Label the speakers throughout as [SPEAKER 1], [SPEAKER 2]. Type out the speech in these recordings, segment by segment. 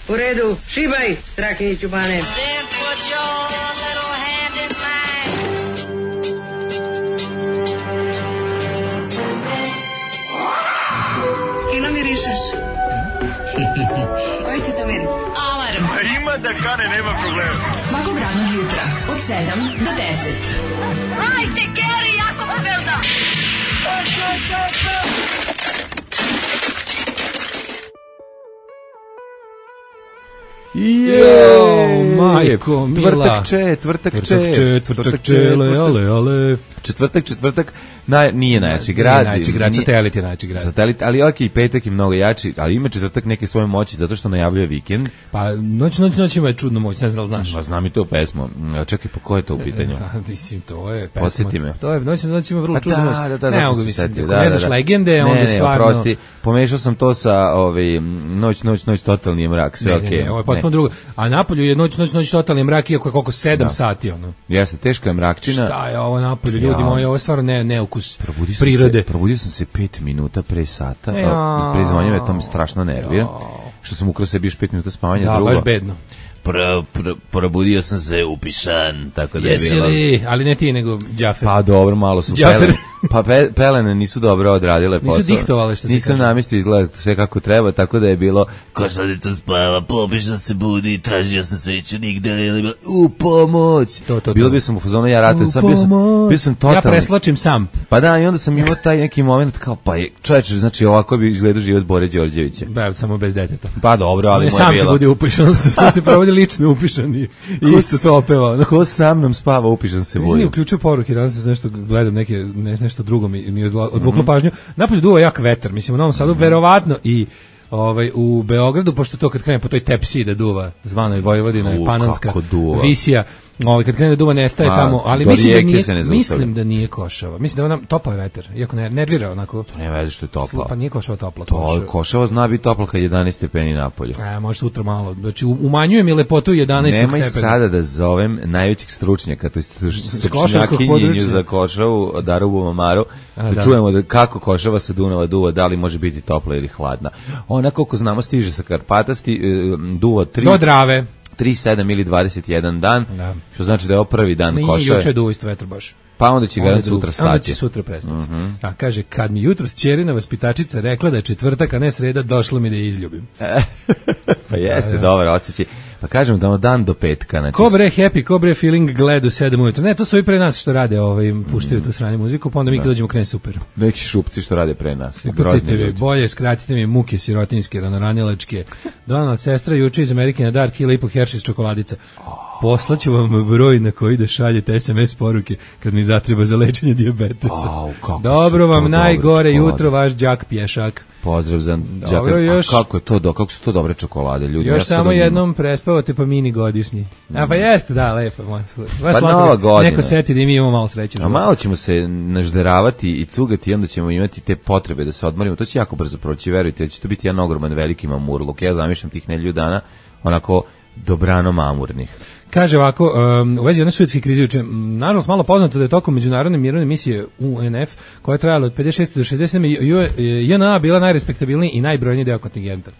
[SPEAKER 1] U redu, šibaj, Strakiniću Bane.
[SPEAKER 2] Fino mirišeš. Koji ti to miris?
[SPEAKER 3] Alarm.
[SPEAKER 4] Ima da kane, nema problema.
[SPEAKER 3] Svakog radnog jutra od 7 do 10.
[SPEAKER 2] Hajde, Geri, jako se velda.
[SPEAKER 5] Majko mila.
[SPEAKER 6] Četvrtak, nije najjači grad.
[SPEAKER 5] Najjači grad, Satelit je najjači grad.
[SPEAKER 6] Satelit, ali okej, petak je mnogo jači, ali ima četvrtak neke svoje moći, zato što najavljuje vikend.
[SPEAKER 5] Pa noć ima čudnu moć, ne znam da li znaš.
[SPEAKER 6] Ma znam i to pesmu. Čekaj, pa ko je to u pitanju?
[SPEAKER 5] Mislim, to je pesma.
[SPEAKER 6] Posjeti me.
[SPEAKER 5] To je, noć ima vrlo čudnu moć.
[SPEAKER 6] Da,
[SPEAKER 5] ne mogu mislim, ne znaš legende, onda stvarno...
[SPEAKER 6] Ne, prosti, pomešao sam to sa noć, totalni je mrak, sve okej.
[SPEAKER 5] Ne, ovo je potpuno drugo. A napolju je noć, totalni mrak, iako je koliko 7 sati, ono.
[SPEAKER 6] Jeste, teška je mrakčina.
[SPEAKER 5] Šta je ovo napolju, ljudi moji, ovo je stvarno neukus prirode.
[SPEAKER 6] Probudio sam se 5 minuta pre sata, pre zvanja me to me strašno nervira, što sam ukrao sebi još 5 minuta spavanja.
[SPEAKER 5] Da, baš bedno.
[SPEAKER 6] Probudio sam se upišan, tako da je
[SPEAKER 5] bilo. Jesi li, ali ne ti, nego Džafer.
[SPEAKER 6] Pa dobro, malo su pelene nisu dobro odradile posao.
[SPEAKER 5] Nisu diktovale, što se kaže.
[SPEAKER 6] Nisam namistio izgleda sve kako treba, tako da je bilo, ko sad je to spava, popišan se budi, tražio sam sveću nigde, u pomoć. Bilo bi sam u fazonu, ja ratujem, sad bio sam totalni.
[SPEAKER 5] Ja preslačim sam.
[SPEAKER 6] Pa da, i onda sam imao taj neki moment kao, pa je, čovječe, znači ovako bi izgledao život Bore Đorđevića.
[SPEAKER 5] Samo bez deteta.
[SPEAKER 6] Pa dobro, ali moje bilo.
[SPEAKER 5] Sam se budi upišan, smo se provodi lično upišan i isto to opevao.
[SPEAKER 6] Ko sa mnom spava, upišan se budi.
[SPEAKER 5] Nisam uključio poruke, danas nešto gledam, nešto drugo mi odvuklo pažnju. Napolju duva jak vetar, mislim u Novom Sadu verovatno i u Beogradu, pošto to kad krene po toj tepsiji da duva, zvanoj Vojvodina i Panonska visija, kad krene da duva nestaje tamo, ali mislim da nije Košava. Mislim da topao je vetar, iako ne nervira onako.
[SPEAKER 6] To nema veze što je toplo.
[SPEAKER 5] Pa nije Košava topla.
[SPEAKER 6] Košava zna biti topla kad je 11 stepeni napolju.
[SPEAKER 5] Može sutra malo. Znači umanjuje mi lepotu 11 stepeni.
[SPEAKER 6] Nemoj sada da zovem najvećeg stručnjaka, to je stručnjakinjenju za Košavu, Darubu Mamaru, da čujemo kako Košava sa Dunava duva, da li može biti topla ili hladna. Ona, koliko znamo, stiže sa Karpata, duva 3...
[SPEAKER 5] Do Drave.
[SPEAKER 6] 3, 7 ili 21 dan, što znači da je ovo prvi dan Košave.
[SPEAKER 5] Nije juče duva isto vetar baš.
[SPEAKER 6] Pa onda će garant sutra stati.
[SPEAKER 5] Onda će sutra prestati. Kaže, kad mi jutros ćerina vaspitačica rekla da je četvrtak, a ne sreda, došlo mi da je izljubim.
[SPEAKER 6] Pa jeste, dobar osjećaj. Pa kažemo da dan do petka. Znači...
[SPEAKER 5] Ko bre happy, ko bre feeling gled u 7 ujutro. Ne, to su i pre nas što rade, puštaju tu sranje muziku, pa onda mi kad dođemo krene super.
[SPEAKER 6] Neki šupci što rade pre nas.
[SPEAKER 5] Upacite mi bolje, skratite mi muke sirotinjske, ranjalačke. Donald sestra juče iz Amerike na dar kila i po Hershey's čokoladica. Poslaću vam broj na koji da šaljete SMS poruke kad mi zatreba za lečenje dijabetesa. Dobro vam najgore jutro, vaš đak pješak.
[SPEAKER 6] Pozdrav za đaka. Kako su to dobre čokolade, ljudi.
[SPEAKER 5] Još samo jednom prespavate pa mini godišnji. Pa jeste, da, lepo.
[SPEAKER 6] Pa nova godina.
[SPEAKER 5] Neko seti da i mi imamo malo sreće.
[SPEAKER 6] A malo ćemo se nažderavati i cugati i onda ćemo imati te potrebe da se odmorimo. To će jako brzo proći, verujte, će to biti jedan ogroman veliki mamurluk. Ja zamišljam tih nedelju dana onako dobrano mamurnih.
[SPEAKER 5] Kaže ovako, u vezi one suetske krize juče, nažalost malo poznato da je tokom međunarodne mirovne misije UNF, koja je trajala od 56. do 67. JNA bila najrespektabilniji i najbrojniji deo kontingenta.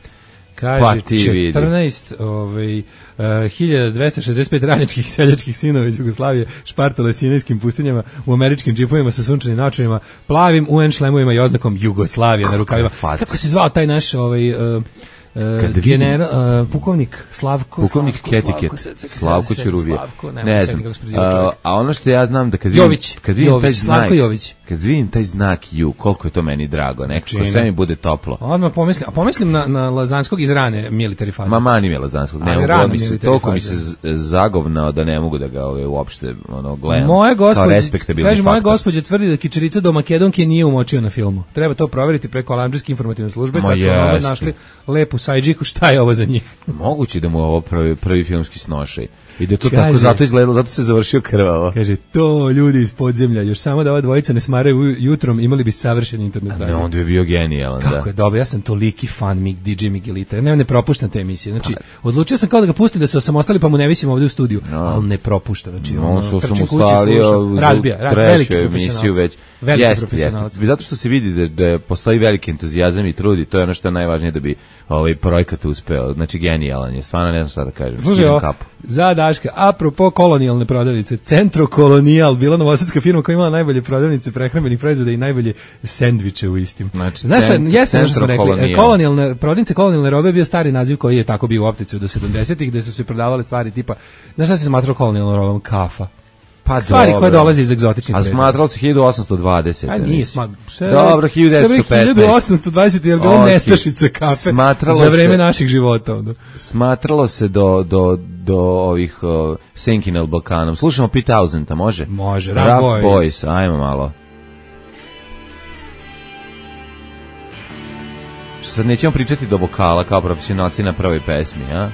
[SPEAKER 5] Kaže, 1265 radničkih seljačkih sinova iz Jugoslavije špartale sinajskim pustinjama u američkim džipovima sa sunčanim naočarima, plavim UN šlemovima i oznakom Jugoslavije na rukavima. Kako se zvao taj naš pukovnik Slavko
[SPEAKER 6] Ketiket, Slavko Ćuruvije, ne znam, a ono što ja znam da kad vidim taj znak Ju, koliko je to meni drago, nekako sve mi bude toplo.
[SPEAKER 5] Odmah pomislim na Lazanskog iz rane military faze.
[SPEAKER 6] Ma mani mi Lazanskog, toliko mi se zagovnao da ne mogu da ga uopšte gledam kao respektabilni faktor.
[SPEAKER 5] Moja gospođa tvrdi da kičerica do Makedonke nije umočio na filmu. Treba to proveriti preko Alandžijske informativne službe, kad su našli lepu sajđiku, šta je ovo za njih?
[SPEAKER 6] Moguće da mu ovo prvi filmski snošaj. I da to tako zato izgledalo, zato se završio krvavo.
[SPEAKER 5] Kaže, to ljudi iz podzemlja, još samo da ova dvojica ne smaraju jutrom, imali bi savršen internet.
[SPEAKER 6] Ne, onda bi bio genijalan.
[SPEAKER 5] Kako je dobro, ja sam toliki fan DJ Miguelita, ne propuštam te emisije. Znači, odlučio sam kao da ga pustim da se osamostali, pa mu ne visim ovdje u studiju, ali ne propuštam. Znači,
[SPEAKER 6] on su osamostalio treću emisiju već.
[SPEAKER 5] Veliki profesionalac.
[SPEAKER 6] Zato što se vidi da postoji veliki entuzijazam i trudi, to je ono što je najvažnije da bi projekat uspeo. Znači genijalan je, stvarno ne znam šta da kažem.
[SPEAKER 5] Slušaj, za Daška, apropo kolonijalne prodavnice, Centro Kolonijal, bila novosadska firma koja imala najbolje prodavnice prehrambenih proizvoda i najbolje sendviče u istim.
[SPEAKER 6] Znači,
[SPEAKER 5] znaš šta, jesmo što smo rekli, kolonijalne prodavnice, kolonijalne robe je bio stari naziv koji je tako bio u opticiju do 70-ih, gde su se prodavale stvari tipa, znaš šta se smatrao kolonijalnom robom? Kafa.
[SPEAKER 6] Pa
[SPEAKER 5] stvari koje dolaze iz egzotičnih
[SPEAKER 6] predmeta. A smatralo se 1820.
[SPEAKER 5] A nije
[SPEAKER 6] dobro, 1915.
[SPEAKER 5] 1820 je bilo nestašice kafe za vreme naših života.
[SPEAKER 6] Smatralo se do ovih Senkinel Balkanom. Slušamo Pete Townsenda, može?
[SPEAKER 5] Može,
[SPEAKER 6] Rough Boys, ajmo malo. Sad nećemo pričati do vokala kao profesionalci na prvoj pesmi, a?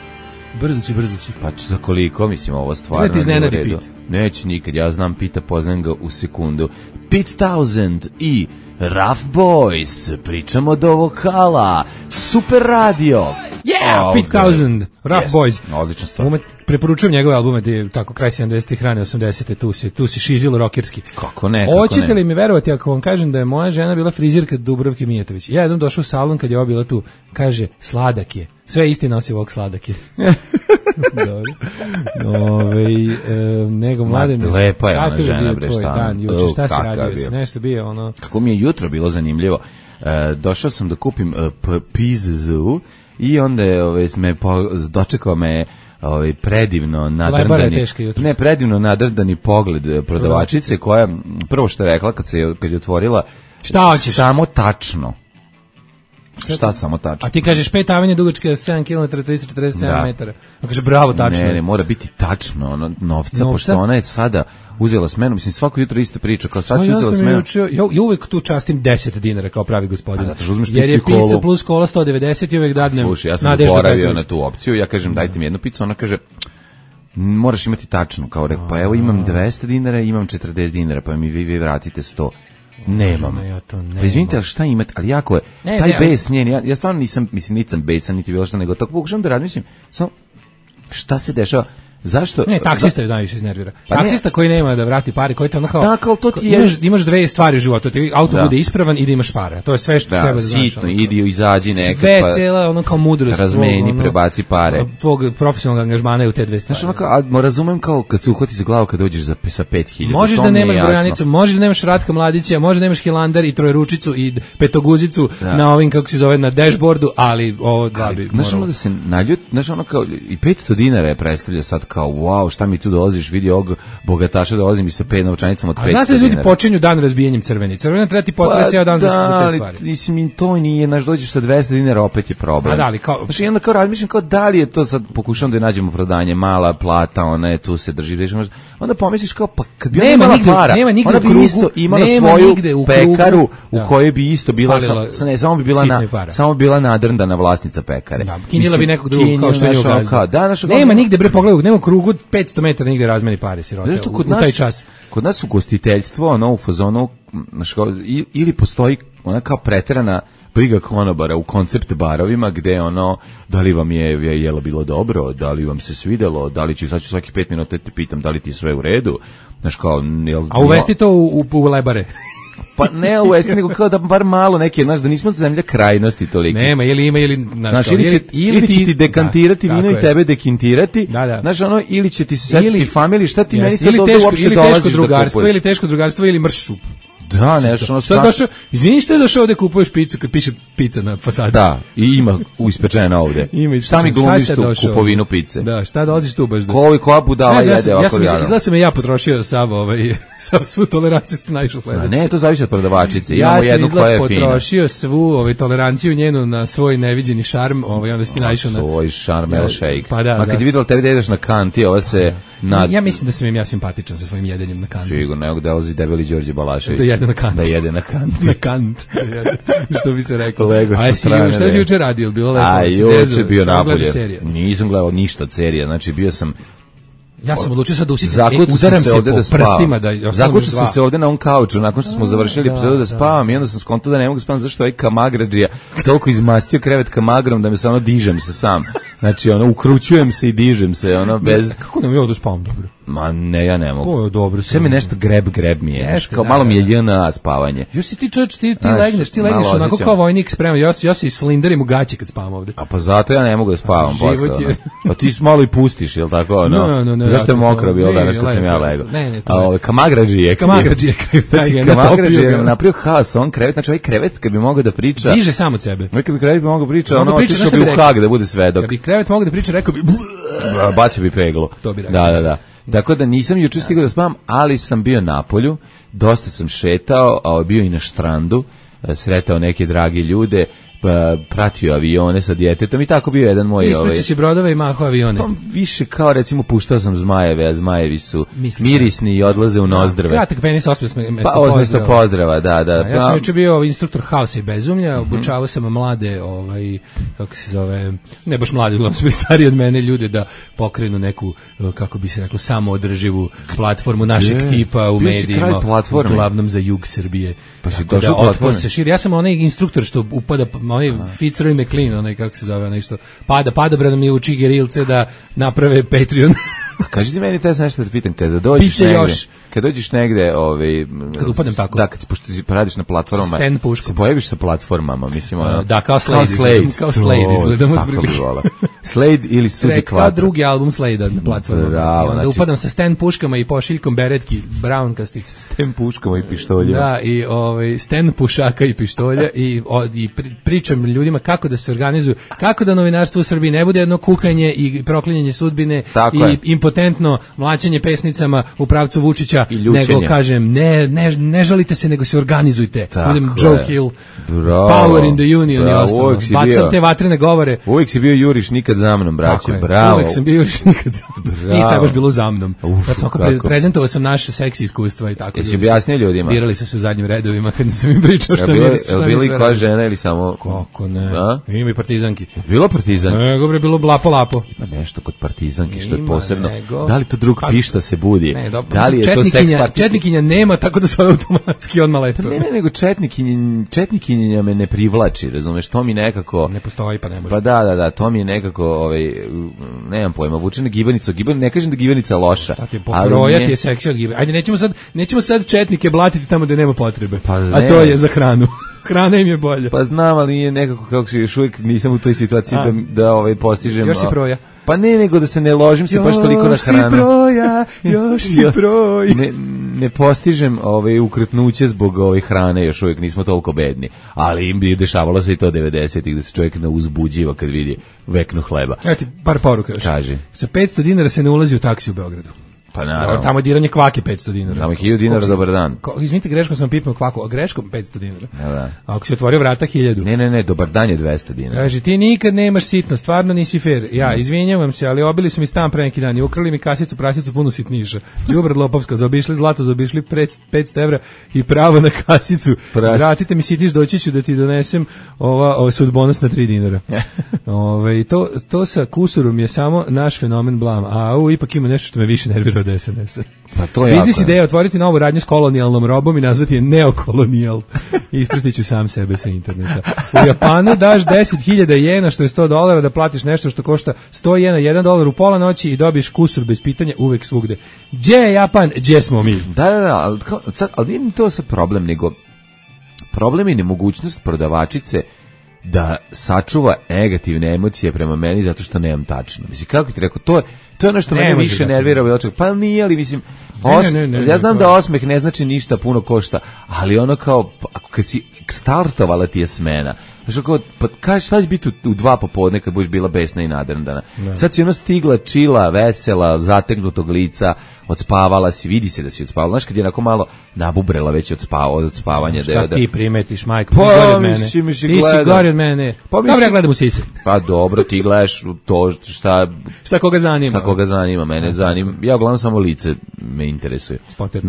[SPEAKER 5] Brzo će.
[SPEAKER 6] Pa za koliko, mislim, ovo stvarno
[SPEAKER 5] ne ti iznenadi Pete.
[SPEAKER 6] Neće nikad, ja znam Pita, poznam ga u sekundu. Pete Townsend i Rough Boys, pričamo do vokala, Super radio.
[SPEAKER 5] Yeah, Pete Townsend, Rough Boys.
[SPEAKER 6] Odlična stvar.
[SPEAKER 5] Preporučujem njegove albume, tako kraj 70-ih, rane 80-te, tu si šizilo rokerski.
[SPEAKER 6] Kako ne,
[SPEAKER 5] Hoćete li mi verovati ako vam kažem da je moja žena bila frizirka Dubravke Mijatović? Ja jednom došao u salon kad je ova bila tu, kaže, sladak je. Sve istina osim ovog sladak je. Dobro. Nego mladen.
[SPEAKER 6] Lepa je ona žena, bre, šta?
[SPEAKER 5] Šta si radio? Nešto bio ono.
[SPEAKER 6] Kako mi je jutro bilo zanimljivo. Došao sam da kupim pizzu i onda je dočekao me predivno nadrdani pogled prodavačice koja prvo što je rekla kad je otvorila
[SPEAKER 5] šta hoćeš?
[SPEAKER 6] Samo tačno. Šta samo tačno?
[SPEAKER 5] A ti kažeš 5 avenija dugačka 7 km 347 metara. A kaže bravo, tačno.
[SPEAKER 6] Ne, mora biti tačno ono novca, pošto ona je sada uzela smenu, mislim svako jutro ista priča, kao sad će uzela smenu.
[SPEAKER 5] Ja uvek tu častim 10 dinara kao pravi gospodin.
[SPEAKER 6] Jer
[SPEAKER 5] je pizza plus kola 190 i uvek dadnem.
[SPEAKER 6] Slušaj, ja sam zaboravio na tu opciju, ja kažem dajte mi jednu picu, ona kaže moraš imati tačno, kao rekao, pa evo imam 200 dinara, imam 40 dinara, pa mi vi vratite 100. Nemam. Pa izvinite, ali šta imate, ali jako je, taj bes njen, ja stvarno nisam besan, niti bilo šta, nego tako pokušam da razmišljam, samo šta se dešava, zašto?
[SPEAKER 5] Ne, taksista je najviše iznervira. Taksista koji nema da vrati pare, koji te ono kao, imaš dve stvari u životu, ti auto bude ispravan i da imaš pare, to je sve što treba da znaš.
[SPEAKER 6] Sitno, idi, izađi nekad,
[SPEAKER 5] sve cela, ono kao mudrost.
[SPEAKER 6] Razmeni, prebaci pare.
[SPEAKER 5] Tvog profesionalnog angažmana je u te dve stvari.
[SPEAKER 6] Znaš, ono razumem kao kad se uhvati za glavu kad dođeš sa 5000.
[SPEAKER 5] Možeš da nemaš brojanicu, možeš da nemaš Ratka Mladića, možeš da nemaš Hilandar i Trojručicu i Petoguzicu na ovim, kako se zove, na dashboardu, ali ovo da bi moralo.
[SPEAKER 6] Znaš, ono da se naljut, znaš, ono kao, i 500 dinara je predstavlja sad kao, wow, šta mi tu dolaziš, vidi ovog bogataša, dolazim i sa 5 novčanicama od 500 dinara. A znaš da ljudi počinju dan razbijanjem crveni. Crvena treba ti potrebe cijel dan za te stvari. Mislim, to nije, znaš, dođeš sa 200 dinara, opet je problem.
[SPEAKER 5] A da li, kao...
[SPEAKER 6] Znaš, i onda kao razmišljam, kao da li je to sad, pokušam da je nađemo prodanje, mala plata, ona je tu se drži, onda pomisliš kao, pa kad bi ona imala para, ona bi isto imala svoju pekaru u kojoj bi isto bila, samo bila nadrndana vlasnica pekare.
[SPEAKER 5] Kinjila bi nekog drugog kao što je gazda. Nema nigde, bre, pogledaj, nema krugu 500 metara nigde razmeni pare sirote u taj čas.
[SPEAKER 6] Kod nas u gostiteljstvo, ono u fazonu, ili postoji ona kao preterana briga konobara u koncept barovima gde ono, da li vam je jelo bilo dobro, da li vam se svidelo, da li ću svaki 5 minuta te pitam da li ti sve u redu, znaš kao...
[SPEAKER 5] A uvesti to u lebare?
[SPEAKER 6] Pa ne uvesti, nego kao da bar malo neke, znaš, da nismo zemlja krajnosti toliko.
[SPEAKER 5] Nema, ili
[SPEAKER 6] znaš, ili će ti dekantirati vino i tebe dekintirati, znaš, ono, ili će ti se setiti familiji, šta ti meni sad ovdje uopšte dolaziš da kupuješ.
[SPEAKER 5] Ili teško drugarstvo, ili mršu.
[SPEAKER 6] Da, nešto ono
[SPEAKER 5] izvini što je došao ovde kupuješ picu kad piše pizza na fasadi.
[SPEAKER 6] Da, i ima ispečena ovde. Šta mi glumiš tu kupovinu pice?
[SPEAKER 5] Da, šta dolaziš tu baš da...
[SPEAKER 6] Koja budala jede ovako jadno?
[SPEAKER 5] Izgleda sam ja potrošio sav svu toleranciju što naišao sledeće.
[SPEAKER 6] Ne, to zavisi od prodavačice. Imamo jednu koja je fina.
[SPEAKER 5] Ja sam potrošio svu toleranciju njenu na svoj neviđeni šarm, onda si ti naišao na...
[SPEAKER 6] Svoj šarm, el shake.
[SPEAKER 5] Pa da.
[SPEAKER 6] A kad je vidjela tebi da jedeš na kanti, ova se...
[SPEAKER 5] Ja mislim da sam im ja simpatičan sa svojim jedenjem na kanti.
[SPEAKER 6] Sigurno, evo gde dolazi debeli Đorđe Balašević.
[SPEAKER 5] Da jede na kant.
[SPEAKER 6] Da jede na kant.
[SPEAKER 5] Na kant. Što bi se rekao.
[SPEAKER 6] Lego sa strane.
[SPEAKER 5] Šta si juče radio? Bilo lepo.
[SPEAKER 6] A juče bio napolje. Nisam gledao ništa od serija. Znači bio sam...
[SPEAKER 5] Ja sam odlučio sad da udaram se po prstima.
[SPEAKER 6] Zakuću sam se ovde na ovom kauču, nakon što smo završili epizodu da spavam i onda sam skontao da ne mogu spavati, zašto ovaj kamagrađija toliko izmastio krevet kamagrom da me samo dižem se sam. Znači, ukrućujem se i dižem se, bez...
[SPEAKER 5] Kako nam je ovdje spavam dobro?
[SPEAKER 6] Ma ne, ja ne mogu.
[SPEAKER 5] To je dobro.
[SPEAKER 6] Sve mi nešto greb mi je. Kao malo mi je JNA spavanje.
[SPEAKER 5] Još si ti čovječ, ti legneš onako kao vojnik spreman. Ja se slinderim u gaći kad spavam ovde.
[SPEAKER 6] A pa zato ja ne mogu da spavam posle. Pa ti malo i pustiš, jel tako?
[SPEAKER 5] No.
[SPEAKER 6] Zašto je mokro bilo danas kad sam ja legao?
[SPEAKER 5] Ne.
[SPEAKER 6] Kamagrađije je napravio haos, on krevet, znači ovaj krevet kad bi mogao da priča.
[SPEAKER 5] Diže sam od sebe.
[SPEAKER 6] Kad bi krevet mogao priča, ono otišao bi u Hag da bude svedok.
[SPEAKER 5] Kad bi krevet mogao da priča, rekao bi
[SPEAKER 6] bacio bi peglo.
[SPEAKER 5] To bi rekao.
[SPEAKER 6] Da. Tako da nisam juče stigao da spavam, ali sam bio na polju, dosta sam šetao, a bio i na štrandu, sretao neke dragi ljude, pratio avione sa djetetom i tako bio jedan moj...
[SPEAKER 5] Ispraći si brodove i maho avione.
[SPEAKER 6] Pa više kao recimo puštao sam zmajeve, a zmajevi su mirisni i odlaze u nozdrve.
[SPEAKER 5] Kratak penis
[SPEAKER 6] osmesto pozdrava, da.
[SPEAKER 5] Ja sam juče bio instruktor haosa i bezumlja, obučavao sam mlade, kako se zove, ne baš mlade, uglavnom su stariji od mene ljude da pokrenu neku, kako bi se reklo, samoodrživu platformu našeg tipa u medijima, uglavnom za jug Srbije.
[SPEAKER 6] Pa si došao platforme?
[SPEAKER 5] Ja sam onaj instruktor što upada, onaj Fitzroy McLean, onaj kako se zove, nešto padobradom mi uči gerilce da naprave Patreon.
[SPEAKER 6] Kaži ti meni, te sam nešto da pitam, kada dođeš negde,
[SPEAKER 5] kad upadnem tako.
[SPEAKER 6] Da, pošto si radiš na platformama, se pojaviš sa platformama, mislim,
[SPEAKER 5] da, kao Slade izgledamo
[SPEAKER 6] tako bi volao. Slade ili Suzy Quattro.
[SPEAKER 5] Kao drugi album Slade na platformama.
[SPEAKER 6] Bravo,
[SPEAKER 5] da upadam sa Stan puškama i pošiljkom beretki, brownkastih.
[SPEAKER 6] Stan puškama i pištoljima.
[SPEAKER 5] Da, i Stan pušaka i pištolja i pričam ljudima kako da se organizuju, kako da novinarstvo u Srbiji ne bude jedno kukanje i proklinjanje sudbine i impotentno mlaćenje pesnicama u pravcu Vučića, nego kažem ne žalite se, nego se organizujete. Budem Joe Hill, Power in the Union i ostalo. Bacam te vatrene govore.
[SPEAKER 6] Uvijek si bio juriš nikad za mnom, braće. Bravo.
[SPEAKER 5] Uvijek sam bio juriš nikad za mnom. Nije sad baš bilo za mnom. Prezentovao sam naše seksi iskustva i tako.
[SPEAKER 6] Jesi objasnio ljudima?
[SPEAKER 5] Birali su se u zadnjim redovima kad sam im pričao što mi je.
[SPEAKER 6] Bili koja žena ili samo...
[SPEAKER 5] Kako ne? Ima i partizanki.
[SPEAKER 6] Bilo partizanki?
[SPEAKER 5] Nego je bilo lapo.
[SPEAKER 6] Ima nešto kod partizanki što je posebno. Da li to drug pišta se budi? Da li je to seks partizanki?
[SPEAKER 5] Četnikinja nema, tako da su automatski odmah leto.
[SPEAKER 6] Ne, nego četnikinja me ne privlači, razumeš, to mi nekako...
[SPEAKER 5] Ne postoji, pa ne može.
[SPEAKER 6] Pa da, to mi je nekako, nemam pojma, vuče na gibanicu, ne kažem da gibanica loša.
[SPEAKER 5] Brojati je seksi od gibanice. Ajde, nećemo sad četnike blatiti tamo da nema potrebe, a to je za hranu. Hrana im je bolja.
[SPEAKER 6] Pa znam, ali nije nekako, kako se još uvijek nisam u toj situaciji da postižem...
[SPEAKER 5] Još si proja.
[SPEAKER 6] Pa ne, nego da se ne ložim se baš toliko na hranu.
[SPEAKER 5] Još si proj.
[SPEAKER 6] Ne postižem ukretnuće zbog hrane, još uvijek nismo toliko bedni. Ali im bi dešavalo se i to 90-ih, da se čovjek ne uzbuđiva kad vidi veknu hleba.
[SPEAKER 5] Evo ti par poruka još.
[SPEAKER 6] Kaži.
[SPEAKER 5] Sa 500 dinara se ne ulazi u taksi u Beogradu.
[SPEAKER 6] Pa naravno.
[SPEAKER 5] Tamo je diranje kvake 500 dinara.
[SPEAKER 6] Tamo je 1000 dinara, dobar dan.
[SPEAKER 5] Izvinite, greškom sam pipnuo kvaku, a greškom 500 dinara.
[SPEAKER 6] Da.
[SPEAKER 5] A ako si otvorio vrata 1000.
[SPEAKER 6] Ne, dobar dan je 200 dinara.
[SPEAKER 5] Kaže, ti nikad nemaš sitno, stvarno nisi fair. Ja, izvinjavam se, ali obili su mi stan pre neki dan i ukrali mi kasicu, prasicu punu sitniša. Đubrad lopovska, zaobišli zlato, zaobišli 500 evra i pravo na kasicu. Vratite mi sitiš, doći ću da ti donesem ova sudbonost na 3 dinara. To sa kusurom je samo naš fenomen blam. A ipak ima nešto što me više nervira od SNS-a.
[SPEAKER 6] Pa to je
[SPEAKER 5] biznis ideja otvoriti novu radnju s kolonijalnom robom i nazvati je neokolonijal. Ispratit ću sam sebe sa interneta. U Japanu daš 10.000 jena, što je $100, da platiš nešto što košta 100 jena, $1 u pola noći i dobiš kusur bez pitanja uvek svugde. Gdje je Japan, gdje smo mi?
[SPEAKER 6] Da, ali nije to sad problem, nego problem je nemogućnost prodavačice da sačuva negativne emocije prema meni zato što nemam tačno. Mislim, kako ti rekao, to je ono što mene više nervira. Pa nije, ali mislim, ja znam da osmeh ne znači ništa, puno košta, ali ono kao, kad si startovala ti je smena, znači kao, pa kaži, šta će biti u 2 popodne kad budeš bila besna i nadrndana? Sad si ono stigla, čila, vesela, zategnutog lica, odspavala si, vidi se da si odspavala. Znaš, kad je onako malo nabubrela već od spavanja.
[SPEAKER 5] Šta ti primetiš, majko? Ti gori od mene. Ti si gori od mene. Dobro, ja gledam u sise.
[SPEAKER 6] Pa dobro, ti gledaš to
[SPEAKER 5] šta koga zanima.
[SPEAKER 6] Šta koga zanima, mene zanima. Ja uglavnom samo lice me interesuje.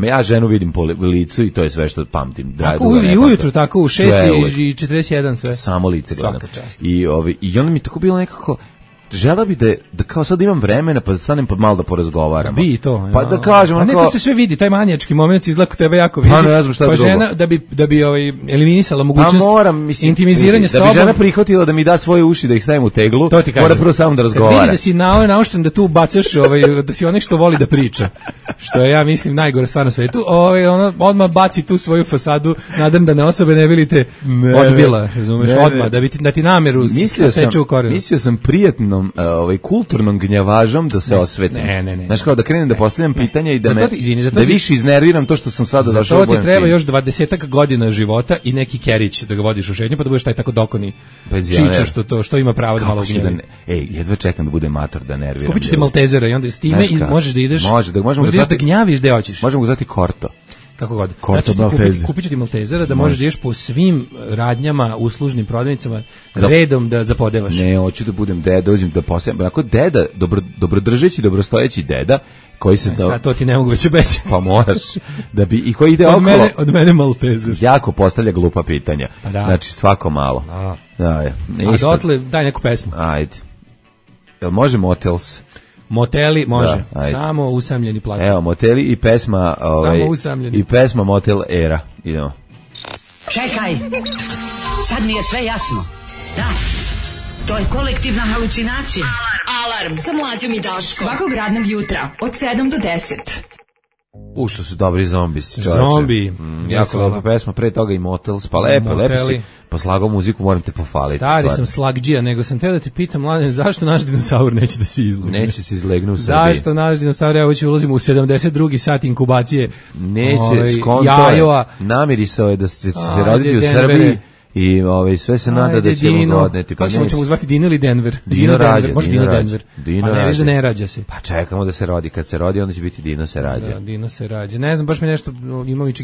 [SPEAKER 6] Ja ženu vidim po licu i to je sve što pamtim.
[SPEAKER 5] Tako i ujutru, tako u 6:41 sve.
[SPEAKER 6] Samo lice gledam. I onda mi tako bilo nekako, žela bi da kao sad imam vremena pa da stanem pa malo da porazgovaramo.
[SPEAKER 5] Bi to.
[SPEAKER 6] Pa da kažemo
[SPEAKER 5] a ne, to se sve vidi, taj manijački moment izgleda kod tebe jako vidi.
[SPEAKER 6] Pa ne znam šta drugo.
[SPEAKER 5] Žena da bi eliminisala mogućnost intimiziranja s tobom.
[SPEAKER 6] Da bi žena prihvatila da mi da svoje uši da ih stavim u teglu, mora prvo samo da razgovara.
[SPEAKER 5] Kad vidi da si naušten da tu bacaš, da si onaj što voli da priča. Što je, ja mislim, najgore stvar na svetu. Ono odmah baci tu svoju fasadu nadrndane osobe, ne vidite odbila, razumeš, odmah da ti nameru seče u korenu.
[SPEAKER 6] Mislio sam prijatnom, kulturnom gnjavažom da se osvetim.
[SPEAKER 5] Ne.
[SPEAKER 6] Znaš, kao da krenem da postavljam pitanja i da više iznerviram to što sam sada došao.
[SPEAKER 5] Zato ti treba još 20 godina života i neki kerić da ga vodiš u šetnju, pa da budeš taj tako dokoni čiča što ima pravo da malo gnjavi.
[SPEAKER 6] Jedva čekam da bude mator da nerviram.
[SPEAKER 5] Kupit ću ti Maltezera i onda s time i možeš da ideš, možeš da gnjaviš gde hoćeš.
[SPEAKER 6] Možemo ga zvati Korto.
[SPEAKER 5] Kako god.
[SPEAKER 6] Korto Maltezer.
[SPEAKER 5] Kupit ću ti Maltezera da možeš da ideš po svim radnjama, uslužnim prodavnicama, redom da zapodevaš.
[SPEAKER 6] Ne, hoću da budem deda, uzim da postavim. Onako deda, dobrodržeći, dobrostojeći deda, koji se to...
[SPEAKER 5] Sad to ti ne mogu već obećati.
[SPEAKER 6] Pa moraš. Da bi, i koji ide okolo...
[SPEAKER 5] Od mene Maltezer.
[SPEAKER 6] Jako postavlja glupa pitanja.
[SPEAKER 5] Pa da.
[SPEAKER 6] Znači, svako malo. Da, je.
[SPEAKER 5] A dotle, daj neku pesmu.
[SPEAKER 6] Ajde. Jel može Motels?
[SPEAKER 5] Moteli može, samo usamljeni plaću.
[SPEAKER 6] Evo, Moteli i pesma
[SPEAKER 5] samo usamljeni.
[SPEAKER 6] I pesma Motel Era. Idemo.
[SPEAKER 7] Čekaj, sad mi je sve jasno. Da, to je kolektivna halucinacija.
[SPEAKER 3] Alarm sa Mlađom i Daškom. Svakog radnog jutra od 7 do 10.
[SPEAKER 6] Što su dobri zombis, čovječe.
[SPEAKER 5] Zombi.
[SPEAKER 6] Jako lepa pesma, pre toga i Motels, pa lepo si poslagao muziku, moram te pohvaliti.
[SPEAKER 5] Stari sam slagđija, nego sam teo da te pitam, Mladen, zašto naš dinosaur neće da se izlegne?
[SPEAKER 6] Neće se izlegne u Srbiji.
[SPEAKER 5] Zašto naš dinosaur, evo će ulazimo u 72. sat inkubacije.
[SPEAKER 6] Neće, skonto, namirisao je da će se roditi u Srbiji. I sve se nada da ćemo ga odneti.
[SPEAKER 5] Pa kako ćemo zvati Dino ili Denver?
[SPEAKER 6] Dino rađa.
[SPEAKER 5] Može Dino Denver. Pa ne viš da ne rađa se.
[SPEAKER 6] Pa čekamo da se rodi. Kad se rodi, onda će biti Dino se rađa.
[SPEAKER 5] Da, Dino se rađa. Ne znam, baš mi nešto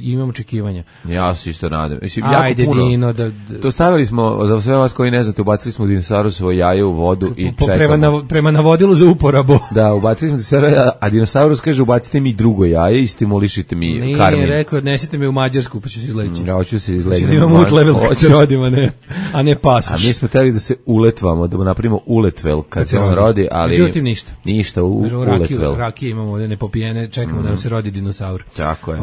[SPEAKER 5] imam očekivanja.
[SPEAKER 6] Ja se isto nadam.
[SPEAKER 5] Ajde, Dino.
[SPEAKER 6] To stavili smo, za sve vas koji ne znate, ubacili smo dinosaurusovo jaje u vodu i čekamo.
[SPEAKER 5] Prema navodilu za uporabu.
[SPEAKER 6] Da, ubacili smo dinosaurusovo, a dinosaurus kaže ubacite mi drugo jaje i stimulišite mi karmin.
[SPEAKER 5] Nije rekao, odnesite me u Mađarsku, pa ću se izleći.
[SPEAKER 6] Ja hoću se izlegnuti.
[SPEAKER 5] Imam utlevel kad se rodimo, a ne pasoš.
[SPEAKER 6] A mi smo teli da se uletvamo, da napravimo uletvel kad se on rodi, ali...
[SPEAKER 5] Međutim, ništa.
[SPEAKER 6] Ništa, uletvel.
[SPEAKER 5] Rakije imamo ovdje nepopijene, čekamo da nam se rodi dinosaur.
[SPEAKER 6] Tako je.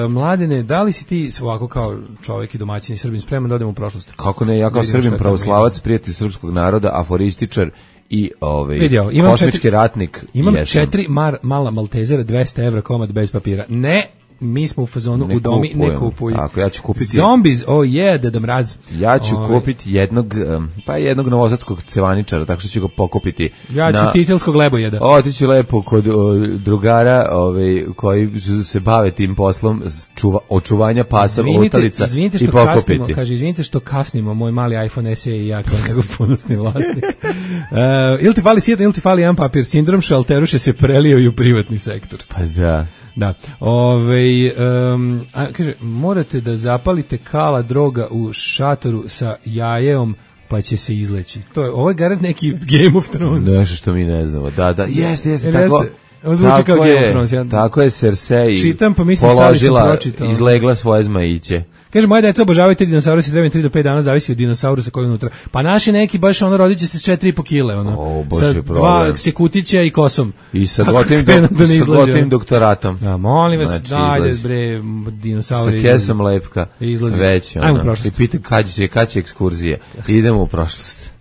[SPEAKER 5] Mladene, da li si ti ovako kao čovjek i domaćin i Srbin spreman da odemo u prošlost?
[SPEAKER 6] Kako ne, ja kao Srbin pravoslavac, prijatelj srpskog naroda, aforističar i kosmički ratnik.
[SPEAKER 5] Imam 4 mala Maltezera, 200 evra komad bez papira. Ne, mi smo u fazonu u domi, ne kupuju.
[SPEAKER 6] Tako, ja ću kupiti...
[SPEAKER 5] Zombies, Deda Mraz.
[SPEAKER 6] Ja ću kupiti jednog novosadskog cevaničara, tako što ću ga pokupiti.
[SPEAKER 5] Ja ću titelskog lebojeda.
[SPEAKER 6] Otiću lepo kod drugara koji se bave tim poslom očuvanja pasa, lutalica i pokupiti.
[SPEAKER 5] Izvinite što kasnimo, moj mali iPhone SE i ja kao njegov ponosni vlasnik. Ili ti fali sjedan, ili ti fali jedan papir, sindrom šalteruše se prelio i u privatni sektor.
[SPEAKER 6] Pa da.
[SPEAKER 5] Da. Kaže, morate da zapalite kala droga u šatoru sa jajeom pa će se izleći. Ovo je garant neki Game of Thrones.
[SPEAKER 6] Nešto što mi ne znamo. Da, jeste, tako.
[SPEAKER 5] Ovo zvuči kao Game of Thrones.
[SPEAKER 6] Tako je Cersei
[SPEAKER 5] čitam, pa mislim položila,
[SPEAKER 6] izlegla svoje zmajiće.
[SPEAKER 5] Kaže, moje deca obožavaju te dinosaurusi, treba 3 do 5 dana, zavisi od dinosaurusa koji je unutra. Pa naši neki baš rodit će se s 4,5 kile, sa 2 sekutića i kosom.
[SPEAKER 6] I sa gotim doktoratom.
[SPEAKER 5] Da, molim vas, dajde bre, dinosauri.
[SPEAKER 6] Sa kesom lepka.
[SPEAKER 5] Izlazi.
[SPEAKER 6] Već,
[SPEAKER 5] ajmo u prošlost.
[SPEAKER 6] I pitam kad će ekskurzija. Idemo u prošlost.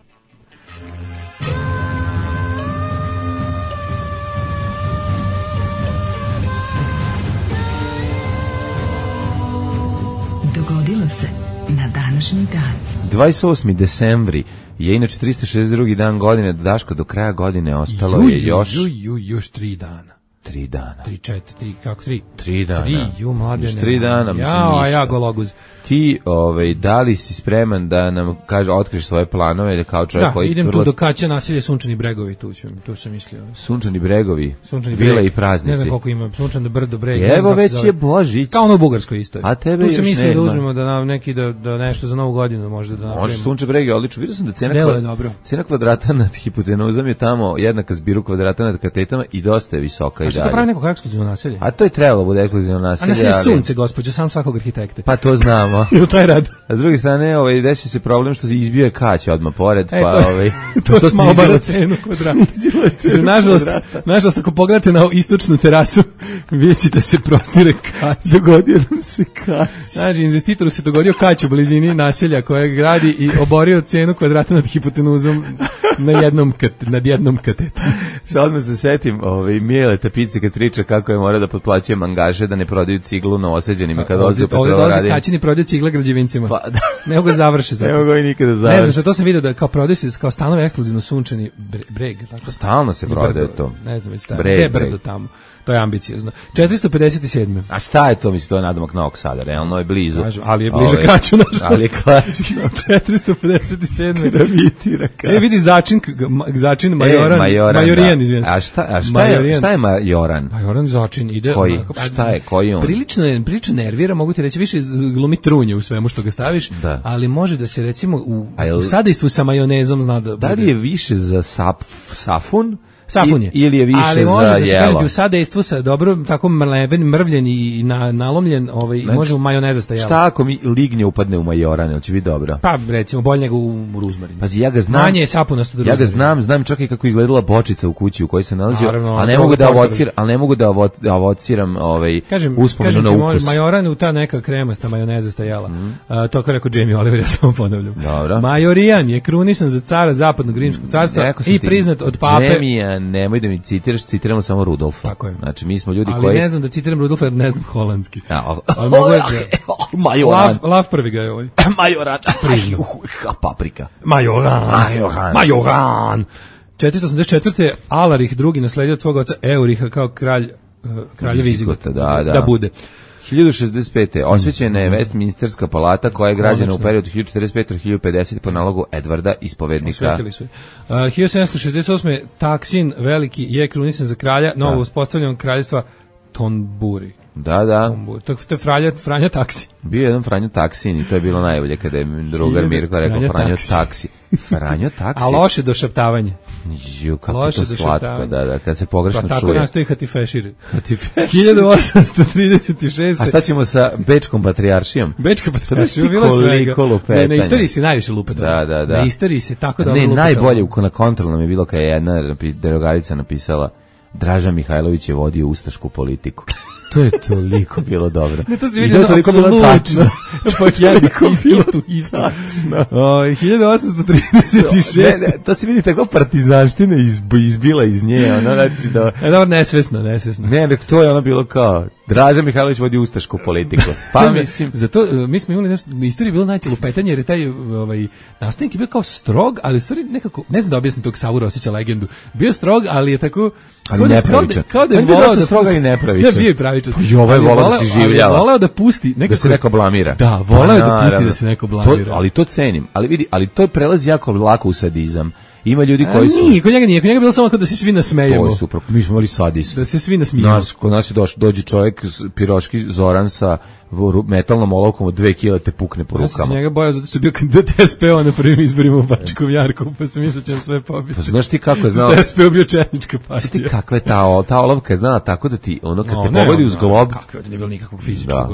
[SPEAKER 3] Dogodilo se na današnji dan.
[SPEAKER 6] 28. decembri je inače 362. dan godine, Daško, do kraja godine ostalo je još
[SPEAKER 5] 3 dana.
[SPEAKER 6] 3 dana.
[SPEAKER 5] 3, 4, kako 3?
[SPEAKER 6] 3 dana.
[SPEAKER 5] 3, mladene.
[SPEAKER 6] 3 dana, mislim ništa.
[SPEAKER 5] Ja gologuz.
[SPEAKER 6] Ti, da li si spreman da nam otkriš svoje planove da kao čovjek koji...
[SPEAKER 5] Da, idem tu do Kaća naselje Sunčani Bregovi, tu sam mislio.
[SPEAKER 6] Sunčani Bregovi, vile i praznici.
[SPEAKER 5] Ne znam koliko ima, Sunčan brdo breg.
[SPEAKER 6] Evo već je Božić.
[SPEAKER 5] Kao ono u Bugarskoj isto.
[SPEAKER 6] A tebe
[SPEAKER 5] tu sam mislio
[SPEAKER 6] nema.
[SPEAKER 5] da uzmemo da nam neki da nešto za novu godinu možda da napravimo.
[SPEAKER 6] Može Sunčan breg je odlično. Vidio sam da cena kvadrata nad hipotenuzom je tamo jednaka zbiru kvadrata nad katetama i dosta je visoka. dalje.
[SPEAKER 5] Što pravi neko ekskluzivno naselje?
[SPEAKER 6] A to je trebalo bude ekskluzivno naselje.
[SPEAKER 5] A naselje sunce, gospođo, san svakog arhitekte.
[SPEAKER 6] Pa to znamo.
[SPEAKER 5] Ili taj rad.
[SPEAKER 6] A s druge strane, desi se problem što se izbio je kać odmah pored, pa
[SPEAKER 5] to smo obara cenu kvadrata. Nažalost, ako pogledate na istočnu terasu, vidjet ćete se prostire kać.
[SPEAKER 6] Dogodio nam se kać.
[SPEAKER 5] Znači, investitoru se dogodio kać u blizini naselja koje gradi i oborio cenu kvadrata nad hipotenuzom nad jednom katetom.
[SPEAKER 6] Sad odmah se setim Mijele Tapice kad priča kako je mora da potplaćuje mangaže da ne prodaju ciglu novoseđenima kad dolaze u Petrovaradin.
[SPEAKER 5] Ovdje dolaze kaćini prodaju cigle građevincima. Pa, da. Ne mogu ga završi.
[SPEAKER 6] Ne mogu ga i nikada završi.
[SPEAKER 5] Ne znam što, to sam vidio da kao prodaju se kao stanove ekskluzivno sunčani breg. Tako?
[SPEAKER 6] Stalno se prodaje to.
[SPEAKER 5] Ne znam već tako. Gde je brdo tamo? To je ambiciozno. 457.
[SPEAKER 6] A šta je to, mislim, to je nadomak Novog Sada, realno je blizu.
[SPEAKER 5] Ali je bliže Kaću, nažalost.
[SPEAKER 6] Ali je Kaću.
[SPEAKER 5] 457.
[SPEAKER 6] Gravitira Kaću.
[SPEAKER 5] Vidi začin Majorijan, izvijem.
[SPEAKER 6] A šta je Majoran?
[SPEAKER 5] Majoran začin ide.
[SPEAKER 6] Koji? Šta je? Koji on?
[SPEAKER 5] Prilično nervira, mogu ti reći, više glumi trunje u svemu što ga staviš, ali može da se recimo u sadejstvu sa majonezom zna da...
[SPEAKER 6] Da li je više za safun?
[SPEAKER 5] Safun je.
[SPEAKER 6] Ili je više za jelo.
[SPEAKER 5] Ali može da se gledati u sadejstvu sa dobro, tako mrljen i nalomljen, znači, može u majonezasta jelo.
[SPEAKER 6] Šta ako mi lignje upadne u majoran, će biti dobro?
[SPEAKER 5] Pa recimo, bolje nego u ruzmarin.
[SPEAKER 6] Pazi, ja ga znam.
[SPEAKER 5] Manje je sapunasto do
[SPEAKER 6] ruzmarina. Ja ga znam čak i kako izgledala bočica u kući u kojoj se nalazio, ali ne mogu da avociram uspomenu na ukus.
[SPEAKER 5] Majoran u ta neka kremasta majonezasta jela. To kao rekao Jamie Oliver, ja samo ponavljam.
[SPEAKER 6] Dobro.
[SPEAKER 5] Majorijan je krunisan za cara zapadnog rimskog carstva i priznat od pape.
[SPEAKER 6] Nemoj da mi citiraš, citiramo samo Rudolfa.
[SPEAKER 5] Tako je.
[SPEAKER 6] Znači, mi smo ljudi
[SPEAKER 5] ali
[SPEAKER 6] koji...
[SPEAKER 5] Ali ne znam da citiram Rudolfa jer ne znam holandski.
[SPEAKER 6] Ali mogu Majoran.
[SPEAKER 5] Lav prvi ga je ovaj.
[SPEAKER 6] Majoran. Paprika.
[SPEAKER 5] Majoran. 484. Alarih drugi nasledio od svog oca Euriha kao kralja Vizigota. Da bude.
[SPEAKER 6] 1065. Osvećena je Westminsterska palata koja je građena u periodu 1455-1050 po nalogu Edvarda Ispovednika.
[SPEAKER 5] Osvetili su je. 1768. Taksin veliki je krunisan za kralja novo uspostavljenog kraljevstva Tonburi.
[SPEAKER 6] Da.
[SPEAKER 5] To je Franja Taksi.
[SPEAKER 6] Bio je jedan Franjo Taksin i to je bilo najbolje kada je drugar Mirko rekao Franjo Taksi. Franjo Taksi.
[SPEAKER 5] A loše došaptavanje.
[SPEAKER 6] Kako je to slatko, da, kad se pogrešno čuje.
[SPEAKER 5] Pa tako nastoji Hatifešir. 1836.
[SPEAKER 6] A šta ćemo sa Bečkom patrijaršijom?
[SPEAKER 5] Bečka patrijaršija, bilo svega. Na istoriji se najviše lupeta.
[SPEAKER 6] Da.
[SPEAKER 5] Na istoriji se tako dobro lupeta.
[SPEAKER 6] Ne, najbolje na kontrolnom je bilo kad je jedna derogarica napisala Draža Mihajlović je vodio ustašku politiku. To je toliko bilo dobro.
[SPEAKER 5] Ne, to se vidi toliko bilo tačno. Pa isto. 1836.
[SPEAKER 6] Ne, to se vidi tako partizanština izbila iz nje. Ono, znači da...
[SPEAKER 5] Nesvesno.
[SPEAKER 6] Ne, to je ono bilo kao Draža Mihajlović vodi ustašku politiku. Pa mislim...
[SPEAKER 5] Zato mi smo imali na istoriji bilo najče lupetanje, jer je taj nastavnik je bio kao strog, ali u stvari nekako, ne znam da objasnim tog Savu Rosića legendu, bio strog, ali je tako...
[SPEAKER 6] Ali nepravičan.
[SPEAKER 5] Kao da je volao da
[SPEAKER 6] stroga i nepravičan.
[SPEAKER 5] Ja bio i pravičan.
[SPEAKER 6] I ovaj volao da se življava.
[SPEAKER 5] Volao da pusti nekako,
[SPEAKER 6] da se neko blamira.
[SPEAKER 5] Da, volao da pusti da se neko blamira.
[SPEAKER 6] Ali to cenim. Ali vidi, ali to prelazi jako lako u sadizam. Ima ljudi koji su...
[SPEAKER 5] Nije, kod njega bilo samo kao da se svi nasmejemo.
[SPEAKER 6] To je super, mi smo imali sadist.
[SPEAKER 5] Da se svi nasmijemo.
[SPEAKER 6] Kod nas je dođe čovjek, piroški Zoran sa metalnom olovkom od 2 kila te pukne po rukama.
[SPEAKER 5] Ja sam se njega bojao zato što je bio kandidat SPO na prvim izborima u Bačkom Jarku, pa sam mislio će sve pobiti.
[SPEAKER 6] Pa znaš ti kako je znao...
[SPEAKER 5] Što SPO bio četnička partija.
[SPEAKER 6] Znaš ti kakva je ta olovka je znala tako da ti, ono kad te pogodi uz glob...
[SPEAKER 5] Kakva je, nije bilo nikakvog fizičkog,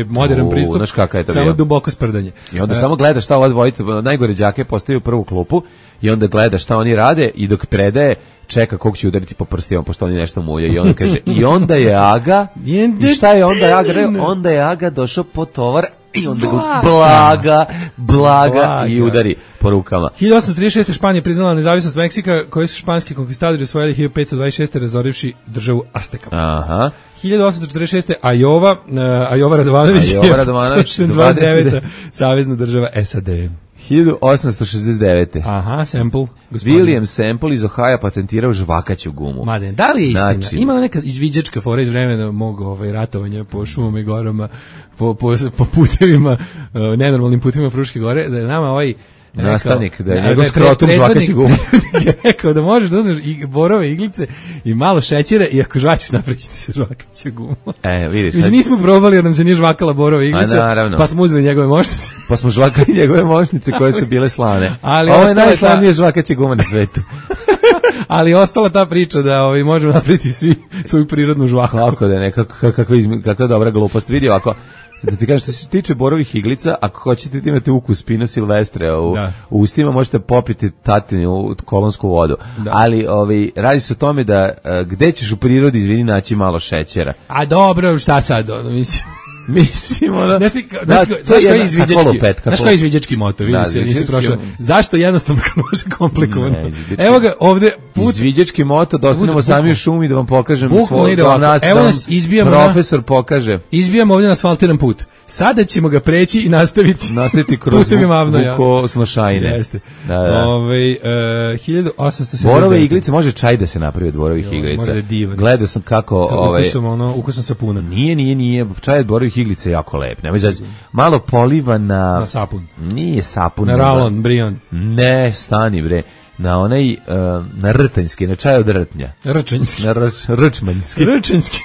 [SPEAKER 5] modern pristup,
[SPEAKER 6] znaš kakav je to
[SPEAKER 5] samo duboko sprdanje.
[SPEAKER 6] I onda samo gledaš šta ova dvojica, najgore đake postaju prvu klupu i onda gledaš šta oni rade i dok predaje čeka kog će udariti po prstima pošto oni nešto mulja i on kaže i onda je Aga i šta je onda Aga onda je Aga došao po tovar i onda ga blaga i udari po rukama.
[SPEAKER 5] 1836. Španija priznala nezavisnost Meksika koji su španski konkistadori osvojili 1526. razorivši državu Aztekama.
[SPEAKER 6] Aha.
[SPEAKER 5] 1846. Ajova Radovanović je 29. savezna država SAD.
[SPEAKER 6] 1869.
[SPEAKER 5] Aha, Semple.
[SPEAKER 6] William Semple iz Ohaja patentirao žvakaću gumu.
[SPEAKER 5] Mladen, da li je istina? Znači, ima neka izviđačka fora iz vremena mog ratovanja po šumama i gorama, po putevima, nenormalnim putevima Fruške gore, da je nama
[SPEAKER 6] nastavnik, da je njegov skrotum žvakaći gumu.
[SPEAKER 5] Rekao da možeš da uzmeš i borove iglice i malo šećera i ako žvaćeš napravićete se žvakaću gumu.
[SPEAKER 6] Vidiš.
[SPEAKER 5] Mislim, nismo probali jer nam se nije žvakala borove iglice, pa smo uzeli njegove mošnice.
[SPEAKER 6] Pa smo žvakali njegove mošnice koje su bile slane. Ovo je najslavnije žvakaće guma na svetu.
[SPEAKER 5] Ali ostala ta priča da možemo napraviti svi svoju prirodnu žvaku.
[SPEAKER 6] Kako da ne, kakva dobra glupost. Vidi ovako, da ti kažem, što se tiče borovih iglica, ako hoćete da imate ukus Pina Silvestre u ustima, možete popiti tatinu kolonsku vodu. Da. Ali radi se o tome da gde ćeš u prirodi, izvini, naći malo šećera.
[SPEAKER 5] A dobro, šta sad, mislim...
[SPEAKER 6] Mislim,
[SPEAKER 5] znaš koji je izviđački moto, vidi se, nisi prošao. Zašto jednostavno kad može komplikovano? Evo ga ovde
[SPEAKER 6] izviđački moto, da ostanemo sami u šumi da vam pokažem svoj
[SPEAKER 5] evo nas izbijamo
[SPEAKER 6] profesor pokaže.
[SPEAKER 5] Izbijamo ovdje na asfaltiran put. Sada ćemo ga preći i nastaviti
[SPEAKER 6] kroz Vukosnošajne.
[SPEAKER 5] Jeste. 1870.
[SPEAKER 6] Borove iglice, može čaj da se napravi od borovih iglica. Gledao sam kako
[SPEAKER 5] ukusom sapuna.
[SPEAKER 6] Nije, čaj od borovih iglica je jako lep. Malo poliva na
[SPEAKER 5] sapun.
[SPEAKER 6] Nije sapun.
[SPEAKER 5] Na ralon, brion.
[SPEAKER 6] Ne, stani bre. Na onaj, na rtanjski, na čaj od rtnja.
[SPEAKER 5] Rčanjski.
[SPEAKER 6] Na rčmanjski.
[SPEAKER 5] Rčanjski.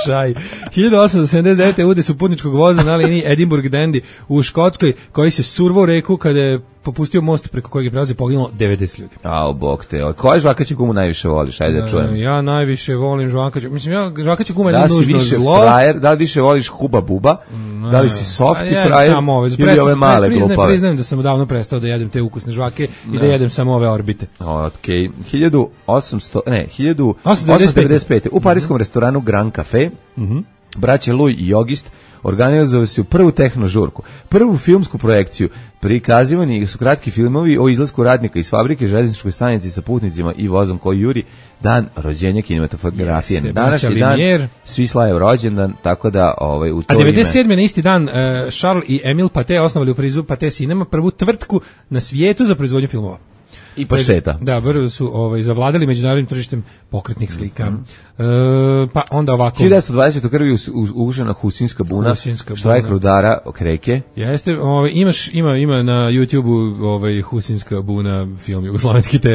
[SPEAKER 5] Čaj. 1879. udes u putničkog voza na liniji Edinburgh Dandy u Škotskoj, koji se survao u reku kada je popustio most preko kojeg je prelazi, poginulo 90 ljudi.
[SPEAKER 6] Ao, bog te. Koje žvakaće gumu najviše voliš? Ajde da čujem.
[SPEAKER 5] Ja najviše volim žvakaće. Mislim, žvakaće guma je nužno zlo.
[SPEAKER 6] Da li više voliš Huba Buba? Da li si softy frajer ili ove male glupave?
[SPEAKER 5] Priznajem da sam davno prestao da jedem te ukusne žvake i da jedem samo ove orbite.
[SPEAKER 6] Okej. 1895. U parijskom restoranu Grand Café braće Louis i Jogist organizovali su prvu tehnožurku, prvu filmsku projekciju. Prikazivani su kratki filmovi o izlasku radnika iz fabrike, železničkoj stanici sa putnicima i vozom koji juri. Dan rođenja kinematografije. Današnji dan svi slave rođendan, tako da u to
[SPEAKER 5] ime. A 97. na isti dan Charles i Emile Pathé osnovali u Parizu Pathé Cinema prvu tvrtku na svijetu za proizvodnju filmova.
[SPEAKER 6] I pašteta.
[SPEAKER 5] Da, brzo su zavladali međunarodnim tržištem pokretnih slika. Pa onda ovako.
[SPEAKER 6] 1920. krvi ugušena Husinska buna, štrajk rudara Kreke.
[SPEAKER 5] Jeste, ima na YouTubeu Husinska buna film Jugoslovenski TV.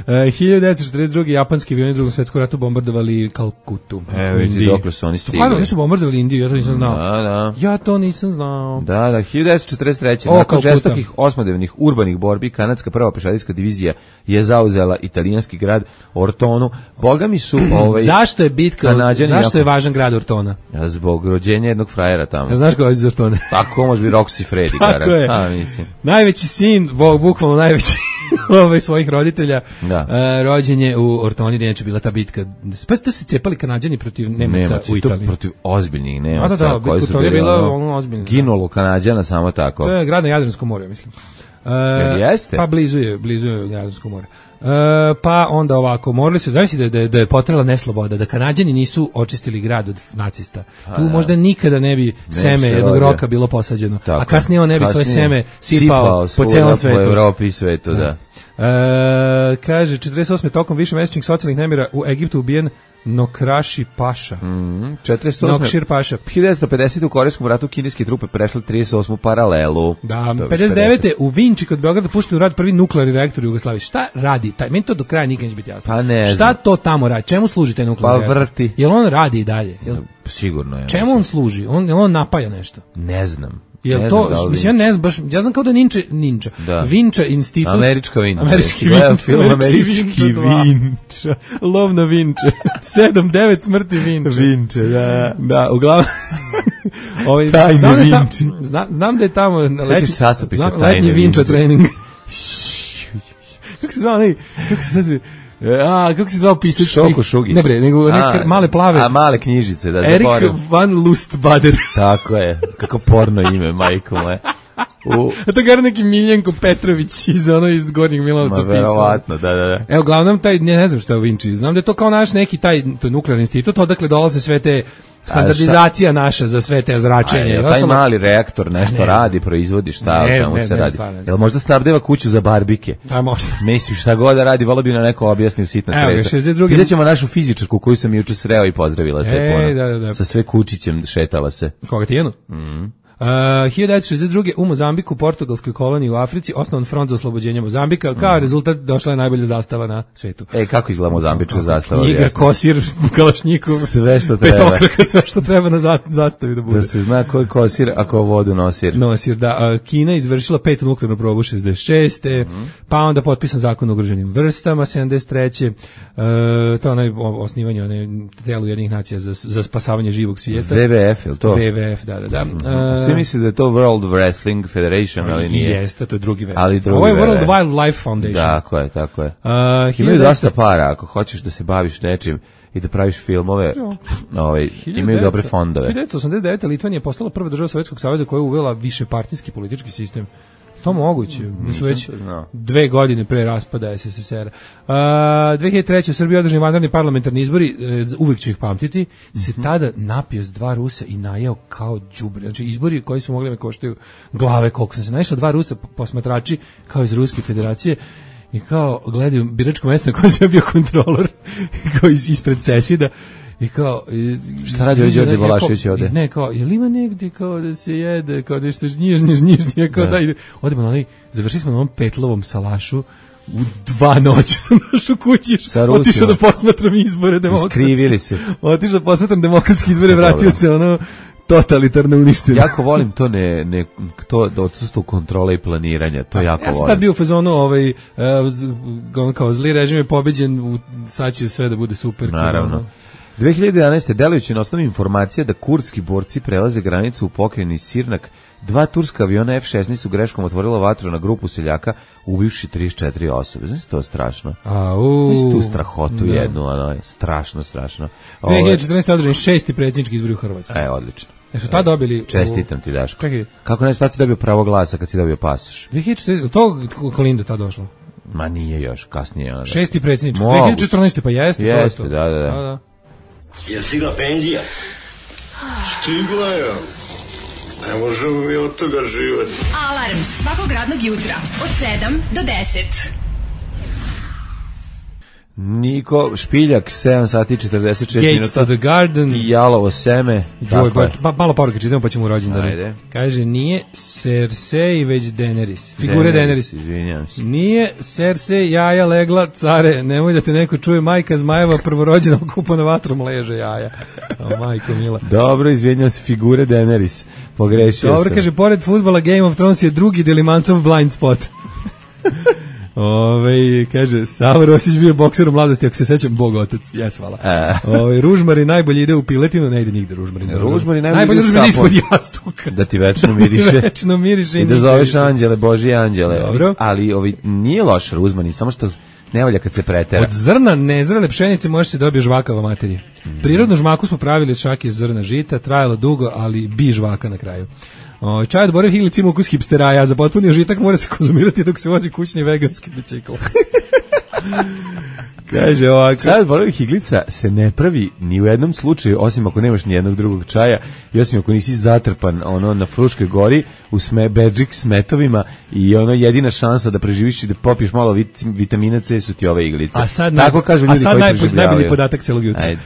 [SPEAKER 5] 1942. japanski avioni u Drugom svjetskom ratu bombardovali Kalkutu.
[SPEAKER 6] Evo vidi dokle su oni stigli.
[SPEAKER 5] Stvarno, nisu bombardovali Indiju, ja to nisam znao.
[SPEAKER 6] Da.
[SPEAKER 5] Ja to nisam znao.
[SPEAKER 6] Da, 1943. Nakon žestokih osmodnevnih urbanih borbi, kanadska prva pešadijska divizija je zauzela italijanski grad Ortonu. Bogami su
[SPEAKER 5] zašto je bitka, zašto je važan grad Ortona?
[SPEAKER 6] Zbog rođenja jednog frajera tamo.
[SPEAKER 5] Znaš ko je iz Ortone?
[SPEAKER 6] Tako može biti Roxy Freddy.
[SPEAKER 5] Tako je.
[SPEAKER 6] Mislim.
[SPEAKER 5] Najveći sin, bukvalno najveći svojih roditelja, rođen je u Ortoni, gdje neće bila ta bitka. Pa ste se cepali Kanađani protiv Nemaca u Italiji.
[SPEAKER 6] Protiv ozbiljnih Nemaca.
[SPEAKER 5] Koji su bili ozbiljni.
[SPEAKER 6] Ginulo Kanađana samo tako.
[SPEAKER 5] To je grad na Jadranskom moru, mislim.
[SPEAKER 6] Jeste?
[SPEAKER 5] Pa blizu je Jadransko more. Pa onda ovako, morali su, da je potrela nesloboda, da Kanađani nisu očistili grad od nacista. Tu možda nikada ne bi seme jednog roka bilo posađeno. Tako, a kasnije on ne bi svoje seme sipao po celom svetu.
[SPEAKER 6] Po Evropi i svetu, da.
[SPEAKER 5] Kaže, 48. tokom višemesečnih socijalnih nemira u Egiptu ubijen Nokraši Paša.
[SPEAKER 6] 48.
[SPEAKER 5] Nokšir Paša.
[SPEAKER 6] 1950. u Korejskom ratu kineske trupe prešle 38. paralelu.
[SPEAKER 5] Da, 59. u Vinči kod Beograda pušten u rad prvi nuklearni reaktor u Jugoslaviji. Šta radi taj? Meni to do kraja nikad neće biti jasno.
[SPEAKER 6] Pa ne znam.
[SPEAKER 5] Šta to tamo radi? Čemu služi taj nuklearni reaktor?
[SPEAKER 6] Pa vrti.
[SPEAKER 5] Jel on radi i dalje?
[SPEAKER 6] Sigurno je.
[SPEAKER 5] Čemu on služi? On napaja nešto?
[SPEAKER 6] Ne znam.
[SPEAKER 5] Jel to, mislim, ja ne znam, baš, ja znam kao da je Ninja. Vinča institut.
[SPEAKER 6] Američka Vinča.
[SPEAKER 5] Američki Vinča. Lov na Vinče. 7-9 smrti Vinče.
[SPEAKER 6] Vinče, da.
[SPEAKER 5] Da, uglavnom.
[SPEAKER 6] Tajne Vinče.
[SPEAKER 5] Znam da je tamo
[SPEAKER 6] letnji
[SPEAKER 5] Vinča trening. Kako se zvao, kako se sad kako se zvao pisac?
[SPEAKER 6] Šoko Šugi.
[SPEAKER 5] Ne bre, nego neke male plave.
[SPEAKER 6] A male knjižice, da
[SPEAKER 5] Erik van Lustbader.
[SPEAKER 6] Tako je, kako porno ime, majko moje.
[SPEAKER 5] A to gara neki Miljenko Petrović iz Gornjeg Milanovca pisao.
[SPEAKER 6] Verovatno, da.
[SPEAKER 5] Evo, uglavnom, ne znam šta je u Vinči. Znam da je to kao naš neki to je nuklearni institut, odakle dolaze sve te standardizacija naša za sve te zračenje.
[SPEAKER 6] Taj mali reaktor nešto radi, proizvodi šta, o čemu se radi. Jel možda snabdeva kuću za barbike?
[SPEAKER 5] A možda.
[SPEAKER 6] Mislim, šta god da radi, volio bi na neko objasni u sitna cveća. Vidjet ćemo našu fizičarku koju sam juče sreo i pozdravila.
[SPEAKER 5] Da.
[SPEAKER 6] Sa sve kučićem šetala se.
[SPEAKER 5] Koga Tijenu? 1962. u Mozambiku, portugalskoj koloniji u Africi, osnovan front za oslobođenje Mozambika. Kao rezultat došla je najbolja zastava na svetu.
[SPEAKER 6] Kako izgleda mozambička zastava?
[SPEAKER 5] Knjiga, kosir, kalašnjikov,
[SPEAKER 6] sve što treba.
[SPEAKER 5] Petokraka, sve što treba na zastavi da bude.
[SPEAKER 6] Da se zna ko je kosir, a ko vodu nosir.
[SPEAKER 5] Nosir, da. Kina izvršila 5. nuklearnu probu 66. Pa onda potpisan zakon o ugroženim vrstama 73. To onaj osnivanje telu jednih nacija za spasavanje živog svijeta.
[SPEAKER 6] WWF, je li to?
[SPEAKER 5] WWF, da.
[SPEAKER 6] Svi misli da je to World Wrestling Federation, ali nije.
[SPEAKER 5] Jeste, to je drugi WWF.
[SPEAKER 6] Ali drugi
[SPEAKER 5] ovo je World Wildlife Foundation.
[SPEAKER 6] Tako je. Imaju dosta para, ako hoćeš da se baviš nečim i da praviš filmove, imaju dobre fondove.
[SPEAKER 5] 1989. Litvanija je postala prva država Sovjetskog saveza koja je uvela višepartijski politički sistem. To moguće, da su već 2 godine pre raspada SSSR. 2003. u Srbiji održani vanredni parlamentarni izbori, uvijek ću ih pamtiti, se tada napio s 2 Rusa i najeo kao đubre. Znači izbori koji su mogli me koštaju glave, koliko sam se naišao, 2 Rusa posmatrači kao iz Ruske federacije i kao gledaju biračko mesto na kojem sam bio kontrolor, kao ispred Cesida. I kao
[SPEAKER 6] šta radi Đorđe Balašević ovde?
[SPEAKER 5] Ne, kao je li ima negdje kao da se jede, kao da što njižnije, kao da odemo na onaj, završili smo na onom petlovom salašu. U 2 noći sam došao kući, otišao da posmatram izbore demokratske.
[SPEAKER 6] Skrivili se.
[SPEAKER 5] Otišao da posmatram demokratske izbore, vratio se ono totalitarno uništeno.
[SPEAKER 6] Jako volim to da odsustvo kontrole i planiranja, to jako volim.
[SPEAKER 5] Ja sam tad bio u fazonu, kao zli režim je pobeđen, sad će sve da bude super.
[SPEAKER 6] Naravno. 2011. delujući na osnovi informacija da kurdski borci prelaze granicu u pokrajini Sirnak, 2 turska aviona F-16 su greškom otvorila vatru na grupu seljaka, ubivši 34 osobe. Znači, to je strašno. Znači, tu strahotu jednu, strašno.
[SPEAKER 5] 2014. održani 6. predsjednički izbori u Hrvatskoj.
[SPEAKER 6] Odlično.
[SPEAKER 5] Su tad dobili...
[SPEAKER 6] Čestitam ti, Daško. Kako ne stati dobio pravo glasa kad si dobio pasoš?
[SPEAKER 5] 2014. To Kolinda tad došlo?
[SPEAKER 6] Ma nije još, kasnije.
[SPEAKER 5] 6. predsjednički. 2014. pa jeste.
[SPEAKER 6] Jeste, da.
[SPEAKER 8] Je stigla penzija? Stigla je. Ne možemo mi od toga živati.
[SPEAKER 3] Alarm svakog radnog jutra od 7 do 10.
[SPEAKER 6] Niko Špiljak, 7 sati 46 minuta.
[SPEAKER 5] Gates to the Garden.
[SPEAKER 6] I jalovo seme.
[SPEAKER 5] Malo poruke čitamo pa ćemo u rođendan.
[SPEAKER 6] Ajde.
[SPEAKER 5] Kaže, nije Cersei već Daenerys. Figure Daenerys.
[SPEAKER 6] Izvinjam se.
[SPEAKER 5] Nije Cersei jaja legla, care, nemoj da te neko čuje, majka zmajeva prvorođena okupana vatrom leže jaja. Majko mila.
[SPEAKER 6] Dobro, izvinjam se, figure Daenerys. Pogrešio sam.
[SPEAKER 5] Dobro, kaže, pored fudbala Game of Thrones je drugi Delimancov blind spot. Kaže, Savo Rosić bio bokser u mladosti, ako se sećam, Bog otac, jes, hvala. Ružmari najbolje ide u piletinu, ne ide nigde Ružmari najbolje ide ispod jastuka.
[SPEAKER 6] Da ti večno miriše. I da zoveš anđele, Božije anđele. Dobro. Ali nije loš Ružmari, samo što ne volja kad se pretera.
[SPEAKER 5] Od zrna nezrele pšenice može se dobije žvakava materija. Prirodnu žmaku smo pravili od šake zrna žita, trajalo dugo, ali bi žvaka na kraju. Čaj od Bore Higlic ima ukus hipsteraja, za potpuni užitak mora se konzumirati dok se vozi kućni veganski bicikl. Kaže ovako.
[SPEAKER 6] Čaj od Bore Higlica se ne pravi ni u jednom slučaju, osim ako nemaš ni jednog drugog čaja i osim ako nisi zatrpan na Fruškoj gori u bedžik s metovima i jedina šansa da preživiš i da popiješ malo vitamina C su ti ove iglice. Tako kažu ljudi koji preživljavaju.
[SPEAKER 5] Najbolji podatak celog jutra.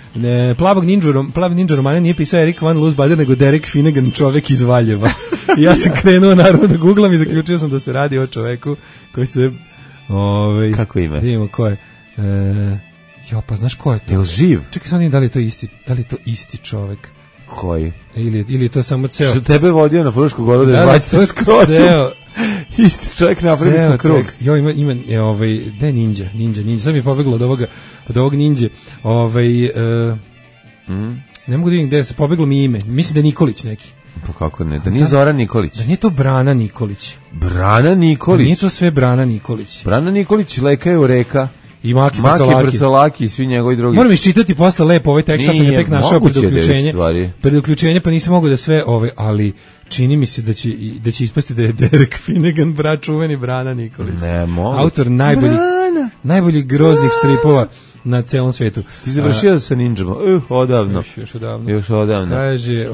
[SPEAKER 5] Plavi ninja romane nije pisao Erik Van Loosbader, nego Derek Finnegan, čovek iz Valjeva. Ja sam krenuo naravno da googlam i zaključio sam da se radi o čoveku koji se...
[SPEAKER 6] Kako ime?
[SPEAKER 5] Vidimo ko je. Pa znaš ko je to?
[SPEAKER 6] Je li živ?
[SPEAKER 5] Čekaj sam da li je to isti čovek.
[SPEAKER 6] Koji?
[SPEAKER 5] Ili je to samo ceo.
[SPEAKER 6] Što tebe vodio na Frušku goru da je bacite skrotu. Isti čovjek napravili smo krug.
[SPEAKER 5] Ima da je ninja. Sad mi je pobeglo od ovog ninja. Ne mogu da vidim gde se pobeglo mi ime. Mislim da je Nikolić neki.
[SPEAKER 6] Pa kako ne? Da nije Zoran Nikolić.
[SPEAKER 5] Da nije to Brana Nikolić.
[SPEAKER 6] Brana Nikolić?
[SPEAKER 5] Da nije to sve Brana Nikolić.
[SPEAKER 6] Brana Nikolić leka je u reka.
[SPEAKER 5] I Maki
[SPEAKER 6] Prcolaki i svi njegovi drugi.
[SPEAKER 5] Moram iščitati posle lepo ovaj tekst, sad sam ga tek našao pred uključenje, pa nisam mogao da sve ali čini mi se da će ispasti da je Derek Finnegan brat čuveni Brana Nikolić.
[SPEAKER 6] Ne mogu.
[SPEAKER 5] Autor najboljih groznih stripova na celom svetu.
[SPEAKER 6] Ti završio sa ninjama? Odavno. Još odavno.
[SPEAKER 5] Kaže,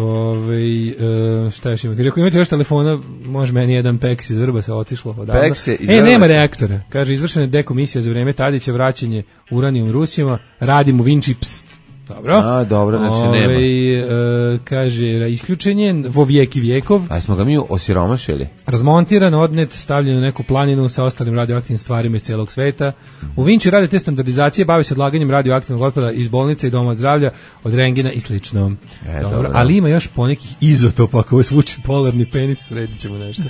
[SPEAKER 5] šta još ima? Kaže, ako imate još telefona, može meni jedan peks iz Vrbasa otišlo odavno. Nema reaktora. Kaže, izvršena je dekomisija za vreme Tadića, vraćanje uranijum Rusima, radim u Vinči, pst. Dobro.
[SPEAKER 6] A, dobro, znači nema.
[SPEAKER 5] Kaže, isključen je vo vijek i vijekov.
[SPEAKER 6] A smo ga mi osiromašili?
[SPEAKER 5] Razmontiran, odnet, stavljen u neku planinu sa ostalim radioaktivnim stvarima iz celog sveta. U Vinči rade te standardizacije, bave se odlaganjem radioaktivnog otpada iz bolnice i doma zdravlja, od rengena i slično. Dobro. Ali ima još ponekih izotopa, ako vas vuče polarni penis, sredit ćemo nešto.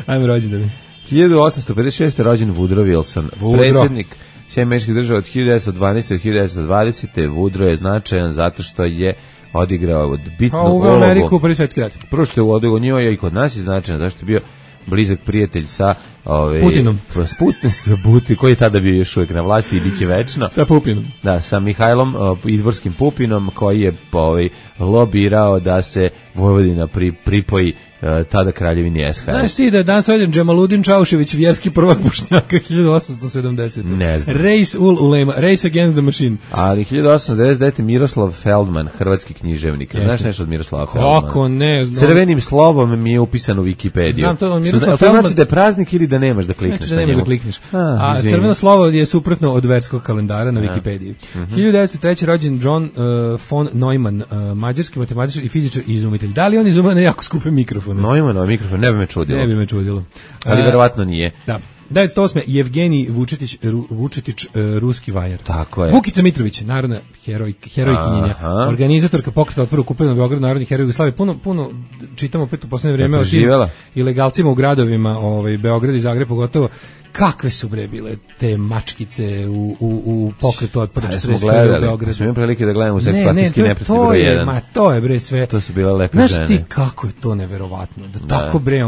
[SPEAKER 5] Ajmo rođendani.
[SPEAKER 6] 1856. rođen Woodrow Wilson, predsjednik Američkih država od 1912. do 1920. Woodrow je značajan zato što je odigrao bitnu ulogu.
[SPEAKER 5] U Ameriku prvi svetski rat.
[SPEAKER 6] Prvo što je odigrao njima je i kod nas je značajan, zašto je bio blizak prijatelj sa
[SPEAKER 5] Putinom.
[SPEAKER 6] Sa Putin, koji je tada bio još uvijek na vlasti i bit će večno.
[SPEAKER 5] Sa Pupinom.
[SPEAKER 6] Da, sa Mihajlom, izvorskim Pupinom, koji je lobirao da se Vojvodina pripoji tada kraljevini SHS.
[SPEAKER 5] Znaš ti da je danas rođen Džemaludin Čaušević, vjerski prvak Bošnjaka, 1870.
[SPEAKER 6] Ne znam.
[SPEAKER 5] Race ul ulema, Race against the machine.
[SPEAKER 6] Ali 1899. Miroslav Feldman, hrvatski književnik. Znaš nešto od Miroslava Feldmana?
[SPEAKER 5] Kako ne znam.
[SPEAKER 6] Crvenim slovom mi je upisan u Wikipediju.
[SPEAKER 5] Znam to, Miroslav Feldman.
[SPEAKER 6] To znači da je praznik ili da nemaš da klikneš
[SPEAKER 5] na njemu?
[SPEAKER 6] Znači da nemaš
[SPEAKER 5] da klikneš. A crveno slovo je suprotno od verskog kalendara na Wikipediji. 1903. rođen John von Neumann, mađarski matematičar i fizičar i izumitelj. Da li on izumio na jako skupe mikrofone?
[SPEAKER 6] Neumann mikrofon, ne bi me čudilo.
[SPEAKER 5] Ne bi me čudilo.
[SPEAKER 6] Ali verovatno nije.
[SPEAKER 5] Da. 1908. Jevgenij Vučetić, ruski vajar.
[SPEAKER 6] Tako je.
[SPEAKER 5] Vukica Mitrović, narodna herojkinjenja, organizatorka pokreta otpora okupanog Beograda, narodni heroj Jugoslavije. Puno čitamo opet u poslednje vreme o tim ilegalcima u gradovima, Beograd i Zagreb pogotovo. Kakve su bre bile te mačkice u pokretu otpora 41. u Beogradu.
[SPEAKER 6] Smo imali prilike da gledamo Seks partijski neprijatelj broj 1.
[SPEAKER 5] Ma to je bre sve.
[SPEAKER 6] To su bile lepe
[SPEAKER 5] žene.
[SPEAKER 6] Znaš
[SPEAKER 5] ti kako je to neverovatno, da tako bre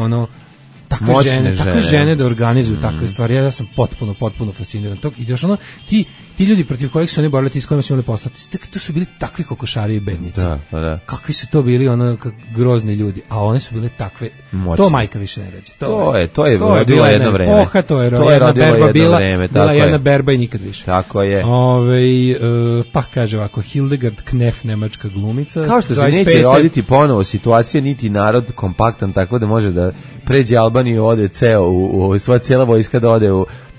[SPEAKER 5] takve žene da organizuju takve stvari. Ja sam potpuno fasciniran. I još ti ljudi protiv kojih su oni borili, ti s kojima su imali poslati, to su bili takvi kokošari i bednici.
[SPEAKER 6] Da.
[SPEAKER 5] Kakvi su to bili grozni ljudi, a one su bile takve.
[SPEAKER 6] Moćne.
[SPEAKER 5] To majka više ne ređe.
[SPEAKER 6] To je rodilo jedno vreme.
[SPEAKER 5] To je jedna berba bila jedna berba i nikad više.
[SPEAKER 6] Tako je.
[SPEAKER 5] Pa kaže ovako, Hildegard Knef, nemačka glumica.
[SPEAKER 6] Kao što se neće roditi ponovo situacija, niti narod kompaktan tako da može da pređe Albaniju, ode sva cijela vojska da ode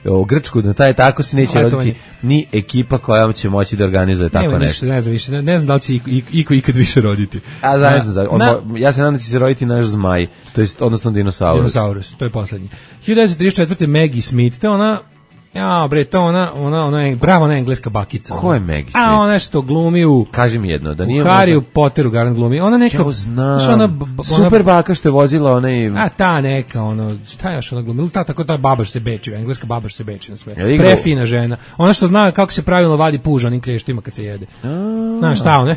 [SPEAKER 6] u Grčku, da taj tako se neće roditi ni ekipa koja će moći da organizuje tako nešto.
[SPEAKER 5] Ne znam da li će iko ikad više roditi.
[SPEAKER 6] Ja se nadam da će se roditi naš zmaj, to jest odnosno dinosaurus.
[SPEAKER 5] To je poslednji. 1934. Maggie Smith, ona ona je bravo, ona engleska bakica.
[SPEAKER 6] Ko je Maggie Smith?
[SPEAKER 5] Ona što glumi
[SPEAKER 6] kaži mi jedno, da nije
[SPEAKER 5] Harry Potteru garant glumi. Ona neka
[SPEAKER 6] super baka što je vozila onaj.
[SPEAKER 5] Ta neka šta još ona glumi? Ta babaš se beči, engleska babaš se beči na sve. Prefina žena. Ona što zna kako se pravilno vadi puž onim klještima kad se jede. Znaš šta ona?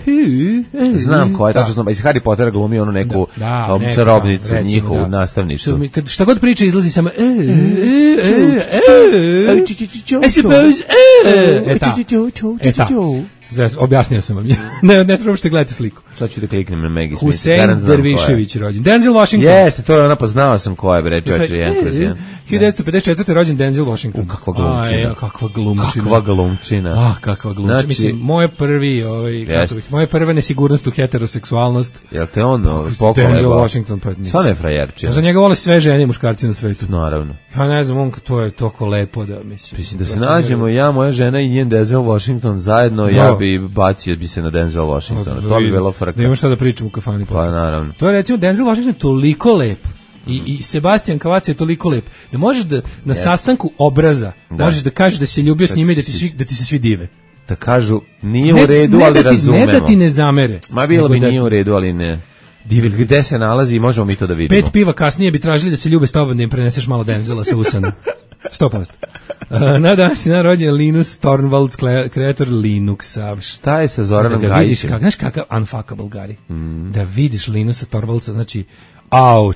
[SPEAKER 6] Znam ko je, tačno znam. Iz Harry Pottera glumi onu neku čarobnicu, njihovu nastavnicu.
[SPEAKER 5] Šta god priča izlazi samo I suppose objasnio sam vam. Ne trebam što gledate sliku.
[SPEAKER 6] Sad ću da kliknem na Maggie Smith.
[SPEAKER 5] Hussein Dervišević rođen. Denzel Washington.
[SPEAKER 6] Jeste, to je ona, poznao sam ko je, bre, čovječe,
[SPEAKER 5] 1954. rođen Denzel Washington.
[SPEAKER 6] Kakva glumčina.
[SPEAKER 5] Kakva glumčina.
[SPEAKER 6] Kakva glumčina.
[SPEAKER 5] Znači, mislim, moje prve nesigurnost u heteroseksualnost.
[SPEAKER 6] Jel te on pokoleba?
[SPEAKER 5] Denzel Washington, pa nisam.
[SPEAKER 6] Sva ne frajerčina.
[SPEAKER 5] Za njega vole sve žene i muškarci na svetu.
[SPEAKER 6] Naravno.
[SPEAKER 5] Ja ne znam, to je toliko lepo da mislim.
[SPEAKER 6] Mislim da se nađemo ja, moja žena i njen Denzel Washington zajedno, ja bi bacio bi se na Denzel Washingtona. To bi bilo frka.
[SPEAKER 5] Da imaš šta da pričam u kafani.
[SPEAKER 6] Pa naravno.
[SPEAKER 5] To je recimo Denzel Washington toliko lep. I Sebastian Kavac je toliko lep da možeš da na sastanku obraza možeš da kažeš da se ljubio s njime i da ti se svi dive.
[SPEAKER 6] Da kažu nije u redu, ali razumemo.
[SPEAKER 5] Ne da ti ne zamere.
[SPEAKER 6] Ma bilo bi nije u redu, ali ne. Gde se nalazi i možemo mi to da vidimo.
[SPEAKER 5] 5 piva kasnije bi tražili da se ljube s tobom, da im preneseš malo Denzela sa usana. 100%. Na današnji dan rođen Linus Torvalds, kreator Linuxa.
[SPEAKER 6] Šta je sa Zoranom Gajićem?
[SPEAKER 5] Znaš kakav unfuckable Gari? Da vidiš Linusa Torvaldsa, znači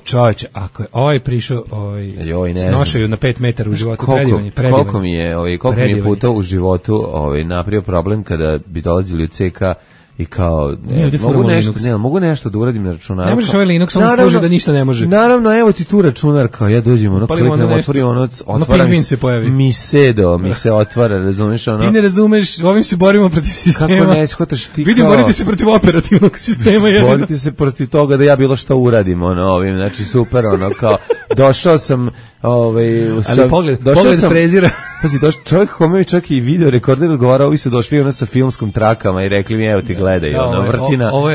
[SPEAKER 5] čovječe, ako je ovaj prišao snošaju na 5 metara u životu, predivanje.
[SPEAKER 6] Koliko mi je puta u životu napravio problem kada bi dolazili u CK i kao mogu nešto da uradim na računaru.
[SPEAKER 5] Ne možeš ovaj Linux, on služi da ništa ne može.
[SPEAKER 6] Naravno, evo ti tu računar, kao ja dođem, kliknem, otvorim,
[SPEAKER 5] pingvin se pojavi.
[SPEAKER 6] mi se otvara, razumiješ? Ti
[SPEAKER 5] ne razumeš, ovim se borimo protiv sistema.
[SPEAKER 6] Kako ne shvataš ti kao...
[SPEAKER 5] Vidim, borite se protiv operativnog sistema.
[SPEAKER 6] Borite se protiv toga da ja bilo šta uradim, ovim, znači super, kao, došao sam,
[SPEAKER 5] ali pogled prezira.
[SPEAKER 6] Pazi, čovjek kome čak i video rekorder odgovarao, ovi su došli ono sa filmskom trakama i rekli mi, evo ti gledaj, vrtina.
[SPEAKER 5] Ovo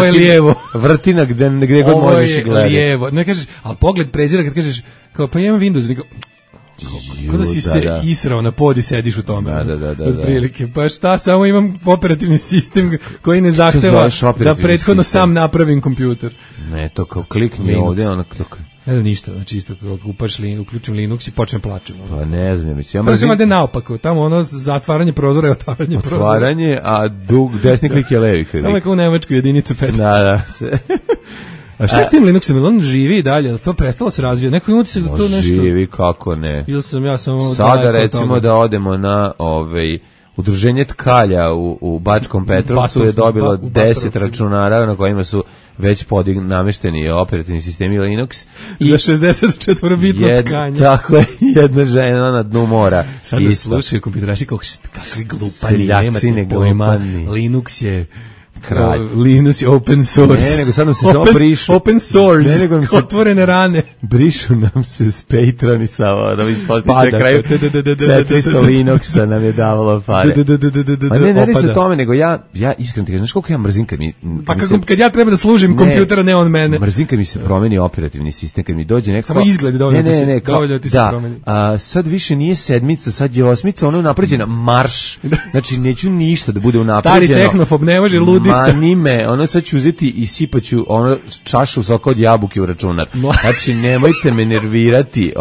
[SPEAKER 5] je lijevo.
[SPEAKER 6] Vrtina gde god možeš i gledati.
[SPEAKER 5] Ovo je lijevo. Ne kažeš, ali pogled prezira kad kažeš, kao pa imam Windows, kao da si se israo na pod i sediš u tome. Od prilike. Pa šta, samo imam operativni sistem koji ne zahteva da prethodno sam napravim kompjuter.
[SPEAKER 6] Ne, to kao klikni ovdje, ono
[SPEAKER 5] ne znam ništa, znači isto kao uključim Linux i počnem plačem.
[SPEAKER 6] Pa ne znam, mislim.
[SPEAKER 5] To se vade naopako, tamo ono zatvaranje prozora i otvaranje prozora.
[SPEAKER 6] Otvaranje, a desni klik je levi klik.
[SPEAKER 5] Tamo je kao u Nemačkoj jedinica petica.
[SPEAKER 6] Da.
[SPEAKER 5] A šta je s tim Linuxom? On živi i dalje, to prestalo se razvija. Neko ima utisak da to nešto...
[SPEAKER 6] Živi, kako ne.
[SPEAKER 5] Ili sam ja samo...
[SPEAKER 6] Sada recimo da odemo na udruženje tkalja u Bačkom Petrovcu je dobilo 10 računara na kojima su već namešteni operativni sistemi Linux.
[SPEAKER 5] I za 64-bitno tkanje.
[SPEAKER 6] Tako je, jedna žena na dnu mora.
[SPEAKER 5] Sada slušaju kompjuteraši kakvi glupani, nemate pojma, Linux je...
[SPEAKER 6] Kralj.
[SPEAKER 5] Linux je open source.
[SPEAKER 6] Ne, nego sad nam se samo brišu.
[SPEAKER 5] Open source, otvorene rane.
[SPEAKER 6] Brišu nam se s Patreon i samo nam ispostiče kraju 400 Linuxa nam je davalo pare. A ne radi se o tome, nego ja iskreno ti kažem, znaš koliko ja mrzim kad mi...
[SPEAKER 5] Pa kad ja treba da služim kompjutera, ne on mene.
[SPEAKER 6] Mrzim kad mi se promeni operativni sistem, kad mi dođe neko...
[SPEAKER 5] Samo izgled dovoljno da ti se promeni.
[SPEAKER 6] Sad više nije 7, sad je 8, ono je napređena marš. Znači, neću ništa da bude unapređeno.
[SPEAKER 5] Stari tehnofob, ne može ludi.
[SPEAKER 6] Manime, ono sad ću uzeti i sipaću ono čašu soka od jabuke u računar. Znači, nemojte me nervirati,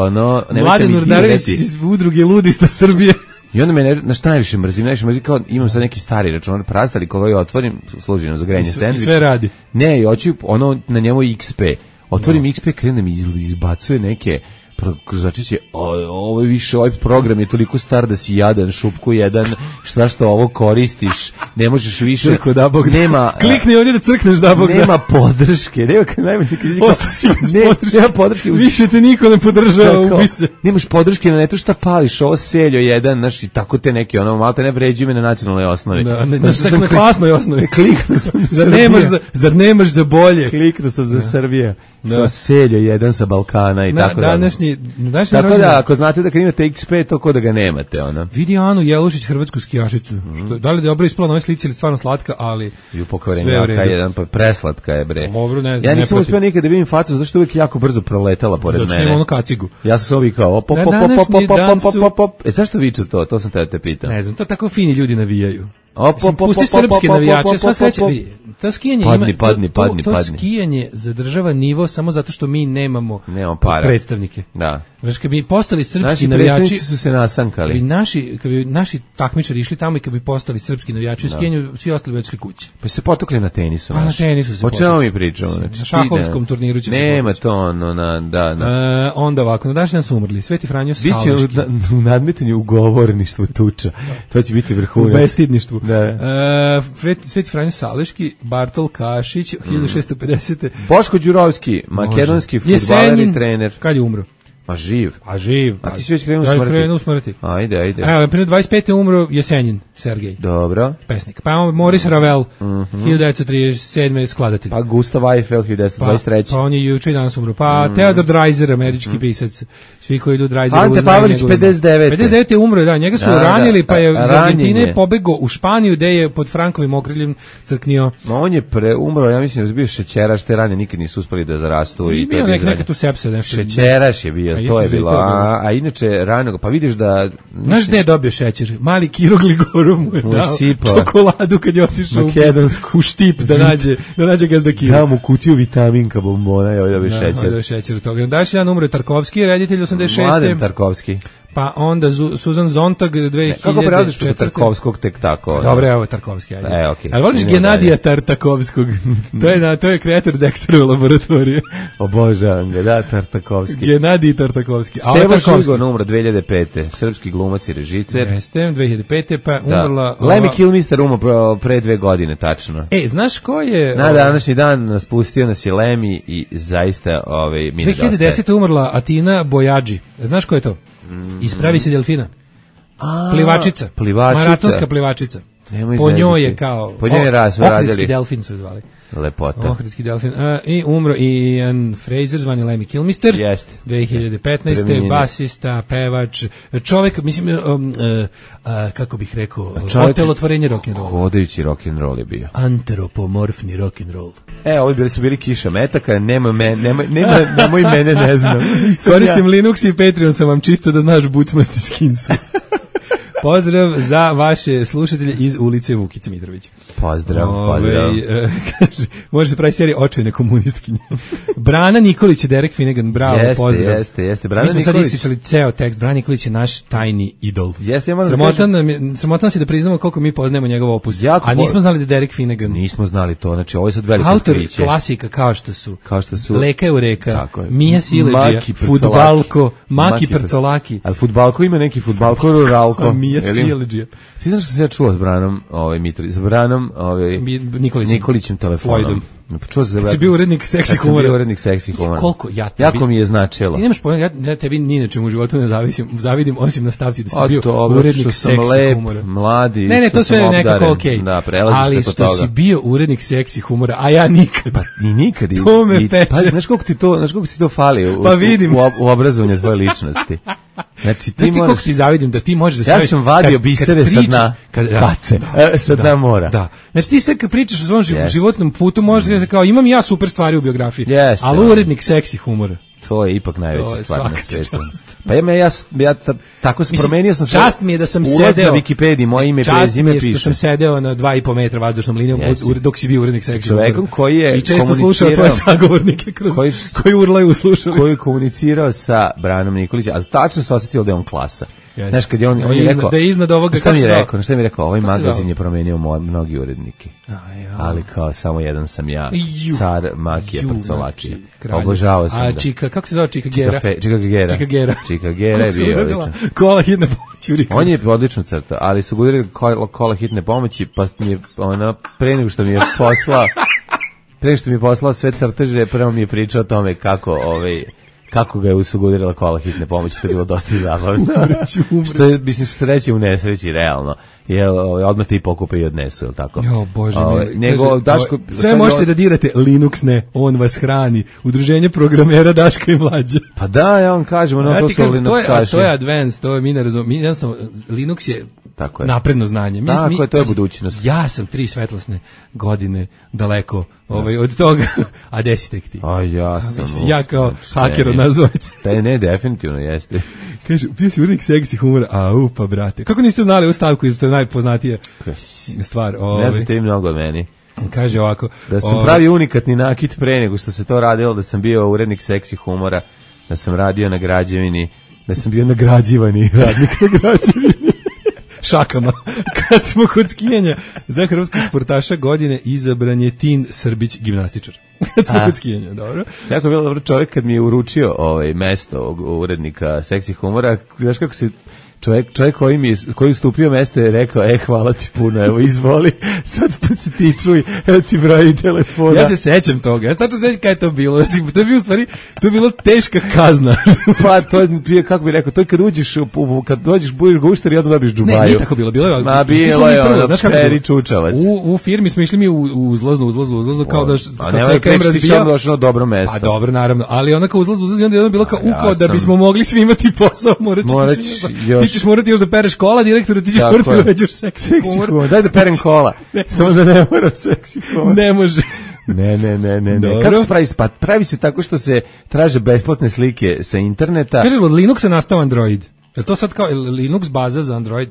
[SPEAKER 5] Mladen Urdarević iz udruge Ludista Srbije.
[SPEAKER 6] I onda me, na šta najviše mrzim, kao imam sad neki stari računar prastali, koga ja otvorim, služi za grejanje sendviča.
[SPEAKER 5] I sve radi.
[SPEAKER 6] Ne, i hoću na njemu XP. Otvorim XP, krene mi izbacuje neke... Znači će, ovaj program je toliko star da si jadan, šupku jedan, što ovo koristiš, ne možeš više,
[SPEAKER 5] Crko, da Bog,
[SPEAKER 6] nema,
[SPEAKER 5] klikni ovdje da crkneš, da Bog,
[SPEAKER 6] nema podrške, nema podrške,
[SPEAKER 5] više te niko ne podržava, ubi se.
[SPEAKER 6] Nemaš podrške na netu šta pališ, ovo seljo jedan, znaš, i tako te neki, malo te ne vređuju me na nacionalnoj osnovi.
[SPEAKER 5] Na klasnoj osnovi.
[SPEAKER 6] Kliknuo sam
[SPEAKER 5] Zar nemaš za bolje?
[SPEAKER 6] Kliknuo sam za Srbije. Seljo jedan sa Balkana i tako da. Tako da, ako znate da kad imate XP, to ko da ga nemate,
[SPEAKER 5] Vidi Anu Jelušić, hrvatsku skijašicu. Da li je dobro ispala na ovoj slici ili stvarno slatka, ali sve u redu.
[SPEAKER 6] Jedan, preslatka je, bre.
[SPEAKER 5] Dobro, ne znam.
[SPEAKER 6] Ja nisam uspio nikad da vidim facu, zašto uvijek jako brzo proletala pored mene.
[SPEAKER 5] Zato što ima ono kacigu.
[SPEAKER 6] Ja sam se ovih kao zašto viču to? To sam te pitam.
[SPEAKER 5] Ne znam, to tako fini ljudi navijaju. Pusti srpske navijače, sva sreća. To skijanje to skijanje zadržava nivo samo zato što mi nemamo predstavnike.
[SPEAKER 6] Da.
[SPEAKER 5] Znači, kad bi postali srpski navijači...
[SPEAKER 6] Naši su se nasankali.
[SPEAKER 5] Kad bi naši takmičari išli tamo i kad bi postali srpski navijači u skijanju, svi ostali već kući.
[SPEAKER 6] Pa se potokli na tenisu.
[SPEAKER 5] Na tenisu se potokli.
[SPEAKER 6] O čemu mi pričamo?
[SPEAKER 5] Na šahovskom turniru će se potokli.
[SPEAKER 6] Nema to
[SPEAKER 5] onda ovako, na današnji dan su umrli. Sveti Franjo Saleški.
[SPEAKER 6] Biće u nadmetanju ugovorništvu tuča. To će biti vrhunac.
[SPEAKER 5] U bestidništvu. Sveti Franjo Saleški, Bartol Kašić, 1650.
[SPEAKER 6] Boško Đurovski, makedonski fudbaler i trener.
[SPEAKER 5] Kad je umro?
[SPEAKER 6] A živ.
[SPEAKER 5] A
[SPEAKER 6] ti si već krenuo smrti. Ajde.
[SPEAKER 5] Evo, prije 25. umro Jesenjin, Sergej.
[SPEAKER 6] Dobro.
[SPEAKER 5] Pesnik. Pa Maurice Ravel, 1937. skladatelj.
[SPEAKER 6] Pa Gustav Eiffel, 1923.
[SPEAKER 5] Pa on je juče i danas umro. Pa Theodor Dreiser, američki pisac. Svi koji idu Dreiser.
[SPEAKER 6] Ante Pavelić, 59.
[SPEAKER 5] 59. je umro, da. Njega su ranili, pa je iz Argentine pobegao u Španiju, gde je pod Frankovim okriljem crknio.
[SPEAKER 6] On je umro, ja mislim da je bio šećeraš, te rane nikad nisu uspeli da zarastu.
[SPEAKER 5] I bio neka tu sepsa, nešto.
[SPEAKER 6] Šećeraš je bio. To je bilo, a inače rano, pa vidiš da...
[SPEAKER 5] Znaš gde je dobio šećer? Mali Kiro Gligorov mu je dao čokoladu kad je otišao u Štip da nađe gazda Kiro.
[SPEAKER 6] Dao mu kutiju vitaminka bombona i ovdje dobio šećer.
[SPEAKER 5] Da, šećer u toga. Daš jedan umro je Tarkovski, reditelj 86.
[SPEAKER 6] Mladen Tarkovski.
[SPEAKER 5] Pa onda Susan Zontag 2004.
[SPEAKER 6] Kako prelaziš preko Tarkovskog tek tako?
[SPEAKER 5] Dobro, evo je Tarkovski.
[SPEAKER 6] Okay.
[SPEAKER 5] Ali voliš Genadija Tartakovskog? To je kreator Dexterove laboratorije.
[SPEAKER 6] Obožavam ga, da, Tartakovski.
[SPEAKER 5] Genadij Tartakovski.
[SPEAKER 6] Stevo Šuzgon umro 2005. Srpski glumac i režiser.
[SPEAKER 5] Jeste, 2005. pa umrla...
[SPEAKER 6] Lemmy Kilmister umro pre 2 godine, tačno.
[SPEAKER 5] Znaš ko je...
[SPEAKER 6] Na današnji dan nas pustio nas je Lemmy i zaista mi nedostaje.
[SPEAKER 5] 2010. umrla Atina Bojađi. Znaš ko je to? Ispravi se delfina. Plivačica. Maratonska plivačica. Po njoj je kao...
[SPEAKER 6] Po njoj je
[SPEAKER 5] Ohridski delfin su zvali.
[SPEAKER 6] Lepota.
[SPEAKER 5] Ohridski delfin. I umro i Ian Fraser, zvani Lemmy Kilmister.
[SPEAKER 6] Jeste.
[SPEAKER 5] 2015. Basista, pevač, čovek, mislim, kako bih rekao, otelotvorenje rock'n'roll.
[SPEAKER 6] Hodajući rock'n'roll je bio.
[SPEAKER 5] Antropomorfni rock'n'roll.
[SPEAKER 6] Ovi su bili Kiša Metaka, nemoj mene, ne znam.
[SPEAKER 5] Koristim Linux i Patreon sam vam čisto da znaš bucmasti skinsu. Pozdrav za vaše slušatelje iz ulice Vukice Mitrovića.
[SPEAKER 6] Pozdrav.
[SPEAKER 5] Kaže, može se pravi serija Očajne komunistkinje. Brana Nikolić je Derek Finnegan, bravo, pozdrav.
[SPEAKER 6] Jeste. Brana
[SPEAKER 5] Mi smo
[SPEAKER 6] Nikolić.
[SPEAKER 5] sad isticali ceo tekst, Brana Nikolić je naš tajni idol.
[SPEAKER 6] Jeste, ja
[SPEAKER 5] sramotan si da priznamo koliko mi poznajemo njegov opus. A nismo znali da je Derek Finnegan.
[SPEAKER 6] Nismo znali to, znači ovo je sad veliko
[SPEAKER 5] autor
[SPEAKER 6] otkriće.
[SPEAKER 5] Klasika kao što su
[SPEAKER 6] Leka
[SPEAKER 5] Eureka, Mija Sileđija, Fudbalko, Maki Percolaki.
[SPEAKER 6] Ali Fudbalko ima neki Fudbalko ruralko.
[SPEAKER 5] Mija Sileđija.
[SPEAKER 6] Ti znaš što se ja čuo s Branom Mitrović, s Branom Nikolićem telefonom. Čuo se
[SPEAKER 5] si bio urednik seksi humora. Koliko
[SPEAKER 6] jako mi je značilo.
[SPEAKER 5] Ti nemaš pojma, ja tebi ni na čemu u životu ne zavidim, osim na stavci da si bio urednik seksi humora.
[SPEAKER 6] Mladi,
[SPEAKER 5] ne, to sve je nekako okej.
[SPEAKER 6] Da, prelaziš
[SPEAKER 5] ali
[SPEAKER 6] preko toga.
[SPEAKER 5] Ali što si bio urednik seksi humora, a ja nikad.
[SPEAKER 6] Pa ni nikad.
[SPEAKER 5] To me peče.
[SPEAKER 6] Pa, znaš koliko ti to fali u obrazovanju tvoje ličnosti. Znači ti moraš...
[SPEAKER 5] Kako ti zavidim da ti možeš da staviš...
[SPEAKER 6] Ja sam vadio bisere sa dna kace, sa dna mora.
[SPEAKER 5] Da. Znači ti sve kad pričaš o svom životnom putu možeš da kao imam ja super stvari u biografiji, ali urednik seksi humora.
[SPEAKER 6] To je ipak najveća stvar na svijetu. Pa ja tako sam promenio sam se.
[SPEAKER 5] Čast mi je da sam sedeo
[SPEAKER 6] na Wikipediji, moje ime, prezime piše.
[SPEAKER 5] Čast mi je što sam sedeo na 2,5 metra vazdušnom linijom dok si bio urednik seksi humora.
[SPEAKER 6] Čovekom koji je
[SPEAKER 5] i često slušao tvoje sagovornike koji urlaju u slušalicu.
[SPEAKER 6] Koji je komunicirao sa Branom Nikolićem, a tačno se osjetilo da je on klasa. Znaš, kad je on je rekao,
[SPEAKER 5] da je iznad ovoga
[SPEAKER 6] šta mi je rekao, ovaj magazin je promenio mnogi urednike. Ali kao samo jedan sam ja, car Makija Prcolaki. Obožavao sam ga.
[SPEAKER 5] Čika, kako se zove Čika Gera?
[SPEAKER 6] Čika Gera je bio odličan.
[SPEAKER 5] Kola hitne pomoći.
[SPEAKER 6] On je odlično crta, ali su govorili kola hitne pomoći, pa mi je pre nego što mi je poslao sve crteže, prvo mi je pričao o tome kako ga je usugudirila kola hitne pomoći, to je bilo dosta zabavno. Što je, mislim, sreće u nesreći, realno. Odmah ti pokupe i odnesu, je li tako?
[SPEAKER 5] Jo, Bože mi.
[SPEAKER 6] Sve
[SPEAKER 5] možete da dirate, Linux ne, on vas hrani. Udruženje programera Daška i Mlađa.
[SPEAKER 6] Pa da, ja vam kažem, to su Linuxaši.
[SPEAKER 5] To je advanced, to je mi ne razumijemo. Jednostavno, Linux je napredno znanje.
[SPEAKER 6] Tako je, to je budućnost.
[SPEAKER 5] Ja sam 3 svetlosne godine daleko od toga, a gde si tek ti?
[SPEAKER 6] A ja sam...
[SPEAKER 5] Ja kao haker od nas dvojice.
[SPEAKER 6] Ne, definitivno jeste.
[SPEAKER 5] Kaže, bio si urednik seksi humora, pa brate. Kako niste znali ovu stavku, to je najpoznatija stvar.
[SPEAKER 6] Ne znate i mnogo od meni.
[SPEAKER 5] Kaže ovako.
[SPEAKER 6] Da sam pravi unikatni nakit pre nego što se to radilo, da sam bio urednik seksi humora, da sam radio na građevini, da sam bio nagrađivani radnik na građevini.
[SPEAKER 5] Šakama. Kad smo kod skijanja za hrvatskog sportaša godine izabran je Tin Srbić, gimnastičar. Kad smo kod skijanja, dobro.
[SPEAKER 6] Jako je bilo dobro čovjek kad mi je uručio mesto urednika seksi humora. Znaš kako se čovjek koji ustupio mesto je rekao, hvala ti puno, evo izvoli, sad pa se ti čuj, evo ti broj telefona.
[SPEAKER 5] Ja se sećam toga, ja tačno sećam kada je to bilo, znači, to je bilo u stvari, to je bilo teška kazna.
[SPEAKER 6] Pa to je, kako bih rekao, to je kad uđeš, kad dođeš budeš gušter i onda dobiš džubaju.
[SPEAKER 5] Ne, nije tako bilo, bilo je.
[SPEAKER 6] Ma bilo je Peri Čučavac.
[SPEAKER 5] U firmi smo išli mi u uzlaznu, kao da
[SPEAKER 6] kad se KM razbija. Došlo na dobro mesto.
[SPEAKER 5] Pa dobro, naravno, ali ona kao uzlaznu i onda je bilo kao da bismo mogli svi imati posao, ti ćeš morati još da pereš kola, direktoru, ti ćeš morati da uređaš seksi humor.
[SPEAKER 6] Daj da perem kola, samo da ne moram seksi humor.
[SPEAKER 5] Ne može.
[SPEAKER 6] Ne. Kako se pravi spad? Pravi se tako što se traže besplatne slike sa interneta.
[SPEAKER 5] Kaže, od Linuxa nastao Android. Je to sad kao Linux baza za Android?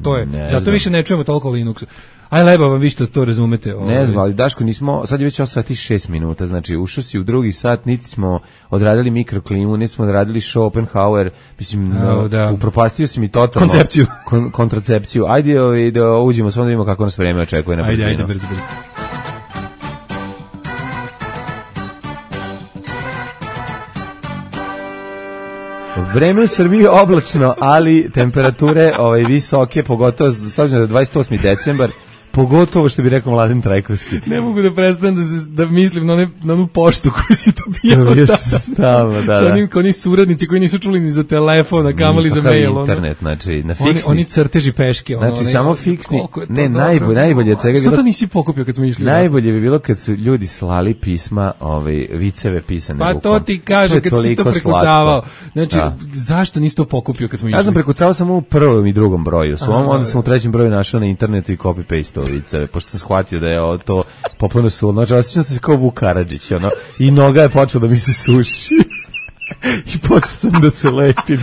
[SPEAKER 5] To je. Zato više ne čujemo toliko o Linuxu. Aj leba vam vi što to razumete.
[SPEAKER 6] Ne znam, ali Daško, sad je već 8 sati 6 minuta, znači ušao si u drugi sat, niti smo odradili mikroklimu, niti smo odradili Schopenhauer, mislim, upropastio si mi totalno kontracepciju. Ajde da uđemo, samo da vidimo kako nas vreme očekuje na brzinu.
[SPEAKER 5] Ajde, brzo.
[SPEAKER 6] Vreme u Srbiji je oblačno, ali temperature visoke, pogotovo s obzirom da je 28. decembar, pogotovo što bi rekao Mladen Trajkovski.
[SPEAKER 5] Ne mogu da prestanem da mislim na onu poštu koju si dobijao tada. Sa onim oni suradnici koji nisu čuli ni za telefon, a kamoli za mail.
[SPEAKER 6] Internet, znači na fiksni.
[SPEAKER 5] Oni crteži peške.
[SPEAKER 6] Znači samo fiksni. Ne, najbolje od svega.
[SPEAKER 5] Što to nisi pokupio kad smo išli?
[SPEAKER 6] Najbolje bi bilo kad su ljudi slali pisma, viceve pisane rukom.
[SPEAKER 5] Pa to ti kažem kad si to prekucavao. Znači, zašto nisi to pokupio kad smo išli?
[SPEAKER 6] Ja sam prekucavao samo u prvom i drugom broju. Onda sam u trećem broju našao na internetu i copy-paste viceve, pošto sam shvatio da je to popolno sulno. Znači, osjećam se kao Vuk Karadžić, i noga je počela da mi se suši. I počeo sam da se lepim.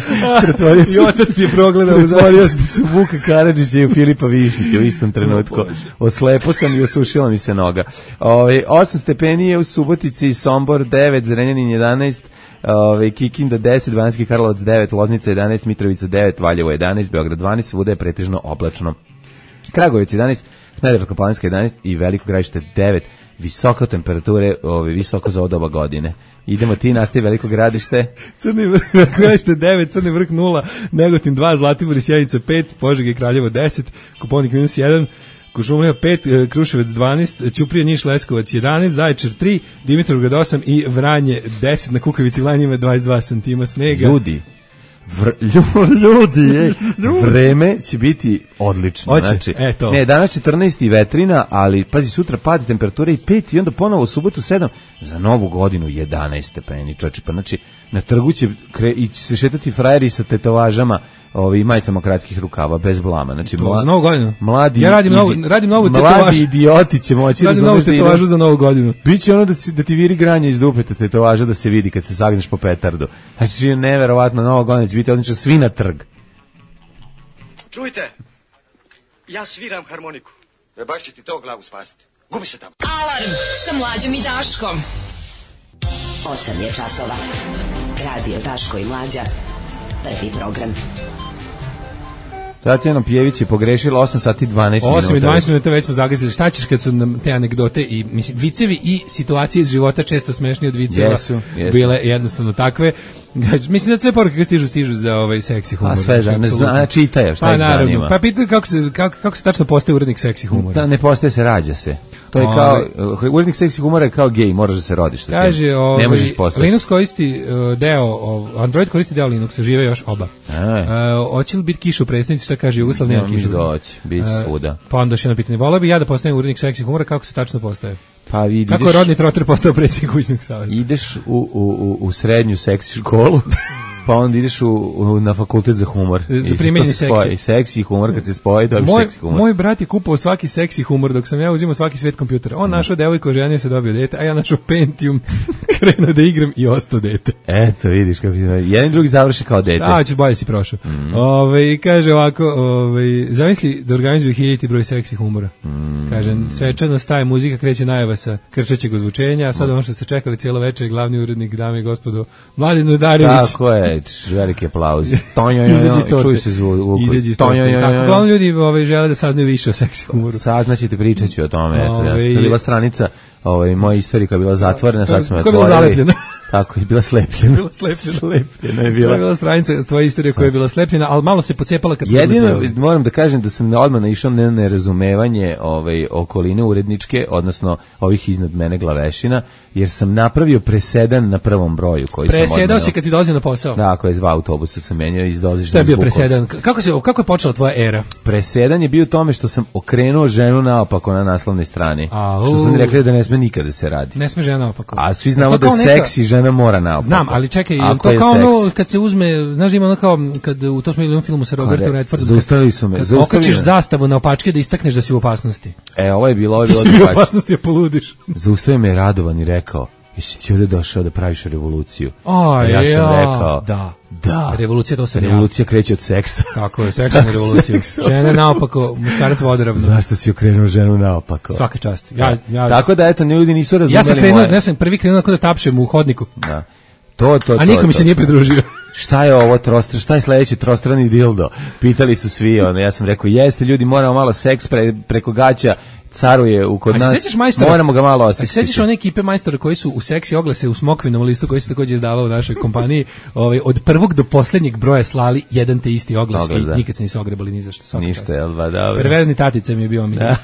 [SPEAKER 5] I otac ti je progledao.
[SPEAKER 6] Pretvorio sam se u Vuka Karadžića i u Filipa Višnjića u istom trenutku. Oslepo sam i osušila mi se noga. 8 stepeni je u Subotici, Sombor 9, Zrenjanin 11, Kikinda 10, Banjski Karlovac 9, Loznica 11, Mitrovica 9, Valjevo 11, Beograd 12, svuda je pretežno oblačno. Kragujevac 11, Smederevsko-Palanska 11 i Veliko Gradište 9. Visoke temperature, visoko za odoba godine. Idemo ti, nastavi Veliko Gradište.
[SPEAKER 5] Crni vrh, Gradište 9, Crni vrh 0, Negotin 2, Zlatibor i Sjenica 5, Požega i Kraljevo 10, Koponik -1, Kuršumlija 5, Kruševac 12, Ćuprija, Niš, Leskovac 11, Zaječar 3, Dimitrovgrad 8 i Vranje 10, na Kukavici Vlanjima 22 santima snega.
[SPEAKER 6] Ljudi, vreme će biti odlično. Znači, danas 14 i vetrina, ali pazi, sutra padi temperatura i 5 i onda ponovo u subotu 7, za novu godinu 11 stepeni, čoče, pa znači na trgu će se šetati frajeri sa tetovažama, majicama kratkih rukava, bez blama. Znači,
[SPEAKER 5] za novu godinu?
[SPEAKER 6] Mladi,
[SPEAKER 5] ja radim novu tetovažu.
[SPEAKER 6] Mladi idioti će moći.
[SPEAKER 5] Radim novu tetovažu za novu godinu.
[SPEAKER 6] Biće da ti viri granje iz dupeta tetovaža da se vidi kad se sagneš po petardu. Znači, neverovatno, nova godina će biti odlično, svi na trg.
[SPEAKER 8] Čujte, ja sviram harmoniku. Baš će ti to glavu spasiti. Gubi se tamo.
[SPEAKER 3] Alarm sa Mlađom i Daškom.
[SPEAKER 9] 8 je časova. Radio Daško i Mlađa. Prvi program.
[SPEAKER 6] Tatjana Pjević je pogrešila 8 sati 12 minuta.
[SPEAKER 5] 8 i 12 minuta već smo zagazili. Šta ćeš kad su nam te anegdote i mislim, vicevi i situacije iz života često smešnije od viceva
[SPEAKER 6] jesu.
[SPEAKER 5] Bile jednostavno takve. Mislim da sve poruke koje stižu za seksi humor.
[SPEAKER 6] A sve čitaje, šta ih zanima.
[SPEAKER 5] Pa pitaju kako se tačno postaje urednik seksi humora.
[SPEAKER 6] Da, ne postaje se, rađa se. To je kao, urednik seksi humora je kao gej, moraš da se rodiš sa tim.
[SPEAKER 5] Kaže,
[SPEAKER 6] ne možeš postati.
[SPEAKER 5] Linux koristi Android koristi deo Linuxa, žive još oba. Hoće li biti kiša u predstavnici, šta kaže Jugoslav, nema kiša.
[SPEAKER 6] Bit svuda.
[SPEAKER 5] Pa onda još jedno pitanje, voleo bi ja da postanem urednik seksi humora, kako se tačno postaje?
[SPEAKER 6] Pa vidiš,
[SPEAKER 5] kako je Rodni Trotter postao predsjednik kućnog savjeta?
[SPEAKER 6] Ideš u srednju seksi školu, pa onda ideš na fakultet za humor.
[SPEAKER 5] Za primjenje seksi.
[SPEAKER 6] Seksi i humor, kad se spoji, dobiš seksi humor.
[SPEAKER 5] Moj brat je kupao svaki seksi humor, dok sam ja uzimao svaki svet kompjutera. On našao devojku, ženio se, dobio dete, a ja našao Pentium, krenuo da igram i ostao dete.
[SPEAKER 6] Eto, vidiš kako jedan i drugi završi kao dete.
[SPEAKER 5] A, ćeš bolje si prošao. Kaže ovako, zamisli da organizuju 1000 broj seksi humora. Kaže, svečano staje muzika, kreće najava sa krčećeg ozvučenja, a sad ono što ste čekali cijelo večer, glavni urednik, dame i gospodo, Mladen Udarević.
[SPEAKER 6] Tako je, veliki aplauz. Čuj se zvuk.
[SPEAKER 5] Uglavnom ljudi žele da saznaju više o seksi humoru.
[SPEAKER 6] Saznaćete, pričat ću o tome. To je bila stranica moja istorika bila zatvorena, sad smo je
[SPEAKER 5] otvorili. Koja je bila zalepljena?
[SPEAKER 6] Tako je, bila slepljena.
[SPEAKER 5] Slepljena je bila. To je bila stranica tvoja istorija koja je bila slepljena, ali malo se pocepala kad...
[SPEAKER 6] Jedino moram da kažem da sam odmah naišao na nerazumevanje okoline uredničke, odnosno ovih iznad mene glavešina, jer sam napravio presedan na prvom broju koji sam odmenio.
[SPEAKER 5] Presedao si kad si dolazio na posao?
[SPEAKER 6] Da, ako je 2 autobusa sam menjao iz dozišta.
[SPEAKER 5] Šta je bio presedan? Kako je počela tvoja era?
[SPEAKER 6] Presedan je bio u tome što sam okrenuo ženu naopako na naslovnoj strani. Što sam rekli da ne sme nikada se radi.
[SPEAKER 5] Ne sme žena naopako.
[SPEAKER 6] A svi znamo da seksi žena mora naopako.
[SPEAKER 5] Znam, ali čekaj, je to kao ono kad se uzme, znaš, ima ono kao kad u tom smo u filmu sa Robertom Redfordom.
[SPEAKER 6] Zaustavili su me.
[SPEAKER 5] Okačiš zastavu na opačke da istakneš da si u opasnosti.
[SPEAKER 6] Ovo je bilo
[SPEAKER 5] ti si u opasnosti, je poludiš.
[SPEAKER 6] Zaustavio me Radovan i rekao: "Jesi ti ovdje došao da praviš revoluciju?"
[SPEAKER 5] Ja
[SPEAKER 6] sam rekao:
[SPEAKER 5] Da. Revolucija, to sam ja.
[SPEAKER 6] Revolucija kreće od seksa.
[SPEAKER 5] Tako je, seksa na revoluciju. Žene naopako, muškarac vodoravno.
[SPEAKER 6] Zašto si okrenuo ženu naopako?
[SPEAKER 5] Svaka čast.
[SPEAKER 6] Tako da, eto, ljudi nisu razumeli
[SPEAKER 5] ja sam prvi krenuo da tapšem u hodniku.
[SPEAKER 6] Da.
[SPEAKER 5] A niko mi se nije pridružio.
[SPEAKER 6] Šta je ovo šta je sledeći trostrani dildo? Pitali su svi, ja sam rekao, jeste ljudi, moramo malo seks preko gaća, caruje kod nas, moramo ga malo osjećati.
[SPEAKER 5] Sećaš one ekipe majstora koji su u seksi oglase u smokvinom listu koji se također izdavao u našoj kompaniji, od prvog do posljednjeg broja slali jedan te isti oglas i nikad se nisu ogrebali ni za što.
[SPEAKER 6] Ništa, jel ba, dobro.
[SPEAKER 5] Perverzni tatica mi je bio omiljeni.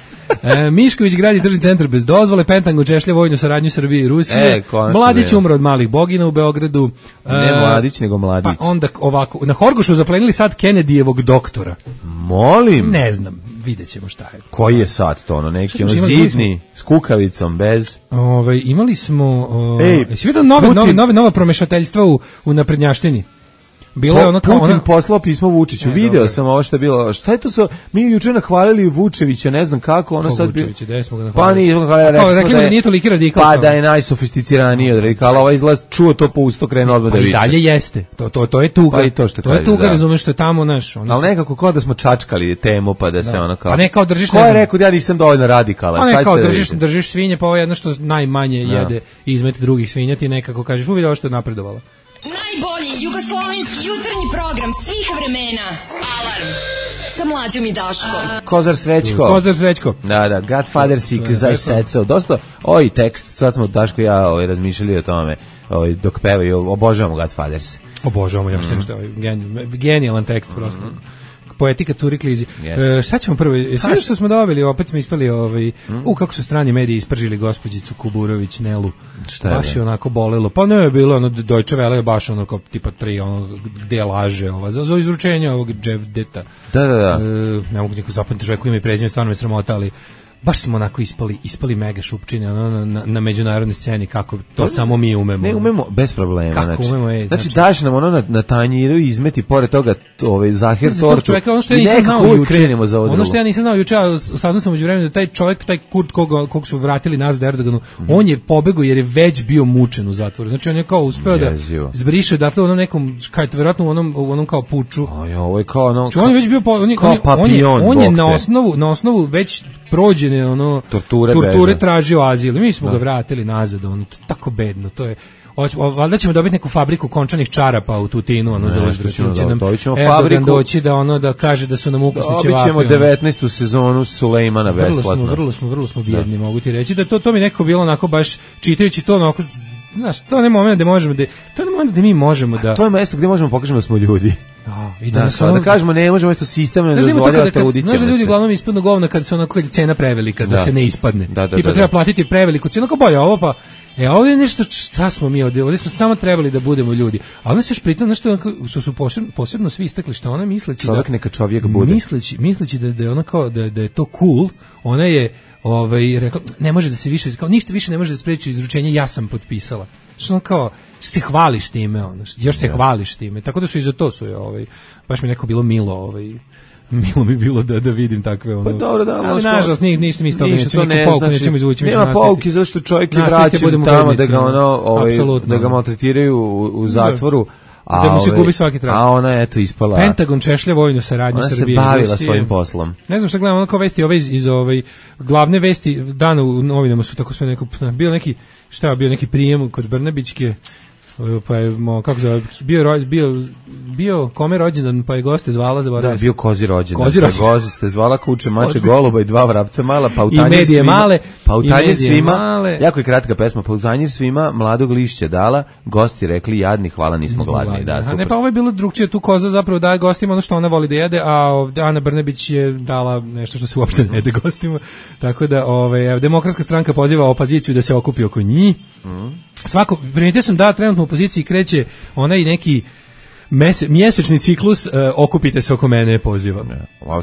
[SPEAKER 5] Mišković gradi državni centar bez dozvole, Pentagon češlja vojnu saradnju Srbije i Rusije. Mladić umro od malih bogina u Beogradu.
[SPEAKER 6] Ne Mladić, nego Mladić.
[SPEAKER 5] Pa onda ovako, na Horgošu zaplenili sad Kennedyjevog doktora.
[SPEAKER 6] Molim.
[SPEAKER 5] Ne znam, vidjet ćemo šta je.
[SPEAKER 6] Koji je sad to, neki zidni, s kukavicom, bez?
[SPEAKER 5] Imali smo... jesi vidio nova promešateljstva u naprednjaštini? Bilo je ono kao
[SPEAKER 6] Putin poslao pismo Vučiću. Video sam ovo što je bilo. Šta je to sa mi juče nahvalili Vučevića, ne znam kako, ono sad bi. Pa nije
[SPEAKER 5] rekli da nije toliki radikal.
[SPEAKER 6] Pa da je najsofisticiraniji od radikala. Ovaj izlaz čuo to po usto krene odmah da viče.
[SPEAKER 5] I dalje jeste. To je tuga.
[SPEAKER 6] Pa i to što
[SPEAKER 5] to je tuga, razumeš, što je tamo naš.
[SPEAKER 6] Ali nekako kao da smo čačkali temu pa da se ono kao.
[SPEAKER 5] Pa ne kao držiš.
[SPEAKER 6] Ko je rekao da ja nisam dovoljno radikalan?
[SPEAKER 5] Pa ne kao držiš svinje, pa ovo je jedno što najmanje jede izmet drugih svinja, ti nekako kažeš uvidio što je napredovalo.
[SPEAKER 3] Najbolji jugoslovenski jutarnji program svih vremena. Alarm sa Mlađom i Daškom.
[SPEAKER 6] Kozar Srećko. Da, Godfather Seek, Zaj Secao. Dosta, tekst, sad smo Daško i ja razmišljali o tome, dok pevaju, obožavamo Godfathers.
[SPEAKER 5] Obožavamo, ja što je genijalan tekst prosto. Poetika curi klizi. Šta ćemo prvo? Sve što smo dobili, opet smo ispali kako su strani mediji ispržili gospođicu Kuburović, Nelu. Baš je onako bolelo. Pa ne je bilo, Deutsche Welle je baš ono kao tipa 3, gde laže za izručenje ovog Dževdeta.
[SPEAKER 6] Da.
[SPEAKER 5] Ne mogu niko zapamtiti čovjeku ime i prezime, stvarno me sramota, ali baš smo onako ispali mega šupčine na međunarodnoj sceni, kako to samo mi umemo.
[SPEAKER 6] Ne umemo bez problema.
[SPEAKER 5] Kako umemo,
[SPEAKER 6] znači daš nam ono na tanjiru i izmeti pored toga zahir tortu.
[SPEAKER 5] Ono što ja nisam znao juče, ono što ja nisam znao juče, saznao sam umeđuvremenu da taj čovjek, taj Kurt kog su vratili nazad Erdoganu, on je pobegao jer je već bio mučen u zatvoru. Znači on je kao uspeo da zbriše odatle u onom nekom, verovatno u onom kao puču.
[SPEAKER 6] Ovo je kao ono.
[SPEAKER 5] On je već bio on je na osnovu već prođene torture tražio azil. Mi smo ga vratili nazad, tako bedno, to je. Valjda ćemo dobiti neku fabriku končanih čarapa u Tutinu, za Oždraću će nam Erdogan doći da kaže da su nam ukusni ćevapi.
[SPEAKER 6] Dobit ćemo 19. sezonu Sulejmana besplatno.
[SPEAKER 5] Vrlo smo bijedni, mogu ti reći da to mi nekako bilo onako baš čitajući to onako. Znaš, to je moment da možemo da mi možemo da.
[SPEAKER 6] To je mesto gdje možemo pokažemo da smo ljudi.
[SPEAKER 5] I
[SPEAKER 6] da kažemo ne možemo isto sistemno ne dozvoljava trudit ćemo se.
[SPEAKER 5] Ljudi uglavnom ispadnu govna kad se onako cena prevelika, da se ne ispadne. Tipa treba platiti preveliku cenu, kao bolje ovo pa. Ovdje je nešto, šta smo mi ovdje smo samo trebali da budemo ljudi. A ona se još pritom nešto što su posebno svi istakli što ona misleći
[SPEAKER 6] čovjek neka čovjek bude.
[SPEAKER 5] Misleći da je ona kao da je to cool, ona je rekla ne može da se više, kao ništa više ne može da spreči izručenje, ja sam potpisala. Što kao se hvališ time, još se hvališ time. Tako da su i za to su baš mi neko bilo milo, milo mi bilo da vidim takve
[SPEAKER 6] Pa dobro, da,
[SPEAKER 5] ali nažalost ništa mi isto nećemo izvući.
[SPEAKER 6] Nema pouki zašto čovjek je vraćen tamo da ga da ga maltretiraju u zatvoru.
[SPEAKER 5] Da mu se gubi svaki trag.
[SPEAKER 6] A ona je ispala.
[SPEAKER 5] Pentagon češlja vojnu saradnju Srbije.
[SPEAKER 6] Ona se bavila svojim poslom.
[SPEAKER 5] Ne znam šta gledam, ono kao vesti iz glavne vesti dana u novinama su tako sve neko, bio neki prijem kod Brnabićke, pa je, kako zove, bio kome rođendan, pa je goste zvala, zaboravio.
[SPEAKER 6] Da, bio kozi rođendan. Gozi ste zvala kuće, mače, goluba i 2 vrapca mala, pa u tanjir svima. Pa u tanjir svima, jako je kratka pesma, pa u tanjir svima mladog lišća dala, gosti rekli jadni, hvala, nismo gladni. Da,
[SPEAKER 5] ne, pa ovo je bilo drugčije, tu koza zapravo daje gostima ono što ona voli da jede, a Ana Brnabić je dala nešto što se uopšte ne jede gostima. Tako da, Demokratska stranka poziva opoziciju da se okupi oko njih. Primetio sam da trenutno u opoziciji kreće onaj neki mjesečni ciklus, okupite se oko mene, pozivam.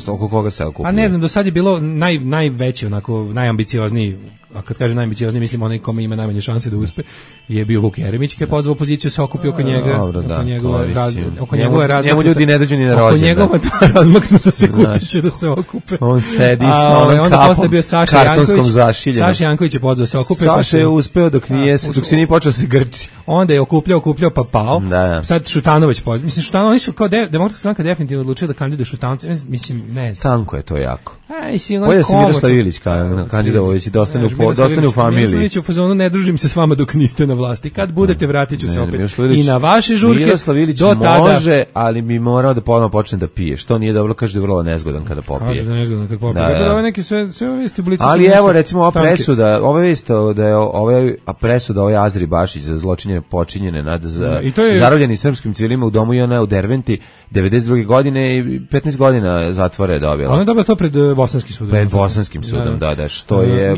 [SPEAKER 6] Oko koga se okupio?
[SPEAKER 5] A ne znam, do sad je bilo najveći, onako, najambiciozniji, a kad kaže najambiciozniji, mislim onaj kome ima najmanje šanse da uspe, je bio Vuk Jeremić, koji je pozvao opoziciju se okupi oko njega, oko njegove razmaknuta.
[SPEAKER 6] Njemu ljudi ne dođu ni na rođendan.
[SPEAKER 5] Oko njegove razmaknuta se kupiće da se okupe.
[SPEAKER 6] On sedi s onom kapom kartonskom zašiljenom.
[SPEAKER 5] Saša Janković je pozvao se okupe.
[SPEAKER 6] Saša je uspeo dok se nije počeo se grči.
[SPEAKER 5] Onda je okupljao pa pao. Sad Šutanović pozvao. Mislim, Šutanović, oni su kao Demokratska stranka definitivno odlučio da kandiduje Šutanovca. Mislim, ne znam.
[SPEAKER 6] Stanko je to jako.
[SPEAKER 5] Bolje
[SPEAKER 6] se Miroslav Ilić kandidovović i da ostane u ostane u familiji.
[SPEAKER 5] Miroslavić u fazonu ne družim se s vama dok niste na vlasti. Kad budete vratit ću se opet. I na vaše žurke.
[SPEAKER 6] Miroslav Ilić može, ali bi morao da ponovno počne da pije. Što nije dobro, kaže da je vrlo nezgodan kada popije.
[SPEAKER 5] Kaže da je nezgodan kada popije. Da, ove neke sve ove vesti blicu.
[SPEAKER 6] Ali evo recimo ova presuda, ova vest da je presuda ovaj Azri Bašić za zločine počinjene nad zarobljeni srpskim civilima u domu JNA u Derventi 92. godine i 15 godina zatvora je dobila.
[SPEAKER 5] Ona je dobila to pred bosanskim sudom.
[SPEAKER 6] Pred bosanskim sudom, da, što je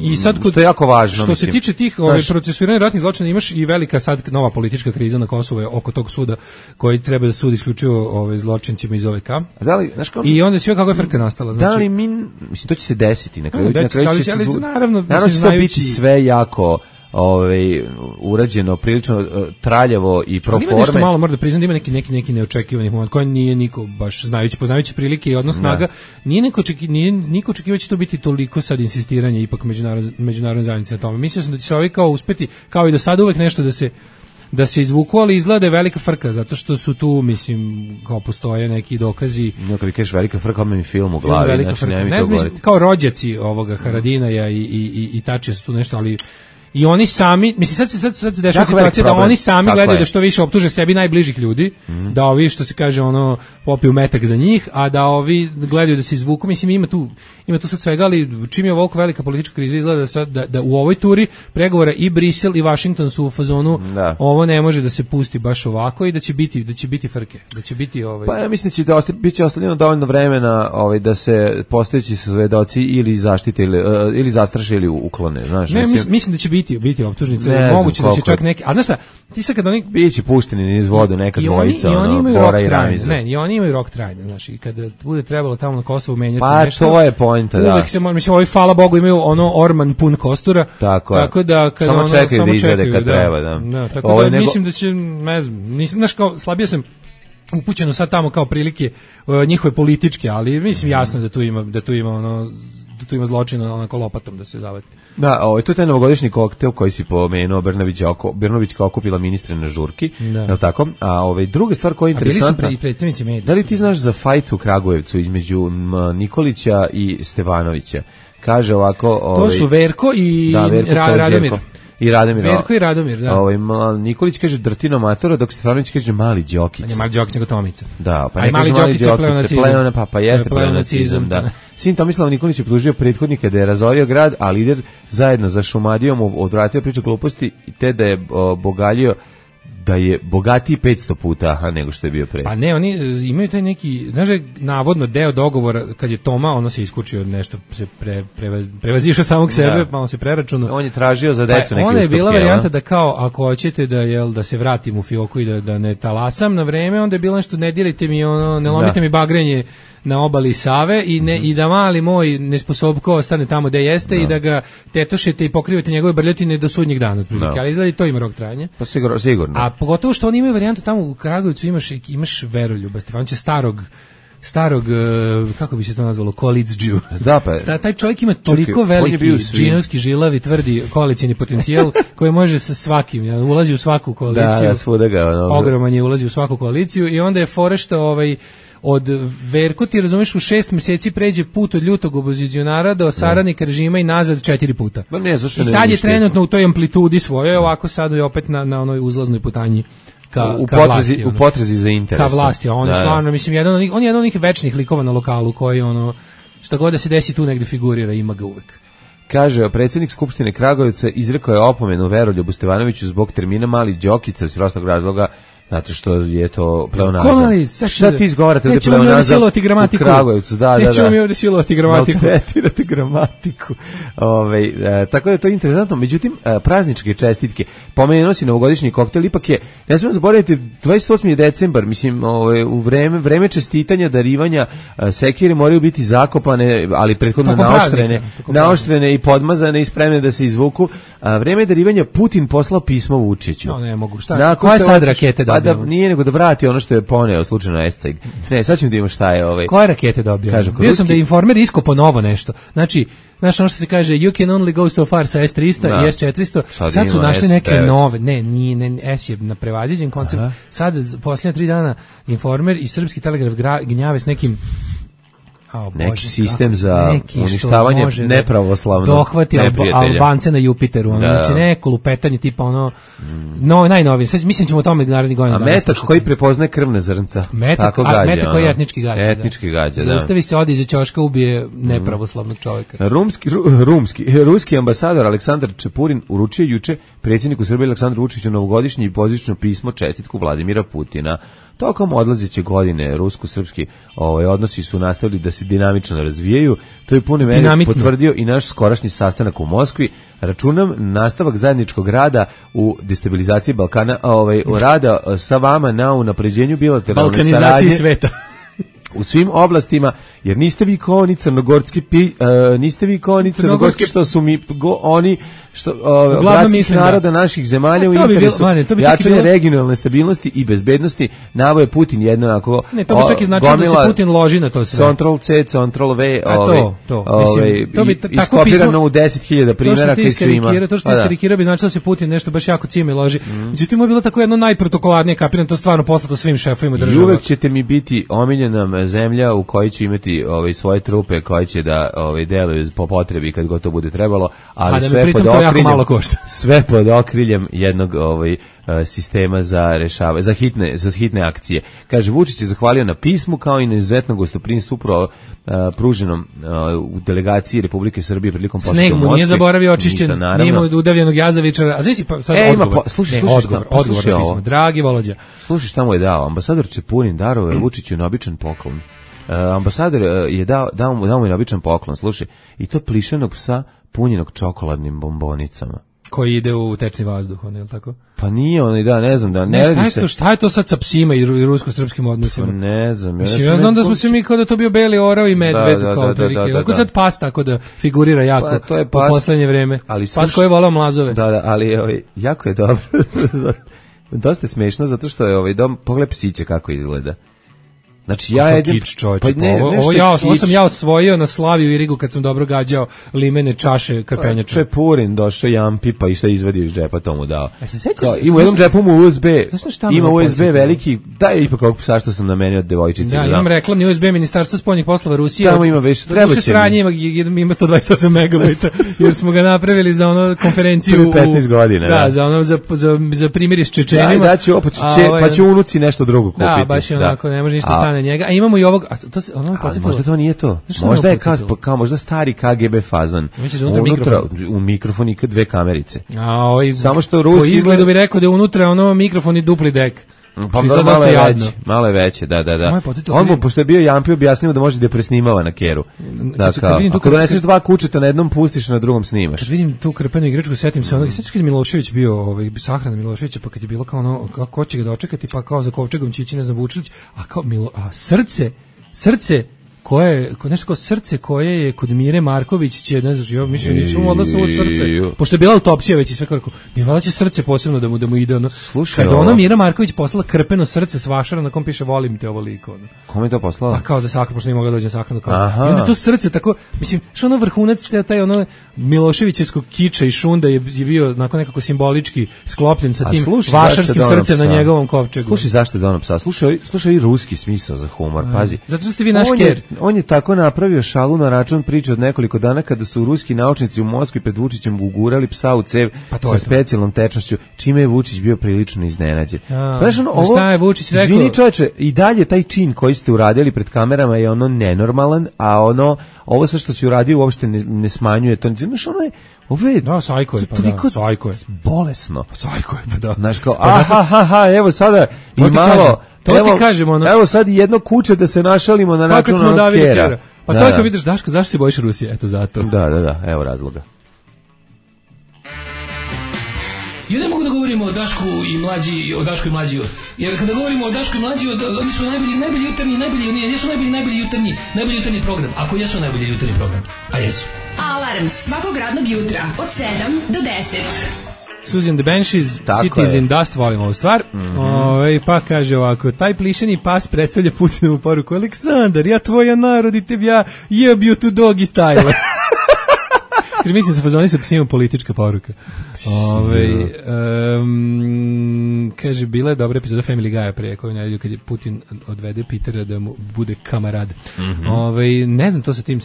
[SPEAKER 6] što je jako važno.
[SPEAKER 5] Što se tiče tih procesuiranja ratnih zločina, imaš i velika sad nova politička kriza na Kosovu oko tog suda koji treba da sudi isključivo zločincima iz OVK. I onda sve kako je frka nastala.
[SPEAKER 6] Znači, da li mislim to će se desiti na kraju će se
[SPEAKER 5] naravno
[SPEAKER 6] će to biti sve jako urađeno prilično traljavo i pro forme.
[SPEAKER 5] Ima nešto malo, moram da priznam da ima neki neočekivani moment koji nije niko baš poznajući prilike i odnos snaga, nije niko očekivao će to biti toliko sad insistiranje ipak međunarodne zajednice na tome. Mislio sam da će se kao uspeti, kao i do sada uvek nešto da se izvuku, ali izgleda je velika frka, zato što su tu, mislim, kao postoje neki dokazi.
[SPEAKER 6] Kad vi kažeš velika frka, mi film u glavi, znači
[SPEAKER 5] ne znam, kao rođaci ovoga Haradinaja i Tačija su tu nešto, ali i oni sami, mislim sad se dešava situacija da oni sami gledaju da što više optuže sebi najbližih ljudi, da ovi što se kaže popiju metak za njih, a da ovi gledaju da se izvuku. Mislim ima tu sad svega, ali čim je ovoliko velika politička kriza izgleda da u ovoj turi pregovora i Brisel i Washington su u fazonu ovo ne može da se pusti baš ovako i da će biti frke, da će biti
[SPEAKER 6] Pa ja mislim da će biti ostavljeno dovoljno vremena da se postojeći svedoci ili zaštite ili zastraše ili uklone, znaš.
[SPEAKER 5] Ne, mislim da će biti optužnice, moguće da će čak neki. A znaš šta, ti sad kad oni
[SPEAKER 6] biće pušteni niz vodu neka dvojica,
[SPEAKER 5] Bora i Ramiza. Ne, i oni imaju rok trajanja, znaš, i kada bude trebalo tamo na Kosovu menjati
[SPEAKER 6] nešto. Pa to je poenta, da.
[SPEAKER 5] Uvek se mislim ovi hvala Bogu imaju Orman pun kostura. Tako da kada
[SPEAKER 6] samo čekaju da izvede kad treba, da.
[SPEAKER 5] Tako da mislim da će, ne znam, nisam znaš kao slabije sam upućeno sad tamo kao prilike njihove političke, ali mislim jasno da tu ima zločina onako lopatom da se zavati.
[SPEAKER 6] Da, to je taj novogodišnji koktel koji si pomenuo, Brnović kao okupila ministre na žurki, je li tako? A druga stvar koja je interesantna,
[SPEAKER 5] bili su predstavnici medija.
[SPEAKER 6] Da li ti znaš za fajt u Kragujevcu između Nikolića i Stevanovića? Kaže ovako...
[SPEAKER 5] To su Verko i Radomir.
[SPEAKER 6] I Radomir.
[SPEAKER 5] Verko i Radomir, da.
[SPEAKER 6] Nikolić kaže Drtino Matora, dok Stefanović kaže Mali Đokica.
[SPEAKER 5] Ne, Mali Đokica nego Tomica.
[SPEAKER 6] Da, pa ne kaže Mali Đokica, pa jeste pleonacizam, da. Sin Tomislav Nikolić je optužio prethodnika da je razorio grad, a lider zajedno za Šumadijom odvratio priču gluposti te da je da je bogatiji 500 puta nego što je bio pre.
[SPEAKER 5] Pa ne, oni imaju taj neki, znaš, navodno deo dogovora kad je Toma, se iskučio nešto, se prevazišao samog sebe, pa on se preračunao.
[SPEAKER 6] On je tražio za decu neki ustupke.
[SPEAKER 5] Ona je bila varijanta da kao, ako hoćete da se vratim u fioku i da ne talasam na vreme, onda je bilo nešto, ne dirajte mi, ne lomite mi bagrenje na obali Save i da mali moj nesposobko ostane tamo gde jeste i da ga tetošete i pokrivate njegove brljotine do sudnjeg dana otprilike, ali izgleda i to ima rok trajanja.
[SPEAKER 6] Pa sigurno.
[SPEAKER 5] A pogotovo što oni imaju varijantu tamo u Kragujevcu imaš Veroljuba Stefanovića, starog, kako bi se to nazvalo, koalicđiju.
[SPEAKER 6] Da, pa.
[SPEAKER 5] Taj čovjek ima toliko veliki džinovski žilavi, tvrdi koalicijni potencijal koji može sa svakim, ulazi u svaku koaliciju.
[SPEAKER 6] Da, svuda ga.
[SPEAKER 5] Ogroman je, ulazi u svaku koaliciju i onda je fore što od Verko, ti razumeš, u 6 meseci pređe put od ljutog opozicionara do saradnika režima i nazad 4 puta. I sad je trenutno u toj amplitudi svojoj, ovako sad je opet na onoj uzlaznoj putanji
[SPEAKER 6] u potrazi za interesom.
[SPEAKER 5] Ka vlasti, a on je stvarno, mislim, on je jedan od onih večnih likova na lokalu koji šta god da se desi tu negde figurira, ima ga uvek.
[SPEAKER 6] Kaže, predsjednik Skupštine Kragujevca izrekao je opomenu Veroljubu Stevanoviću zbog termina Mali Đokica iz prostog razloga zato što je to pleonazam. Šta ti izgovarate ovdje pleonazam u Kragujevcu?
[SPEAKER 5] Nećemo mi ovdje silovati gramatiku.
[SPEAKER 6] Maltretirate gramatiku. Tako da je to interesantno. Međutim, prazničke čestitke. Pomenuo si novogodišnji koktel, ipak je, ne smijem zaboraviti, 28. decembar, mislim, u vreme čestitanja, darivanja, sekire moraju biti zakopane, ali prethodno naoštrene i podmazane i spremne da se izvuku. Vreme darivanja Putin poslao pismo Vučiću.
[SPEAKER 5] No, ne mogu. Šta? Koja je sad rakete dobio?
[SPEAKER 6] Nije nego da vrati ono što je poneo slučajno Esceg. Ne, sad ćemo da imamo šta je
[SPEAKER 5] Koje rakete dobio? Bio sam da je Informer iskopao novo nešto. Znači, ono što se kaže you can only go so far sa S300 i S400. Sad su našli neke nove. Ne, S je na prevaziđen koncept. Sad, posljednja 3 dana Informer i Srpski telegraf gnjave s nekim
[SPEAKER 6] neki sistem za uništavanje nepravoslavnog
[SPEAKER 5] dohvati Albance na Jupiteru, znači neko lupetanje tipa ono najnovije. Sad mislim ćemo o tome narednih godina.
[SPEAKER 6] A metak koji prepoznaje krvna zrnca.
[SPEAKER 5] Metak koji je etnički gađa. Zaustavi se, odi iza ćoška, ubije nepravoslavnog čovjeka.
[SPEAKER 6] Ruski ambasador Aleksandar Čepurin uručio juče predsjedniku Srbije Aleksandru Vučiću novogodišnje i božićno pismo čestitku Vladimira Putina. Tokom odlazeće godine rusko-srpski odnosi su nastavili da se dinamično razvijaju. To je pune mene potvrdio i naš skorašnji sastanak u Moskvi. Računam nastavak zajedničkog rada u destabilizaciji Balkana, rada sa vama na unapređenju bilateralne saradnje.
[SPEAKER 5] Balkanizaciji sveta.
[SPEAKER 6] U svim oblastima, jer niste vi kao oni crnogorski što su mi oni što bratskih naroda naših zemalja u interesu jačanja regionalne stabilnosti i bezbednosti. Navo je Putin jednako
[SPEAKER 5] to bi čak i značilo da se Putin loži na to sve.
[SPEAKER 6] Ctrl-C, Ctrl-V iskopirano u 10.000 primjera koji su ima.
[SPEAKER 5] To što iskarikirao bi značilo da se Putin nešto baš jako cime loži. Međutim, je bilo tako jedno najprotokolarnije, kapiram to stvarno poslato svim šefovima država.
[SPEAKER 6] I uvek ćete mi biti omiljena zemlja u kojoj će imati svoje trupe koje će da deluju po potrebi kad god to bude trebalo, ali sve pod okriljem jednog sistema za rešavanje, za hitne akcije. Kaže, Vučić je zahvalio na pismu kao i na izuzetno gostoprinstvu pruženom u delegaciji Republike Srbije prilikom posjeta
[SPEAKER 5] Sneg mu nije zaboravio očišćen, nije imao udavljenog jazavičara. A znaš pa sad odgovor na pismo. Dragi Volodja.
[SPEAKER 6] Slušaj šta mu je dao. Ambasador Čepurin darovao je Vučiću na običan poklon. Ambasador je dao mu je običan poklon, slušaj, i to plišenog psa punjenog čokoladnim bombonicama.
[SPEAKER 5] Koji ide u tečni vazduh, je li tako?
[SPEAKER 6] Pa nije ne znam, da ne radi se.
[SPEAKER 5] Šta je to sad sa psima i rusko-srpskim odnosima?
[SPEAKER 6] Pa ne znam.
[SPEAKER 5] Ja znam da smo se mi kao da to bio beli orao i medved, kao prilike. Kako sad pas tako da figurira jako u poslednje vreme? Pas koji je volao mlazove.
[SPEAKER 6] Da, ali jako je dobro. Dosta je smešno, zato što je dom, pogledaj psiće kako izgleda. Znači ja jedem
[SPEAKER 5] ovo sam ja osvojio na Slavi u Irigu kad sam dobro gađao limene čaše krpenjača.
[SPEAKER 6] Čepurin došao jampi pa išta izvadio iz džepa, tomu dao. Ima u jednom džepu mu USB, ima USB veliki, daj ipak ovog psa što sam namenio od devojčice.
[SPEAKER 5] Da, imam reklamni USB Ministarstva spoljnih poslova Rusije.
[SPEAKER 6] Tamo ima već, treba će
[SPEAKER 5] sranje, ima 128 megabajta, jer smo ga napravili za ono konferenciju
[SPEAKER 6] 15 godina.
[SPEAKER 5] Da, za ono za primirje s Čečenima.
[SPEAKER 6] Da, pa će unuci nešto drugo kupiti.
[SPEAKER 5] Da, baš je onako, ne može ništa stane njega. A imamo i ovog,
[SPEAKER 6] možda to nije to. Možda je kao možda stari KGB fazon. Unutra u mikrofon i dve kamerice. Samo što Rusi
[SPEAKER 5] po izgledu bi rekao da je unutra ono mikrofon i dupli dek.
[SPEAKER 6] Pa malo je veće, da. On pošto je bio jampi objasnio da može da presnimava na keru. Ako doneseš dva kučeta na jednom pustiš, na drugom snimaš.
[SPEAKER 5] Kad vidim tu krpenu igračku, setim se onog, sećaš kad je Milošević bio, sahrana Miloševića, pa kad je bilo kao ono, ko će ga dočekati, pa kao za kovčegom će ići, ne znam, Vučilić, a kao srce koje nešto kao srce koje je kod Mire Marković će, ne znam, ja mislim ničemu odlasno od srce, pošto je bila autopsija već i sve kako, mi valjda će srce posebno da mu ide ono. Kada ona Mira Marković poslala krpeno srce s vašara na kom piše volim te ovoliko.
[SPEAKER 6] Kome je to poslala?
[SPEAKER 5] A kao za sahranu, pošto nije mogla doći na sahranu. I onda to srce tako, mislim, što ono vrhunac, taj ono Miloševićevskog kiča i šunda je bio nekako simbolički sklopljen sa tim vašarskim srcem na njegovom kovčegu.
[SPEAKER 6] Slušaj, zašto je dono psa? Slušaj i ruski smisao za humor, pazi.
[SPEAKER 5] Zato što ste vi naš ker.
[SPEAKER 6] On je tako napravio šalu na račun priče od nekoliko dana kada su ruski naučnici u Moskvi pred Vučićem ugurali psa u cev sa specijalnom tečnošću, čime je Vučić bio prilično iznenađen.
[SPEAKER 5] Šta je Vučić rekao?
[SPEAKER 6] Izvini čoveče, i dalje taj čin koji ste uradili pred kamerama je ono nenormalan, a ovo sve što si uradio uopšte ne smanjuje to. Znaš, ovo je
[SPEAKER 5] sajko je, sajko je.
[SPEAKER 6] Bolesno.
[SPEAKER 5] Sajko je, pa da.
[SPEAKER 6] Znaš kao, evo sada i malo...
[SPEAKER 5] To ti kažemo, ono.
[SPEAKER 6] Evo sad jedno kuće da se našalimo na račun onog kera.
[SPEAKER 5] Pa to je kad vidiš, Daško, zašto se bojiš Rusije? Eto zato.
[SPEAKER 6] Da, evo razloga.
[SPEAKER 5] Ja ne mogu da govorimo o Dašku i mlađi, jer kada govorimo o Dašku i mlađi, oni su najbolji jutarnji, jesu najbolji jutarnji program, ako jesu najbolji jutarnji program, a jesu.
[SPEAKER 3] Alarm svakog radnog jutra od 7 do 10.
[SPEAKER 5] Susan the Banshees, Cities in Dust, volim ovu stvar. Pa kaže ovako, taj plišeni pas predstavlja Putinovu poruku: Aleksandar, ja tvoja narod i tebi ja jebju tu doggy style. Kaže, mislim se fazoni sa psima politička poruka. Kaže, bila je dobra epizoda Family Guy pre koju najavio kad je Putin odvede Petera da mu bude kamarad. Ne znam, to sa tim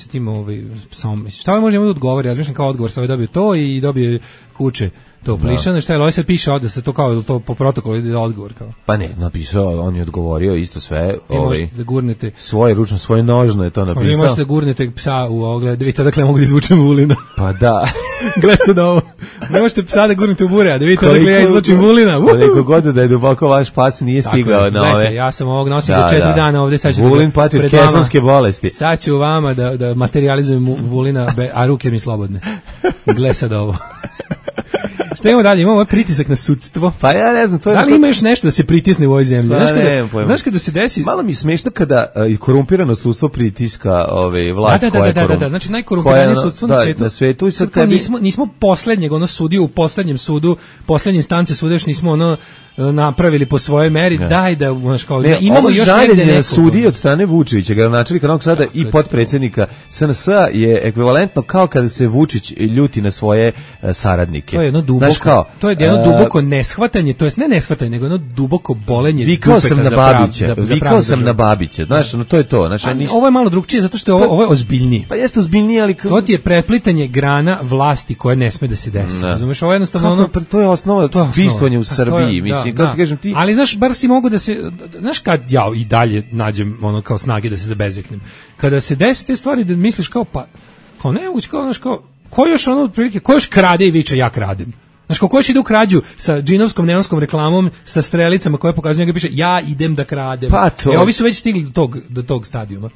[SPEAKER 5] psom. Šta može da odgovori? Ja mislim kao odgovor, sa dobio to i dobije kuće. To plišano, šta je, ovaj sad piše ovde se to kao to po protokolu ide odgovor kao.
[SPEAKER 6] Pa ne, napisao, on je odgovorio isto sve,
[SPEAKER 5] da gurnete
[SPEAKER 6] svoje ručno, svoje nožno je to napisao.
[SPEAKER 5] Vi možete da gurnete psa u ogled, vidite odakle mogu da izvučem Vulina.
[SPEAKER 6] Pa da.
[SPEAKER 5] Gle sad ovo. Ne možete psa da gurnete u bure, a da vidite odakle ja izvučem Vulina.
[SPEAKER 6] Koliko god da je duboko vaš pas nije stigao na ove.
[SPEAKER 5] Ja sam ovog nosio do 4 dana ovde, sad ću
[SPEAKER 6] Vulin pati od kesonske bolesti.
[SPEAKER 5] Sad ću vama da materializujem Vulina, a ruke mi slobodne. Gle sad ovo. Šta imamo dalje? Imamo ovaj pritisak na sudstvo.
[SPEAKER 6] Pa ja ne znam, to je.
[SPEAKER 5] Da li ima još nešto da se pritisne u ovoj zemlji?
[SPEAKER 6] Znaš
[SPEAKER 5] kada se desi?
[SPEAKER 6] Malo mi je smešno kada korumpirano sudstvo pritiska vlast koja je korumpirana.
[SPEAKER 5] Da, znači najkorumpiranije sudstvo
[SPEAKER 6] na svetu.
[SPEAKER 5] I sad tebi nismo poslednjeg sudiju u poslednjem sudu, poslednje instance suda još nismo napravili po svojoj meri. Daj da kao imamo još negde neko.
[SPEAKER 6] Sudi od strane Vučića, gradonačelnika Novog Sada i potpredsednika SNS je ekvivalentno kao kada se Vučić ljuti na svoje saradnike.
[SPEAKER 5] To je jedno duboko neshvatanje, to jest ne neshvatanje, nego jedno duboko bolenje.
[SPEAKER 6] Vikao sam na Babića, znaš, to je to.
[SPEAKER 5] Ovo je malo drugčije, zato što ovo je ozbiljnije.
[SPEAKER 6] Pa jeste ozbiljnije, ali
[SPEAKER 5] to ti je preplitanje grana vlasti koje ne sme da se desi. Razumeš, ovo je jednostavno
[SPEAKER 6] to je osnova bistvovanja u Srbiji, mislim, kako ti kažem ti.
[SPEAKER 5] Ali znaš, bar si mogu da se, znaš kad ja i dalje nađem kao snage da se zabezeknem. Kada se desi te stvari da misliš kao nemoguće, ko još otprilike, ko još krade i viče ja kradem. Znaš, ko još ide u krađu sa džinovskom neonskom reklamom, sa strelicama koje pokazuju, njega piše ja idem da kradem.
[SPEAKER 6] Pa to.
[SPEAKER 5] Ovi su već stigli do tog stadijuma.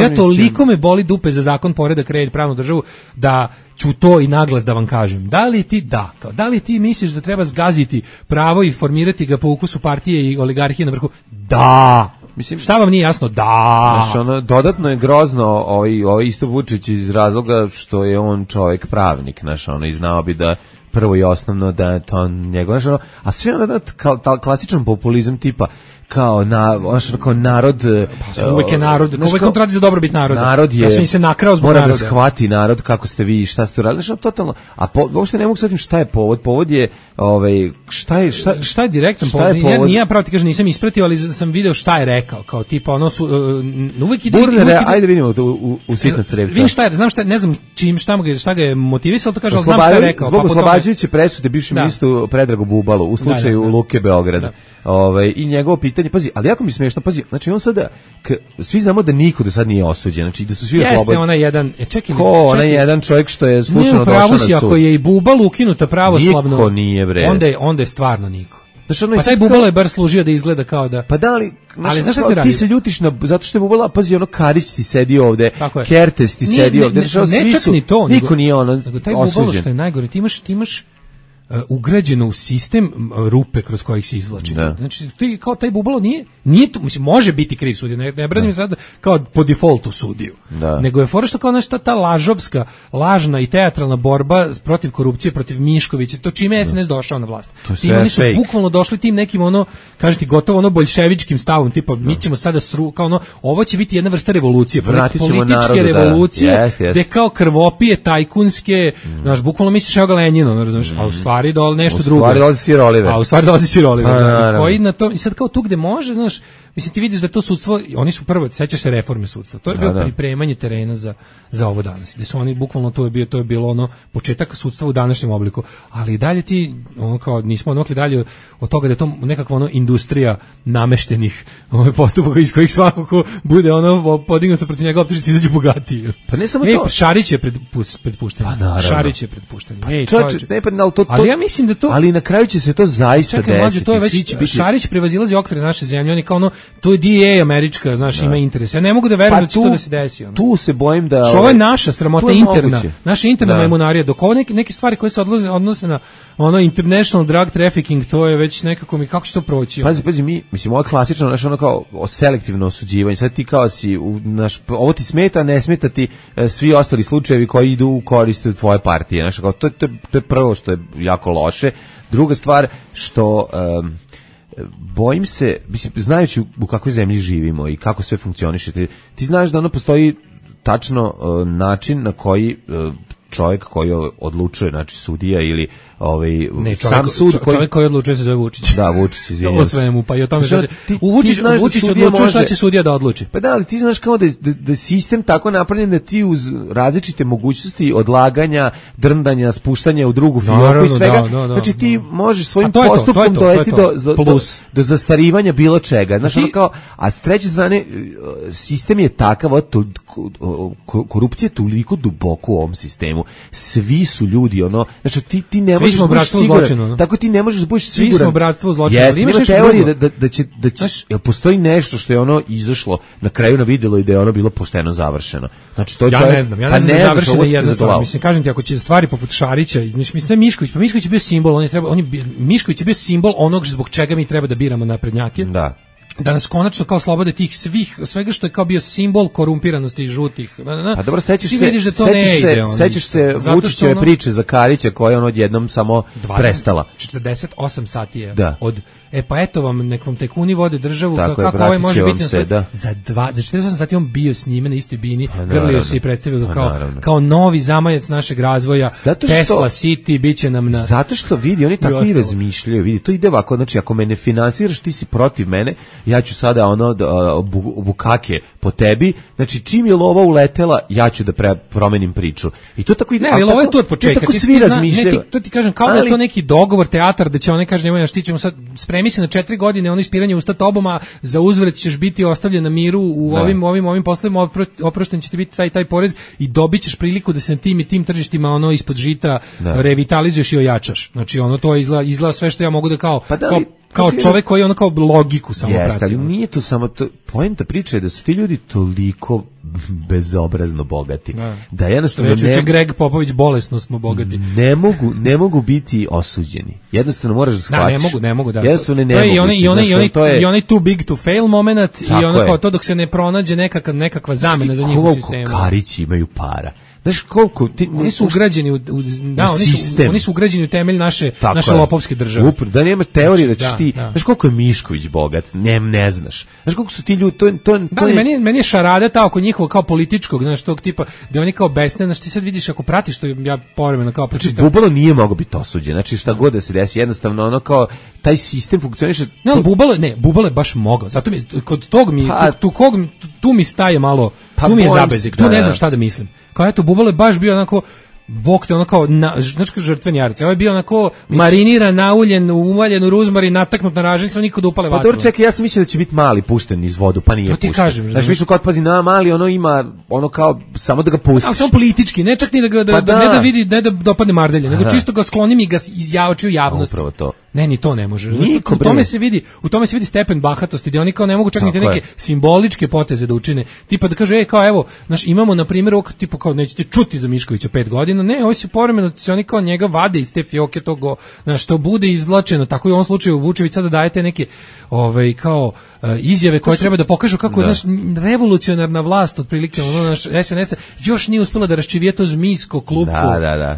[SPEAKER 5] Ja toliko me boli dupe za zakon, poredak, red, pravnu državu, da ću to i naglas da vam kažem. Da li ti misliš da treba zgaziti pravo i formirati ga po ukusu partije i oligarhije na vrhu? Da! Mislim, šta vam nije jasno? Da!
[SPEAKER 6] Znaš, dodatno je grozno ovaj isto Vučić iz razloga što je on čovjek pravnik, znaš, i znao bi da prvo i osnovno da je to njegov, znaš, a sve klasičan populizam tipa kao narod,
[SPEAKER 5] uvijek je narod, uvijek radi za dobrobit naroda.
[SPEAKER 6] Narod je,
[SPEAKER 5] ja sam se nakrao zbog
[SPEAKER 6] mora
[SPEAKER 5] naroda.
[SPEAKER 6] Da shvati narod kako ste vi, šta ste uradili, znači totalno. A uopšte ne mogu shvatiti šta je povod. Povod je
[SPEAKER 5] šta je direktan povod? Ja pravo ti kažem, nisam ispratio, ali sam video šta je rekao, kao tipa uvijek ide.
[SPEAKER 6] Ajde vidimo u sitna crevca.
[SPEAKER 5] Vidim šta je, znam šta, ne znam šta ga je motivisalo, to kaže, ali znam šta je rekao.
[SPEAKER 6] Zbog oslobađajuće presude bivšem ministru Predragu Bubalu u slučaju Luke Beograda. I njegovo pitanje, pazi, ali jako mi smiješno, pazi, znači on sada, svi znamo da niko do sad nije osuđen, znači da su svi oslobodni.
[SPEAKER 5] Jeste onaj jedan,
[SPEAKER 6] jedan čovjek što je slučajno došao na sud.
[SPEAKER 5] Ako je i Bubal ukinuta pravoslavno,
[SPEAKER 6] niko nije, bre.
[SPEAKER 5] Onda je stvarno niko. Pa taj Bubalo je bar služio da izgleda kao da.
[SPEAKER 6] Pa da li, znaš šta se radi? Ti se ljutiš zato što je Bubala, pazi, Karić ti sedi ovde, Kertes ti sedi ovde,
[SPEAKER 5] ne čak ni to.
[SPEAKER 6] Niko nije
[SPEAKER 5] taj Bubalo što je najgore, ti imaš ugrađeno u sistem rupe kroz kojih se izvlači. Znači, ti kao taj Bubalo nije to, mislim, može biti kriv sudija, ne branim sad kao po defaultu sudiju. Nego je fora što kao nešto ta lažna i teatralna borba protiv korupcije, protiv Miškovića, to čime je SNS došao na vlast. Oni su bukvalno došli tim nekim kaže ti gotovo boljševičkim stavom, tipa mi ćemo sada kao ovo će biti jedna vrsta revolucije, političke revolucije, gde kao krvopije tajkunske, znaš, bukvalno misliš evo ga Lenjino, razumiješ, a u stvari nešto drugo. U stvari dolazi Sir Oliver. Koji na to, i sad kao tu gde može, znaš, mislim, ti vidiš da to sudstvo, oni su prvo, sećaš se reforme sudstva, to je bilo pripremanje terena za ovo danas, gde su oni bukvalno, to je bilo početak sudstva u današnjem obliku, ali i dalje ti, kao nismo odmakli dalje od toga da je to nekakva industrija nameštenih postupaka iz kojih svako ko bude podignuto protiv njega optužnici izađe bogatiji.
[SPEAKER 6] Pa ne samo to.
[SPEAKER 5] Šarić je predpušten. Šarić je predpušten.
[SPEAKER 6] Ali ja mislim da to. Ali na kraju će se to zaista desiti.
[SPEAKER 5] To je već Šarić prevazilazi okvire naše zemlje, oni kao to je DEA američka, znaš, ima interes. Ja ne mogu da verujem da će to da se desi.
[SPEAKER 6] Tu se bojim da.
[SPEAKER 5] Što ovo je naša sramota interna. Naša interna majmunarija, dok ovo neke stvari koje se odnose na international drug trafficking, to je već nekako kako će to proći.
[SPEAKER 6] Pazi, mislim, ovo je klasično, znaš, kao selektivno osuđivanje. Sad ti kao si, ovo ti smeta, ne smeta ti svi ostali slučajevi koji idu u korist tvoje partije. Znaš, kao, to je prvo što je jako loše. Druga stvar, što bojim se, mislim, znajući u kakvoj zemlji živimo i kako sve funkcioniše, ti znaš da postoji tačno način na koji čovjek koji odlučuje, znači sudija ili
[SPEAKER 5] ne,
[SPEAKER 6] sam sud
[SPEAKER 5] čovjek koji odlučuje se zove Vučić.
[SPEAKER 6] Da, Vučić, izvinjavam se.
[SPEAKER 5] O svemu, pa i o tome što Vučić odlučuje šta će sudija da odluči.
[SPEAKER 6] Pa da, ali ti znaš kao da sistem tako napravljen da ti uz različite mogućnosti odlaganja, drndanja, spuštanja u drugu fioku i svega, znači ti možeš svojim postupkom dovesti do zastarivanja bilo čega. Znaš, ono kao, a s treće strane, sistem je takav, korupcija je toliko duboko u ovom sistemu. Svi su ljudi, znači ti ne možeš biti siguran. Tako ti ne možeš biti siguran.
[SPEAKER 5] Svi smo bratstvo zločina.
[SPEAKER 6] Jeste, ima teorije da će jel postoji nešto što je ono izašlo na kraju na videlo i da je ono bilo pošteno završeno. Znači to
[SPEAKER 5] ja ne znam da je završeno jedna stvar. Mislim, kažem ti, ako će stvari poput Šarića, mislim Mišković, pa Mišković je bio simbol, Mišković je bio simbol onog zbog čega mi treba da biramo naprednjake. Da nas konačno kao slobode tih svega što je kao bio simbol korumpiranosti žutih.
[SPEAKER 6] A dobro, sećaš se Vučićeve priče za Karića koja je odjednom samo prestala.
[SPEAKER 5] 48 sati je od pa eto vam, nek vam tajkuni vode državu, kako ovaj može biti za 48 sati on bio s njime na istoj bini, grlio se i predstavio kao novi zamajac našeg razvoja, Tesla City, bit će nam na...
[SPEAKER 6] Zato što vidi, oni tako i razmišljaju, vidi, to ide ovako, znači ako me ne finansiraš, ti si protiv mene, ja ću sada bukake po tebi, znači čim je lova uletela, ja ću da promenim priču. I to tako ide.
[SPEAKER 5] Ne, ali ovo je tu od početka.
[SPEAKER 6] Tako svi razmišljaju.
[SPEAKER 5] To ti kažem, kao da je to neki dogovor, teatar, da će oni kaže, nemoj naš, ti ćemo sad, spremi se na 4 godine, ono ispiranje usta tobom, a za uzvrat ćeš biti ostavljen na miru u ovim poslovima, oprošten će ti biti taj porez i dobit ćeš priliku da se na tim i tim tržištima ono ispod žita revitalizuješ i ojačaš. Znači ono to izgleda sve što ja mogu da kao čovjek koji ono kao logiku samo prati.
[SPEAKER 6] Jeste, ali nije to samo to, poenta priče je da su ti ljudi toliko bezobrazno bogati. Da jednostavno
[SPEAKER 5] Greg Popović, bolesno smo bogati.
[SPEAKER 6] Ne mogu biti osuđeni. Jednostavno moraš da shvatiš.
[SPEAKER 5] Ne mogu.
[SPEAKER 6] Jednostavno ne mogu.
[SPEAKER 5] I onaj too big to fail moment i ono kao to dok se ne pronađe nekakva zamena za njih u sistemu.
[SPEAKER 6] Koliko Karići imaju para. Znaš koliko
[SPEAKER 5] oni su ugrađeni u sistem. Oni su ugrađeni u temelj naše lopovske države.
[SPEAKER 6] Da nema teorije da ćeš ti. Znaš koliko je Mišković bogat? Ne znaš. Znaš koliko su ti ljudi
[SPEAKER 5] meni je šarada ta oko njihovog kao političkog, znaš, tog tipa da oni kao besne, znaš, ti sad vidiš ako pratiš što ja povremeno kao pročitam.
[SPEAKER 6] Znači, Bubalo nije mogao biti osuđen. Znači šta god da se desi, jednostavno ono kao taj sistem funkcioniše.
[SPEAKER 5] Ne, Bubalo je baš mogao. Zato mi kod tog tu mi staje malo, tu mi je zabezik. Tu ne znam šta da mislim. Kao eto, Bubalo je baš bio onako bok te ono kao, znači žrtveni jarac. Ovo je bio onako mariniran, nauljen, uvaljen u ruzmarin, nataknut na ražnjicu, niko da upale vatru.
[SPEAKER 6] Pa dobro, čekaj, ja sam mislio da će biti mali pušten iz vodu, pa nije pušten.
[SPEAKER 5] To ti kažem.
[SPEAKER 6] Znači, mi smo kao pazi na mali, ono ima, ono kao, samo da ga pustiš.
[SPEAKER 5] Ali samo politički, ne čak ni ne da vidi, ne da dopadne mardelje, nego čisto ga sklonim i ga izjači u javnost.
[SPEAKER 6] Upravo to.
[SPEAKER 5] Ne, ni to ne može. U tome se vidi stepen bahatosti, gdje oni kao ne mogu čak ni te neke simboličke poteze da učine. Tipa da kaže, kao evo, znaš, imamo na primjer ovog tipa kao nećete čuti za Miškovića 5 godina. Ne, ovi se povremeno se oni kao njega vade iz te fioke toga, znaš, što bude izvlačeno. Tako i u ovom slučaju Vučević sada dajete neke kao izjave koje treba da pokažu kako je naš revolucionarna vlast otprilike ono naš SNS još nije uspela da raščivije to zmijsko klupko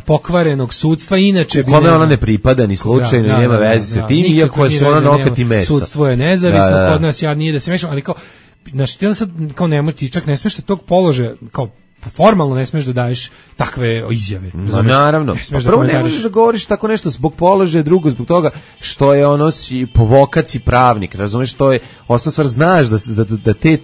[SPEAKER 5] pokvarenog sudstva, inače
[SPEAKER 6] kome ona ne pripada ni slučajno, nema veze sa tim, iako su ona nokat i meso.
[SPEAKER 5] Sudstvo je nezavisno kod nas, ja nije da se mešam, ali kao, znači ti onda sad kao nemoj, ti čak ne smiješ tog položaja, kao formalno ne smiješ da daješ takve izjave.
[SPEAKER 6] Naravno. Prvo ne možeš da govoriš tako nešto zbog položaja, drugo zbog toga što je ono si po vokaciji pravnik, razumeš, to je osnovna stvar, znaš da te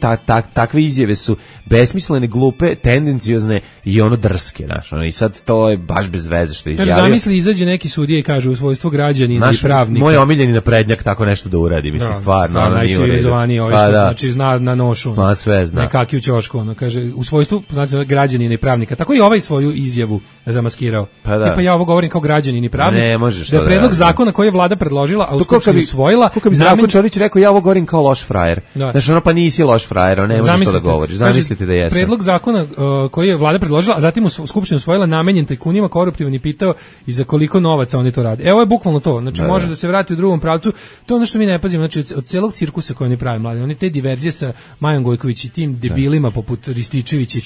[SPEAKER 6] takve izjave su besmislene, glupe, tendenciozne i ono drske, znaš, i sad to je baš bez veze što je izjavio.
[SPEAKER 5] Zamisli, izađe neki sudija i kaže u svojstvu građanina i pravnika.
[SPEAKER 6] Moj omiljeni naprednjak tako nešto da uradi, mislim, stvarno
[SPEAKER 5] najcivilizovaniji znači zna na nošu.
[SPEAKER 6] Ma sve zna.
[SPEAKER 5] Nekaki u ćošku, ono kaže u svojstvu, znači građanina i pravnika. Tako i ovaj svoju izjavu zamaskirao. Tipa ja ovo govorim kao građanin i pravnik.
[SPEAKER 6] Ne možeš
[SPEAKER 5] da je predlog zakona koji je vlada predložila, a u Skupštini usvojila.
[SPEAKER 6] Kako bi Zdravko Čolić rekao, ja ovo govorim kao loš frajer. Znači ono pa nisi loš frajer, ne možeš to da govoriš. Zamislite da jesam.
[SPEAKER 5] Predlog zakona koji je vlada predložila, a zatim u Skupštini usvojila, namenjen tajkunima, koruptivan, i pitao i za koliko novaca oni to rade. Evo je bukvalno to. Znači može da se vrati u drugom pravcu. To je ono što mi ne pazimo. Znači od celog cirkusa koji oni prave mladi, oni te diverzije sa Majom Gojković i tim debilima poput Rističević i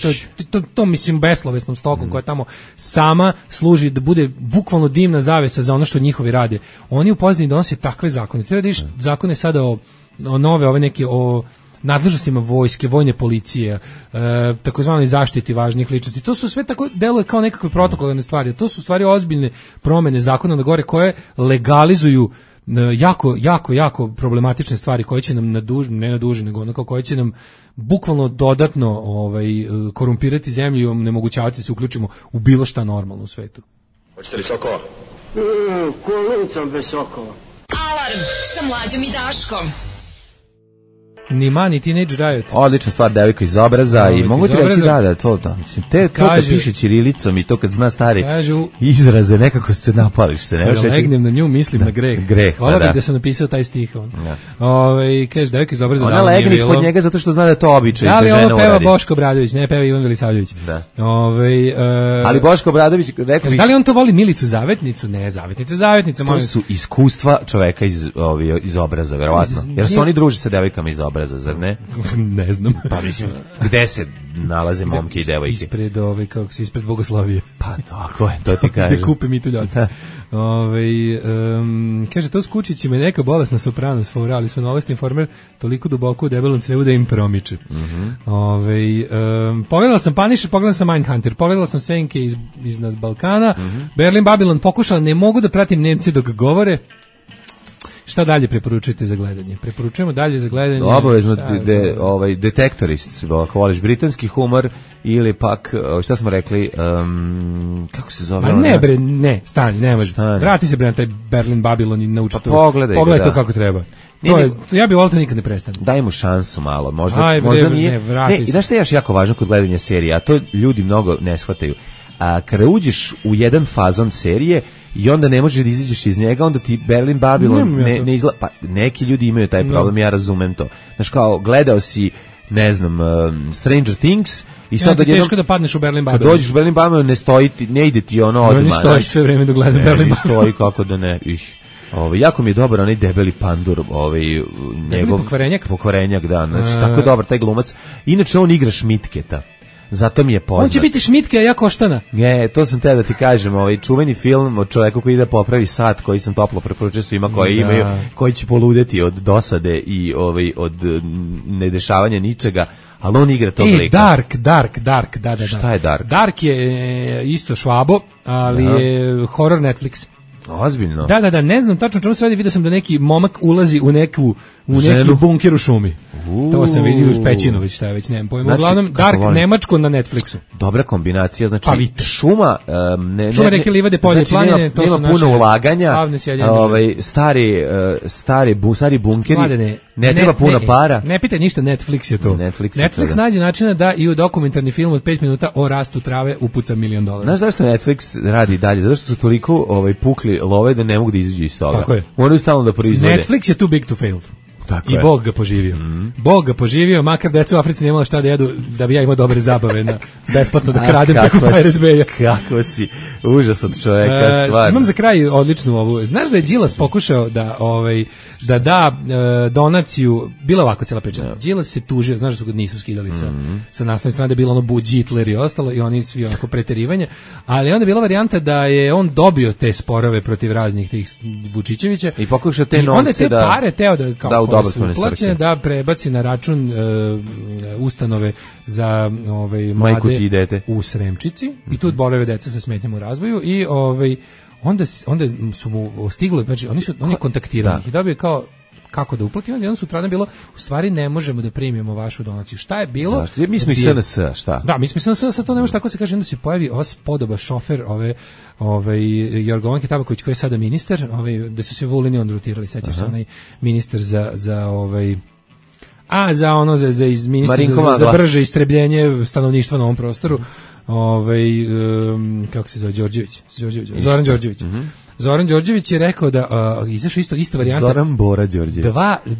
[SPEAKER 5] to mislim beslovesnom stokom koja tamo sama služi da bude bukvalno dimna zavesa za ono što njihovi rade. Oni u pozadini donose takve zakone. Treba da vidiš zakone sada o nove, ove neke o nadležnostima vojske, vojne policije, takozvanoj zaštiti važnih ličnosti. To su sve tako deluje kao nekakve protokolarne stvari. To su stvari ozbiljne promene zakona na gore koje legalizuju jako problematične stvari koje će nam ne na duži, nego onako koje će nam bukvalno dodatno korumpirati zemlju i onemogućavati da se uključimo u bilo šta normalno u svetu.
[SPEAKER 8] Hoćete li sokova?
[SPEAKER 1] Kolicom bez sokova.
[SPEAKER 3] Alarm sa Mlađom i Daškom.
[SPEAKER 5] Ni mani Teenage Riot.
[SPEAKER 6] Odlična stvar, devojka iz obraza i mogu ti reći to mislim, to kad piše ćirilicom i to kad zna stari izraze, nekako se napališ se.
[SPEAKER 5] Ne legnem na nju, mislim na greh. Hvala bih da sam napisao taj stih. Kaže, devojka iz obraza.
[SPEAKER 6] Ona legne ispod njega zato što zna da je to običaj.
[SPEAKER 5] Da li ovo peva Boško Obradović, ne peva Ivan Velisavljević.
[SPEAKER 6] Ali Boško Obradović, rekao bih...
[SPEAKER 5] Da li on to voli Milicu Zavetnicu? Ne, Zavetnica.
[SPEAKER 6] To su iskustva čoveka iz obraza, verovatno. Jer su oni druže sa devojkama iz obraza, zar ne?
[SPEAKER 5] Ne znam.
[SPEAKER 6] Pa mislim, gde se nalaze momke i devojke?
[SPEAKER 5] Ispred Bogoslavije.
[SPEAKER 6] Pa tako je, to ti kažem.
[SPEAKER 5] Da kupe mi tu ljati. Kaže, to s kučićima je neka bolesna soprano sfora, ali su Novosti Informer toliko duboko u debelom crevu da im promiče. Pogledala sam Punisher, pogledala sam Mindhunter, pogledala sam Senke iznad Balkana, Berlin Babylon pokušala, ne mogu da pratim Nemci dok govore. Šta dalje preporučujete za gledanje? Preporučujemo dalje za gledanje...
[SPEAKER 6] Obavezno Detektorist, ako voliš britanski humor, ili pak, šta smo rekli, kako se zove?
[SPEAKER 5] Ne, stani, ne može. Vrati se na taj Berlin Babylon i nauči to.
[SPEAKER 6] Pogledaj
[SPEAKER 5] to kako treba. Ja bih volio to nikad ne prestane.
[SPEAKER 6] Daj mu šansu malo, možda nije. I znaš što je još jako važno kod gledanja serije, a to ljudi mnogo ne shvataju. Kada uđeš u jedan fazon serije, i onda ne možeš da izađeš iz njega, onda ti Berlin Babylon ne izgleda. Pa neki ljudi imaju taj problem, ja razumem to. Znaš, kao, gledao si, ne znam, Stranger Things i sad
[SPEAKER 5] odjednom... Teško da padneš u Berlin Babylon.
[SPEAKER 6] Kad dođeš u Berlin Babylon, ne ide ti ono odmah.
[SPEAKER 5] Ne stoji sve vreme da gledam Berlin Babylon.
[SPEAKER 6] Ne stoji, kako da ne. Jako mi je dobar onaj debeli pandur, njegov pokvarenjak, da. Znači, tako je dobar taj glumac. Inače, on igra Šmitketa. Zato mi je poznat.
[SPEAKER 5] On će biti Šmitke, a ja Koštana.
[SPEAKER 6] Ne, to sam te da ti kažem, čuveni film od čoveku koji ide popravi sat, koji sam toplo preporučio svima koji imaju, koji će poludeti od dosade i od nedešavanja ničega, ali on igra tog lika.
[SPEAKER 5] Dark, da.
[SPEAKER 6] Šta je Dark?
[SPEAKER 5] Dark je isto Švabo, ali je horror Netflix.
[SPEAKER 6] Ozbiljno?
[SPEAKER 5] Da, ne znam tačno čemu se radi, vidio sam da neki momak ulazi u neki bunker u šumi. To sam vidio uz Pećinović, šta je već, nemam pojma. Uglavnom, Dark nemačko na Netflixu.
[SPEAKER 6] Dobra kombinacija, znači šuma,
[SPEAKER 5] reke, livade, polje, planine, to su naše
[SPEAKER 6] puno ulaganja, stari bunkeri, ne treba puno para.
[SPEAKER 5] Ne pitaj ništa, Netflix je to. Netflix nađe načina da i u dokumentarni film od 5 minuta o rastu trave upuca $1 milion.
[SPEAKER 6] Znaš zašto Netflix radi dalje? Zato što su toliko pukli love da ne mogu da izađu iz toga.
[SPEAKER 5] Tako je.
[SPEAKER 6] Moraju stalno da proizvode.
[SPEAKER 5] Netflix je too big to fail. I Bog ga poživio. Bog ga poživio, makar deca u Africi nemala šta da jedu, da bi ja imao dobre zabave besplatno da kradem preko Pirate Bay-a.
[SPEAKER 6] Kako si užas od čoveka, stvarno.
[SPEAKER 5] Imam za kraj odličnu ovu. Znaš da je Đilas pokušao da donaciju, bila ovako cijela priča. Đilas se tužio, znaš da su ga nisu skidali sa naslovne strane, da je bilo ono Bud Hitler i ostalo i oni svi onako preterivanja, ali onda je bila varijanta da je on dobio te sporove protiv raznih tih Vučićevića
[SPEAKER 6] i pokušao te novce
[SPEAKER 5] da pare teo da kao uplaćene da prebaci na račun ustanove za mlade u Sremčici i tu borave deca sa smetnjama u razvoju i onda su mu stigli, znači oni kontaktirali ih i dobio kao kako da uplati, onda sutradan bilo, u stvari ne možemo da primimo vašu donaciju. Šta je bilo?
[SPEAKER 6] Zašto? Mi smo i SNS, šta?
[SPEAKER 5] Da, mi smo i SNS, sad to ne može tako se kaže, onda se pojavi ova spodoba šofer, Jorgovanke Tabaković koji je sada ministar, da su se Vulini on rotirali, sećaš se, onaj ministar za ministar za brže istrebljenje stanovništva na ovom prostoru, kako se zove, Zoran Đorđević. Zoran Đorđević je rekao da izašao isto varijanta.
[SPEAKER 6] Zoran Bora Đorđević.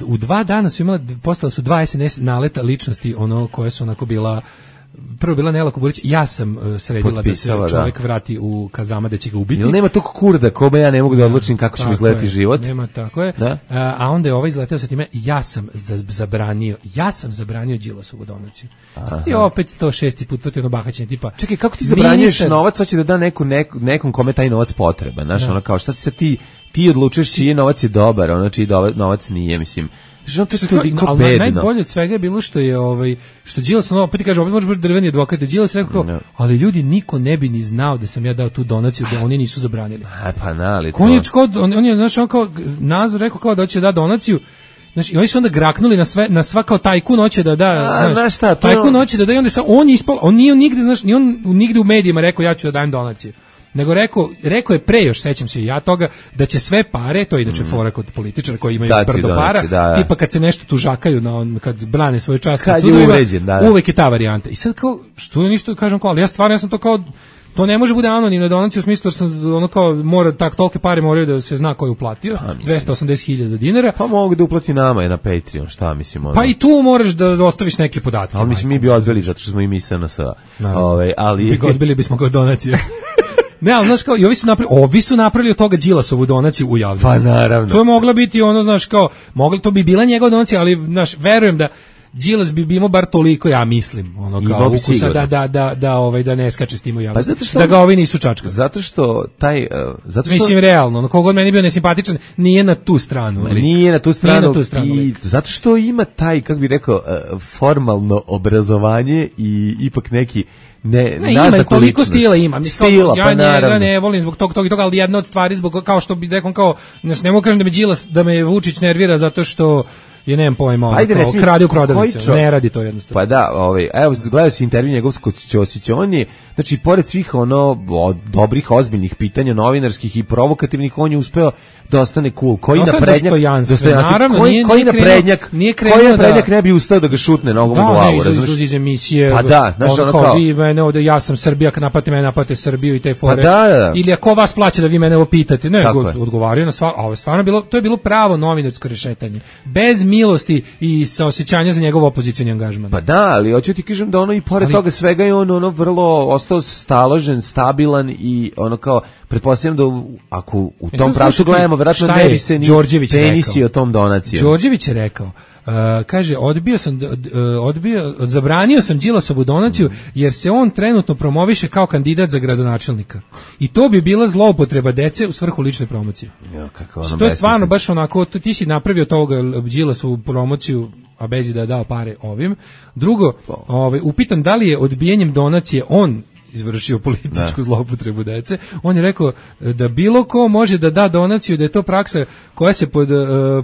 [SPEAKER 5] U 2 dana su postala su 2 SNS naleta ličnosti, koje su onako bila, prvo bila Nela Kuburić, ja sam sredila da se čovjek vrati u kazama da će ga ubiti.
[SPEAKER 6] Jel nema tog kurda kome ja ne mogu da odlučim kako će mi izgledati život?
[SPEAKER 5] Nema, tako je. A onda je izleteo sa time, ja sam zabranio Đilasovu donaciju. Sad je opet 106. put, to je ono bahaćenje tipa.
[SPEAKER 6] Čekaj, kako ti zabranjuješ novac, hoće da da nekom kome taj novac potreban, znaš, ono kao, šta si sad ti odlučuješ čiji novac je dobar, čiji novac nije, mislim.
[SPEAKER 5] Ali najbolje od svega je bilo što je što Đilas opet kaže, opet može biti drveni advokat, Đilas rekao, ali ljudi niko ne bi ni znao da sam ja dao tu donaciju, da oni nisu zabranili.
[SPEAKER 6] Pa na,
[SPEAKER 5] on je znaš, on kao Nazor rekao kao da će da donaciju. Znači, oni su onda graknuli na sva kao tajkun hoće da da, znaš, tajkun hoće da da i onda on je ispao, on nije nigde, znaš, ni on nigde u medijima rekao ja ću da dajem donaciju. Nego rekao je pre, još sećam se ja toga, da će sve pare, to je inače fora kod političara koji imaju brdo para, tipa kad se nešto tužakaju, kad brane svoju čast, kad uvek je ta varijanta. I sad kao, što ja isto kažem kao, ali ja sam to kao, to ne može bude anonimna donacija u smislu, jer sam ono kao, tolike pare moraju da se zna ko je uplatio, 280.000 dinara.
[SPEAKER 6] Pa mogu da uplati nama na Patreon, šta mislim?
[SPEAKER 5] Pa i tu moraš da ostaviš neke podatke.
[SPEAKER 6] Ali mislim, mi bi odveli, zato što smo i mi SNS.
[SPEAKER 5] Mi ga odbili bismo kao donaciju. Ne, ali znaš kao, i ovi su napravili od toga Đilasovu donaciju u javnosti.
[SPEAKER 6] Pa naravno.
[SPEAKER 5] To je mogla biti ono, znaš kao, to bi bila njegova donacija, ali, znaš, verujem da Đilas bi imao bar toliko, ja mislim, ono kao ukusa da ne skače s tim u javnosti. Pa da ga ovi nisu čačkali.
[SPEAKER 6] Zato što
[SPEAKER 5] mislim, realno, ono, kogod meni bio nesimpatičan, nije na tu stranu.
[SPEAKER 6] Nije na tu stranu. I zato što ima taj, kako bi rekao, formalno obrazovanje i ipak neki
[SPEAKER 5] ima toliko stila ima.
[SPEAKER 6] Ja
[SPEAKER 5] njega ne volim zbog toga, ali jedna od stvari zbog, kao što bi rekao, kao, ne mogu kažem da me Vučić nervira zato što je, nemam pojma, krade u prodavnicu, ne radi to jednostavno.
[SPEAKER 6] Pa da, evo, gledao si intervju njegov kod Ćosića, on je, znači, pored svih dobrih, ozbiljnih pitanja, novinarskih i provokativnih, on je uspeo da ostane cool. Koji naprednjak ne bi ustao da ga šutne nogom u glavu, razumiješ?
[SPEAKER 5] Da, iz emisije,
[SPEAKER 6] pa da, znaš, ono kao,
[SPEAKER 5] vi mene ovde, ja sam Srbija, kad napate Srbiju i te fore,
[SPEAKER 6] pa da.
[SPEAKER 5] Ili ako vas plaća da vi mene ovo pitate, ne, odgovaraju na sva, a ovo stvarno bilo, to je bilo pravo novinarsko rešetanje, bez milosti i saosećanja za njegov opozicioni angažman.
[SPEAKER 6] Pa da, ali hoću ti kažem da ono i pored toga svega je on vrlo ostao staložen, stabilan i ono kao, pretpostavljam da ako u tom pravcu gledamo, vjerojatno ne bi se ni penisio tom donacijom.
[SPEAKER 5] Đorđević je rekao, kaže, zabranio sam Đilasovu donaciju jer se on trenutno promoviše kao kandidat za gradonačelnika. I to bi bila zloupotreba dece u svrhu lične promocije. To je stvarno baš onako, ti si napravio toga Đilasovu promociju, a bez da je dao pare ovim. Drugo, upitan da li je odbijanjem donacije on izvršio političku zloupotrebu dece. On je rekao da bilo ko može da da donaciju, da je to praksa koja se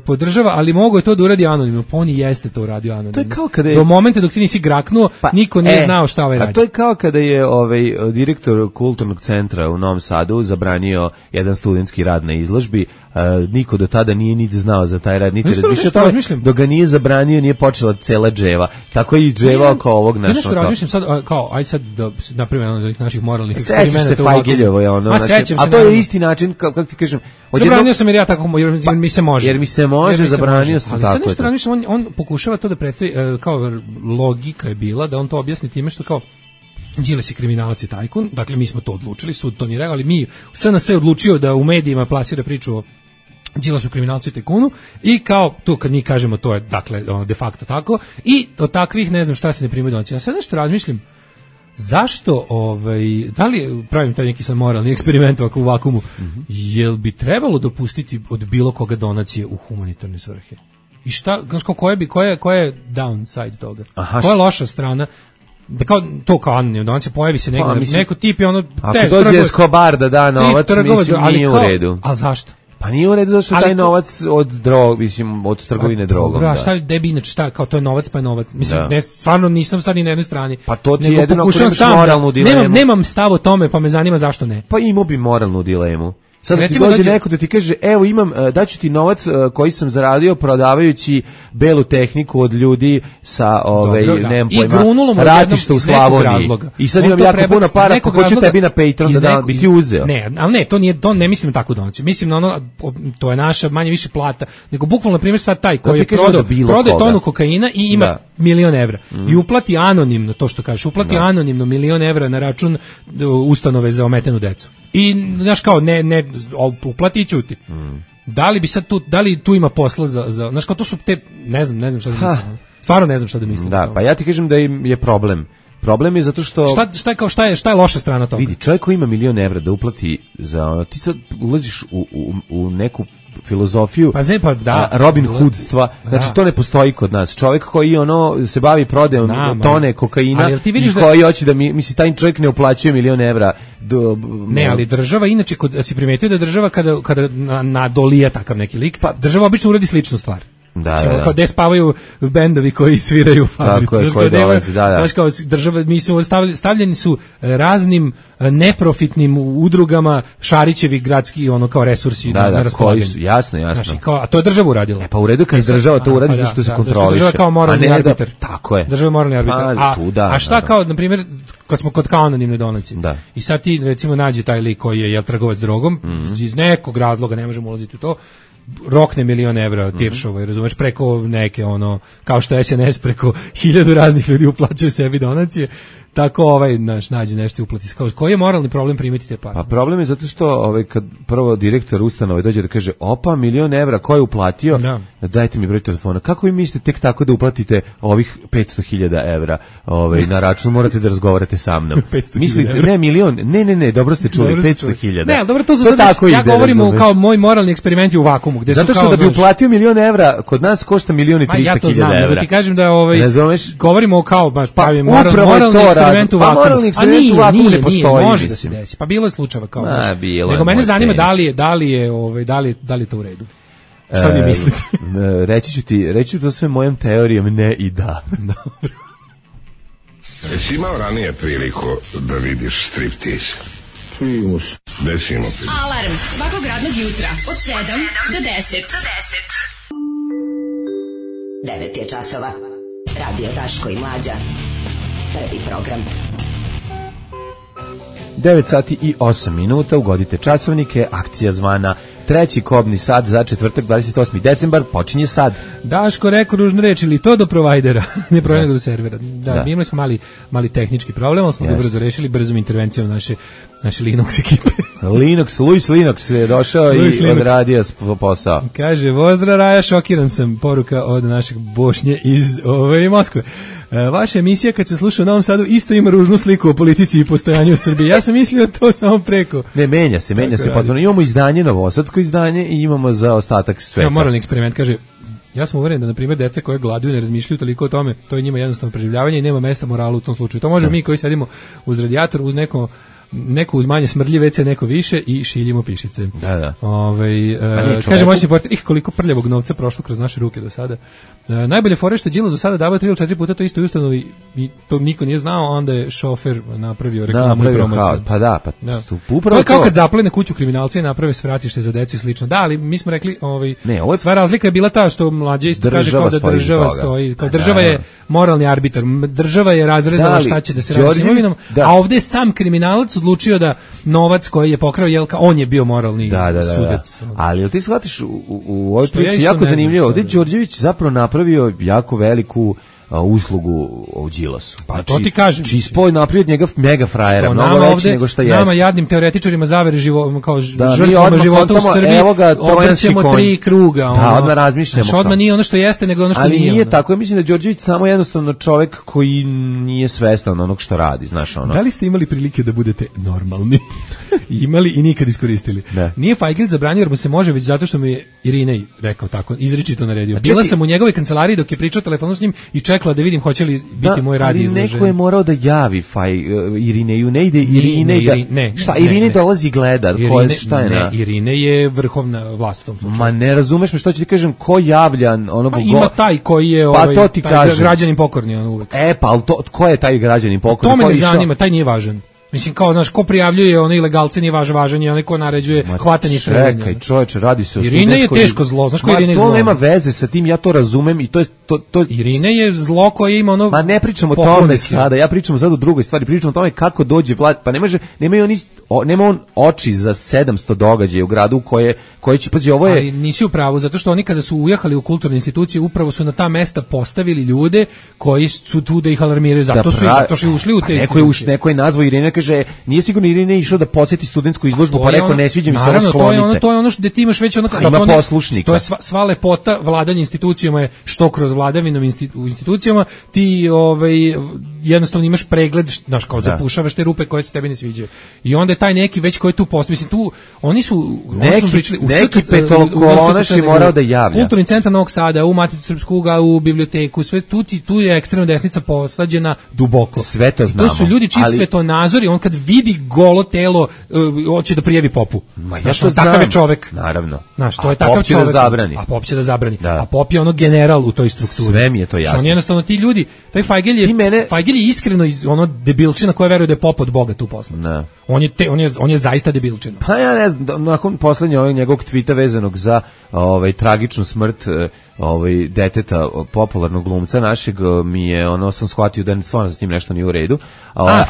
[SPEAKER 5] podržava, ali mogu je to da uradi anonimno. Pa on i jeste to uradio anonimno.
[SPEAKER 6] To je kao kada je...
[SPEAKER 5] Do momenta dok ti nisi graknuo, niko nije znao šta radi.
[SPEAKER 6] A to je kao kada je direktor kulturnog centra u Novom Sadu zabranio jedan studentski rad na izložbi. Niko do tada nije niti znao za taj rad, niti razmišljao o tome, dok ga nije zabranio, nije počela cela dževa. Tako je i dževa oko ovog našog.
[SPEAKER 5] Nešto razmišljam sad, kao, aj sad da napravimo jedan od naših moralnih eksperimenta.
[SPEAKER 6] Sećaš se Fajgeljevo je ono. A to je isti način, kako ti kažem.
[SPEAKER 5] Zabranio sam jer ja tako, jer mi se može.
[SPEAKER 6] Jer mi se može, zabranio sam tako.
[SPEAKER 5] Ali sad nešto razmišljam, on pokušava to da predstavi, kao logika je bila, da on to objasni time što kao, Đilas je kriminalac i tajkun, dakle mi smo to odlučili, sud to nije rekao, ali mi, SNS je odlučio da u medijima plasira priču o Đilasu, kriminalcu i tajkunu i kao, to kad mi kažemo to je, dakle, de facto tako, i od takvih ne znam šta se ne primaju donacije. Ja sad nešto razmišljam, zašto, da li pravim taj neki sam moralni eksperiment ovako u vakumu, jel bi trebalo dopustiti od bilo koga donacije u humanitarne svrhe? I šta, koja je downside toga? Koja je loša strana? Da kao anonimno donacija, pojavi se neko tip i ono...
[SPEAKER 6] Ako dođe Escobar da da novac, mislim, nije u redu.
[SPEAKER 5] A zašto?
[SPEAKER 6] Pa nije u redu zato što taj novac od trgovine drogom.
[SPEAKER 5] Da, šta bi inače, šta, kao to je novac, pa je novac. Mislim, stvarno nisam sad ni na jednoj strani.
[SPEAKER 6] Pa to ti jedino ako imaš moralnu dilemu.
[SPEAKER 5] Nemam stav o tome, pa me zanima zašto ne.
[SPEAKER 6] Pa imao bi moralnu dilemu. Sad ti dođe neko da ti kaže, evo imam, daću ti novac koji sam zaradio prodavajući belu tehniku od ljudi sa nemam pojma, ratišta u Slavoniji. I sad imam jako puno para, ko hoće tebi na Patreon da bi ti uzeo.
[SPEAKER 5] Ne, ali ne, to ne mislim tako donaciju. Mislim na ono, to je naša manje više plata, nego bukvalno na primjer sad taj koji je prodao tonu kokaina i ima 1.000.000 evra. I uplati anonimno, to što kažeš, uplati anonimno 1.000.000 evra na račun ustanove za ometenu decu. I znaš kao ne uplati i ćuti. Da li bi sad tu ima posla za znaš kao to su te ne znam šta da mislim. Stvarno ne znam šta da mislim.
[SPEAKER 6] Da, pa ja ti kažem da je problem. Problem je zato što
[SPEAKER 5] šta je loša strana toga?
[SPEAKER 6] Vidi, čovjek koji ima 1.000.000 evra da uplati za ti sad ulaziš u neku filozofiju Robin Hoodstva, znači to ne postoji kod nas. Čovjek koji se bavi prodajom tone kokaina i koji hoće da misli taj čovjek ne uplaćuje €1.000.000.
[SPEAKER 5] Ne, ali država inače si primetio da država kada nadolija takav neki lik, država obično uradi sličnu stvar. Kao gde spavaju bendovi koji sviraju u fabrici. Znaš, kao država, stavljeni su raznim neprofitnim udrugama Šarićevi gradski kao resursi na raspolaganju.
[SPEAKER 6] Jasno.
[SPEAKER 5] A to je država uradila.
[SPEAKER 6] Pa u redu kad država to uradi zašto se kontroliše.
[SPEAKER 5] Država kao moralni arbiter.
[SPEAKER 6] Tako je.
[SPEAKER 5] Država je moralni arbiter. A šta kao, na primjer, kad smo kod kao anonimne donacije. I sad ti recimo nađe taj lik koji je trgovac drogom, iz nekog razloga, ne možemo ulaziti u to, rokne €1.000.000 Tiršova, razumeš, preko neke kao što SNS preko 1000 raznih ljudi uplaćuje sebi donacije, tako nađe nešto i uplati. Koji je moralni problem primiti te pare?
[SPEAKER 6] Pa problem je zato što kad prvo direktor ustanove dođe da kaže opa €1.000.000 ko je uplatio, dajte mi broj telefona. Kako vi mislite tek tako da uplatite ovih €500.000 na račun, morate da razgovarate sa mnom. Mislite, ne milion, ne, dobro ste čuli, 500.000.
[SPEAKER 5] Ne, ali dobro, to ja govorim kao moj moralni eksperiment je u vakumu.
[SPEAKER 6] Zato što da bi uplatio €1.000.000 kod nas košta €1.300.000.
[SPEAKER 5] Ja to znam, da ti kažem da govorimo kao pravim moralni eksperiment u vakumu.
[SPEAKER 6] Moralni eksperiment u vakumu ne postoji.
[SPEAKER 5] Može da se desi. Pa bilo je slučajeva kao. Nego mene zanima da li je to u redu. Šta vi mislite?
[SPEAKER 6] Reći ću to sve mojom teorijom ne i da.
[SPEAKER 5] Dobro.
[SPEAKER 10] Jesi imao ranije priliku da vidiš striptease? Desimo ti.
[SPEAKER 3] Alarm svakog radnog jutra od 7 do 10.
[SPEAKER 9] 9 je časova. Radio Daško i Mlađa. Prvi program.
[SPEAKER 6] 9:08, ugodite časovnike, akcija zvana treći kobni sat za četvrtak 28. decembar počinje sad.
[SPEAKER 5] Daško rekao ružnu reč, ili to do provajdera, ne provajdera do servera. Da, imali smo mali tehnički problem, ali smo ga brzo rešili, brzom intervencijom naše Linux ekipe.
[SPEAKER 6] Luis Linux je došao i odradio posao.
[SPEAKER 5] Kaže, pozdrav Raja, šokiran sam, poruka od našeg Bošnje iz Moskve. Vaša emisija kad se sluša u Novom Sadu isto ima ružnu sliku o politici i postojanju u Srbiji. Ja sam mislio to samo preko.
[SPEAKER 6] Ne, menja se potpuno. Imamo izdanje, novosadsko izdanje i imamo za ostatak sveta.
[SPEAKER 5] Moralni eksperiment, kaže, ja sam uveren da, na primjer, deca koje gladuju ne razmišljaju toliko o tome, to je njima jednostavno preživljavanje i nema mesta moralu u tom slučaju. To može mi koji sedimo uz radijator, uz neko uz manje smrdljive WC, neko više i šiljimo pišice.
[SPEAKER 6] Da.
[SPEAKER 5] Kaže moj reporter, koliko prljavog novca prošlo kroz naše ruke do sada. Najbolje fore što je Đilas do sada davao 3 ili 4 puta to isto u ustanovi i to niko nije znao, onda je šofer napravio reklamu i promociju.
[SPEAKER 6] Upravo
[SPEAKER 5] kao kad zaplene kuću kriminalci i naprave svratište za decu i slično. Da, ali mi smo rekli, sva razlika je bila ta što Mlađe isto kaže kao da država stoji, kao država je moralni arbitar, država je razrezala šta će da se radi s imovinom, a ovde je sam kriminalac odlučio da novac koji je pokrao Jelka, on je bio moralni sudac.
[SPEAKER 6] Ali jel ti shvatiš u ovoj priči jako zanimljivo, ovdje Đorđević zapravo napravio jako veliku uslugu u Đilasu.
[SPEAKER 5] Pa to ti kažem.
[SPEAKER 6] Čispoj napravio od njega mega frajera, mnogo veći nego što jeste.
[SPEAKER 5] Nama jadnim teoretičarima zavere kao žrtvama života u Srbiji obrćemo 3 kruga.
[SPEAKER 6] Da, odmah razmišljamo.
[SPEAKER 5] Znači, odmah nije ono što jeste, nego ono što nije.
[SPEAKER 6] Ali nije tako, ja mislim da Đorđević samo jednostavno čovjek koji nije svestan onog što radi, znaš ono.
[SPEAKER 5] Da li ste imali prilike da budete normalni? Imali i nikad iskoristili. Nije Fajgil zabranio jer mu se može, već zato što mi je Irinej rekao tako, izričito naredio. Bila sam u njegovoj kancelariji dok je pričao telefonom s njim i čekala da vidim hoće li biti moj rad izložen.
[SPEAKER 6] Ali neko je morao da javi Irineju, ne ide Irine šta, Irine dolazi i gleda, šta je na...
[SPEAKER 5] Irine je vrhovna vlast u tom slučaju.
[SPEAKER 6] Ma ne razumeš me što ću ti kažem, ko javlja onog...
[SPEAKER 5] Pa ima taj koji je građanin pokorni on uvek.
[SPEAKER 6] Pa ko je taj građanin pokorni?
[SPEAKER 5] To me ne zanima, taj nije važan. Mislim, kao, znaš, ko prijavljuje ono ilegalce nije važan je onaj ko naređuje hvatanje i streljanje.
[SPEAKER 6] Čekaj, čoveče, radi se o
[SPEAKER 5] Irine je teško zlo, znaš ko Irine je zlo?
[SPEAKER 6] To nema veze sa tim, ja to razumem i to je...
[SPEAKER 5] Irine je zlo koje ima ono...
[SPEAKER 6] Ma ne pričamo o tome sada, ja pričam sad o drugoj stvari, pričam o tome kako dođe vlad, pa nema on oči za 700 događaja u gradu koje će, pazi, ovo je...
[SPEAKER 5] Ali nisi u pravu, zato što oni kada su ujahali u kulturne institucije, upravo su na ta mesta postavili ljude koji su tu da ih alarmiraju, zato su ušli u te institucije.
[SPEAKER 6] Neko je nazvao Irine, kaže, nije sigurno Irine išao da posjeti studentsku izložbu, pa rekao, ne sviđa mi se, ovo sklonite.
[SPEAKER 5] To je ono što ti imaš već ono...
[SPEAKER 6] Ima poslušnika.
[SPEAKER 5] To je sva lepota vladanja institucijama je što kroz vladavinom u institucijama, ti jednostavno imaš pregled, znaš, kao zapušavaš te rupe koje se tebi ne sviđaju. I onda je taj neki već koji tu postoji, mislim, tu oni su pričali,
[SPEAKER 6] neki petokolonaš je morao da javlja.
[SPEAKER 5] Kulturni centar Novog Sada, u Maticu Srpsku, u biblioteku, sve tu je ekstremna desnica posađena duboko.
[SPEAKER 6] Sve to znamo.
[SPEAKER 5] To su ljudi čiji svetonazori, on kad vidi golo telo, hoće da prijavi popu. Takav je čovek.
[SPEAKER 6] Naravno.
[SPEAKER 5] Znaš, to je takav čovek.
[SPEAKER 6] A
[SPEAKER 5] pop će da zabrani. A pop je ono general u toj strukturi.
[SPEAKER 6] Sve mi je to jasno.
[SPEAKER 5] On jednostavno ti ljudi, taj Fajgel je iskreno ono debilčina koja veruje da je pop od Boga tu poslan.
[SPEAKER 6] Ne.
[SPEAKER 5] On je zaista debilčina.
[SPEAKER 6] Pa ja ne znam, nakon poslednjeg njegovog tvita vezanog za tragičnu smrt deteta popularnog glumca našeg, mi je sam shvatio da stvarno s njim nešto nije u redu.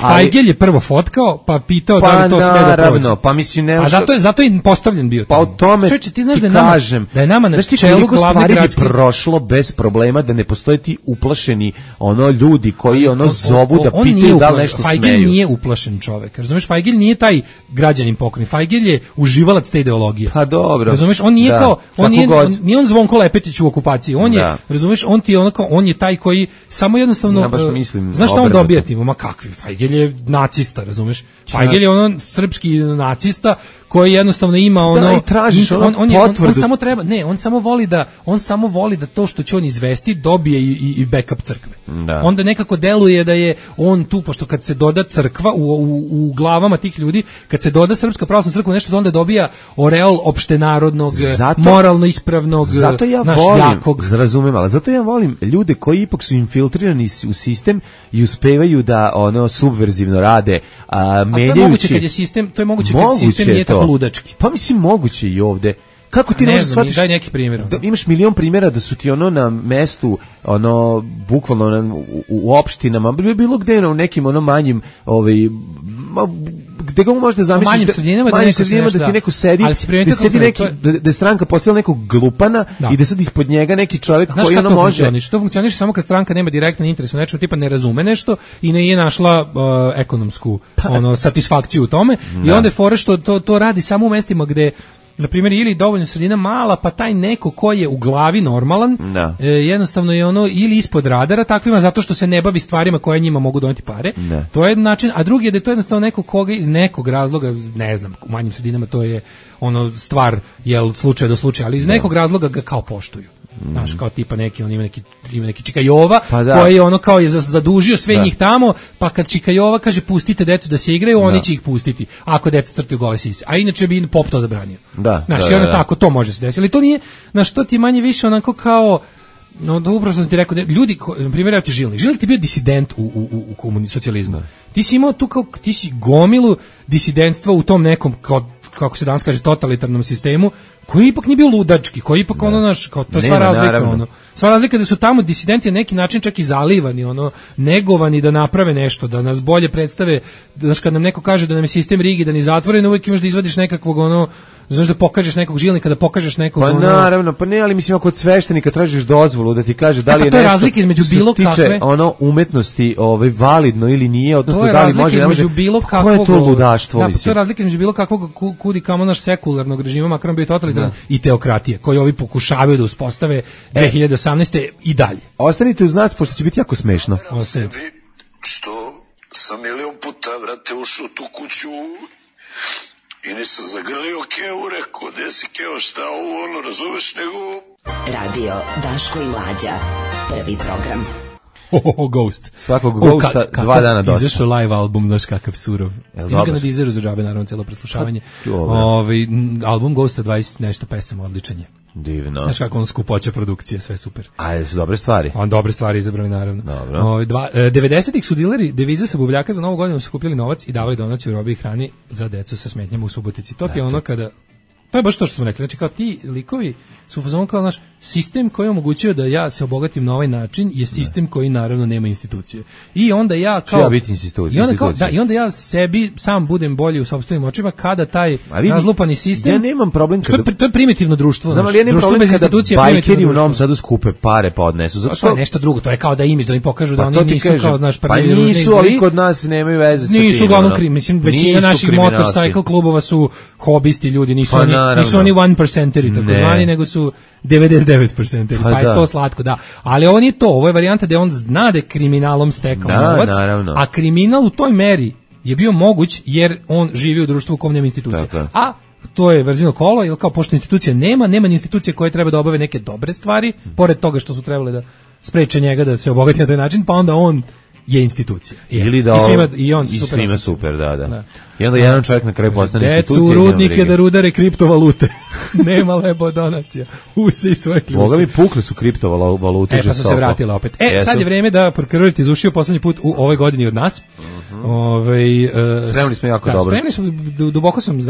[SPEAKER 5] Fajgel je prvo fotkao, pa pitao da li to sve da prođe.
[SPEAKER 6] Pa mislim ne.
[SPEAKER 5] Zato je postavljen bio.
[SPEAKER 6] Pa o tome
[SPEAKER 5] ti znaš da je nama na čelu glavne gradske
[SPEAKER 6] prošlo bez problema, da ne postoje ti uplašeni ljudi koji zovu da pitaju da li nešto smeju.
[SPEAKER 5] Fajgel nije uplašen čovek. Razumeš, Fajgel nije taj građanin pokojni. Fajgel je uživalac te ideologije.
[SPEAKER 6] Pa dobro.
[SPEAKER 5] Razumeš, on nije nije on Zvonko Lepetić u okupaciji. On je, razumeš, on je taj koji samo jednostavno, znaš šta on dobija tim? Ma kakvi, Fajgel je nacista, razumeš? Fajgel je srpski nacista koji jednostavno ima on samo voli da to što će on izvesti dobije i backup crkve. Onda nekako deluje da je on tu, pošto kad se doda crkva u glavama tih ljudi, kad se doda Srpska pravoslavna crkva nešto, onda dobija oreol opštenarodnog, moralno ispravnog, jakog.
[SPEAKER 6] Razumem, ali zato ja volim ljude koji ipak su infiltrirani u sistem i uspevaju da subverzivno rade, menjajući.
[SPEAKER 5] To je moguće kad sistem nije tako ludački.
[SPEAKER 6] Pa mislim moguće i ovde. Kako ti ne možeš shvatiti?
[SPEAKER 5] Daj neki primjer.
[SPEAKER 6] Imaš milion primjera da su ti na mestu, bukvalno u opštinama, bilo gde u nekim manjim, gde ga možeš da zamisliš,
[SPEAKER 5] manjim sredinama
[SPEAKER 6] da ti neko sedi, da sedi neki, da je stranka postavila nekog glupana i da sad ispod njega neki čovjek koji može.
[SPEAKER 5] To funkcioniše samo kad stranka nema direktan interes u nečemu, tipa ne razume nešto i ne je našla ekonomsku satisfakciju u tome i onda je fore što to radi samo u mestima gde, na primjer, ili dovoljno sredina mala, pa taj neko ko je u glavi normalan, jednostavno je ili ispod radara takvima, zato što se ne bavi stvarima koje njima mogu doneti pare. To je način, a drugi je da je to jednostavno neko koga iz nekog razloga, ne znam, u manjim sredinama to je stvar, slučaj do slučaja, ali iz nekog razloga ga kao poštuju. Znaš, kao tipa neki, on ima neki Čika Jova, koji je kao je zadužio sve njih tamo, pa kad Čika Jova kaže pustite decu da se igraju, oni će ih pustiti, ako deca crtaju gole sise. A inače bi pop to zabranio. Znaš, i onda tako, to može se desiti. Ali to nije, znaš, to ti manje više onako kao, upravo sam ti rekao, ljudi, na primjer, ja ti Žilnik ti je bio disident u socijalizmu. Ti si imao tu ti si gomilu disidentstva u tom nekom, kako se danas kaže, totalitarnom sistemu, koji ipak nije bio ludački, koji ipak kao to je sva razlika, sva razlika da su tamo disidenti na neki način čak i zalivani, negovani da naprave nešto, da nas bolje predstave, znaš, kad nam neko kaže da nam je sistem rigidan i zatvoren, uvijek imaš da izvadiš nekakvog, znaš, da pokažeš nekog Žilnika, da pokažeš nekog,
[SPEAKER 6] pa naravno, pa ne, ali mislim, ako od sveštenika tražiš dozvolu da ti kaže da li je nešto što tiče umetnosti validno ili nije, odnosno da li može, ne može, koje je to ludaštvo, mislim.
[SPEAKER 5] To je razlika između bilo kakvog kudi kamo naš sekularnog režima, makar bio totalitaran, i teokratije, koji ovi pokušavaju da uspostave 2018. i dalje.
[SPEAKER 6] Ostanite uz nas, pošto će biti jako smešno.
[SPEAKER 8] Sebi, što sam milion puta, vrate, ušao u tu kuću i nisam zagrlio Kevu, rekao, gde si Keo, šta ovo, razumeš, nego...
[SPEAKER 9] Radio Daško i Mlađa, prvi program.
[SPEAKER 5] Ghost.
[SPEAKER 6] Svakog Ghosta 2 dana dosta.
[SPEAKER 5] Izašao live album, znaš kakav surov. Imaš ga na Deezeru za džabe, naravno, cijelo preslušavanje. Album Ghosta 20 nešto pesama, odličan je.
[SPEAKER 6] Divno.
[SPEAKER 5] Znaš kako skupoća produkcije, sve super.
[SPEAKER 6] A su dobre stvari?
[SPEAKER 5] Dobre stvari izabrali, naravno.
[SPEAKER 6] Dobro.
[SPEAKER 5] 90-ih su dileri devize sa buvljaka za Novu godinu su kupili novac i davali donaciju robi i hrani za decu sa smetnjama u Subotici. To je ono kada... To je baš to što smo rekli. Znači, kao ti likovi su fazon kao naš sistem koji omogućuje da ja se obogatim na ovaj način je sistem koji naravno nema institucije. I onda ja kao...
[SPEAKER 6] Treba biti institucija.
[SPEAKER 5] I onda ja sebi sam budem bolji u sopstvenim očima kada taj razlupani sistem...
[SPEAKER 6] Ja nemam problem kada...
[SPEAKER 5] To je primitivno društvo.
[SPEAKER 6] Znam, ali ja nemam problem kada bajkeri u Novom Sadu skupe pare pa odnesu. Zato što...
[SPEAKER 5] To je nešto drugo. To je kao da imidž, da mi pokažu da oni nisu kao, znaš,
[SPEAKER 6] prvi ružni nisu, ali kod nas nemaju veze sa tim.
[SPEAKER 5] Nisu uglavnom mislim, većina naših motorcycle klubova su hobisti ljudi, nisu oni nisu oni 1%-eri, tako zvani, nego su 99%-eri, pa je to slatko, da. Ali ovo nije to, ovo je varijanta da on zna da je kriminalom stekao novac, a kriminal u toj meri je bio moguć jer on živi u društvu u kom nema institucije. A to je verzino kolo, jer kao pošto institucija nema ni institucije koje treba da obave neke dobre stvari, pored toga što su trebale da spreče njega da se obogati na taj način, pa onda on je institucija.
[SPEAKER 6] Ili da svima super, da. I onda jedan čovjek na kraju postane institucija.
[SPEAKER 5] Decu u rudnike da rudare kriptovalute. Nema lebo donacija. Usi svoje kljuce.
[SPEAKER 6] Boga mi pukli su kriptovalute žestoko.
[SPEAKER 5] Pa su se vratile opet. Sad je vreme da prokrvite iz ušiju poslednji put u ovoj godini od nas.
[SPEAKER 6] Spremni smo jako dobro.
[SPEAKER 5] Spremni smo, duboko sam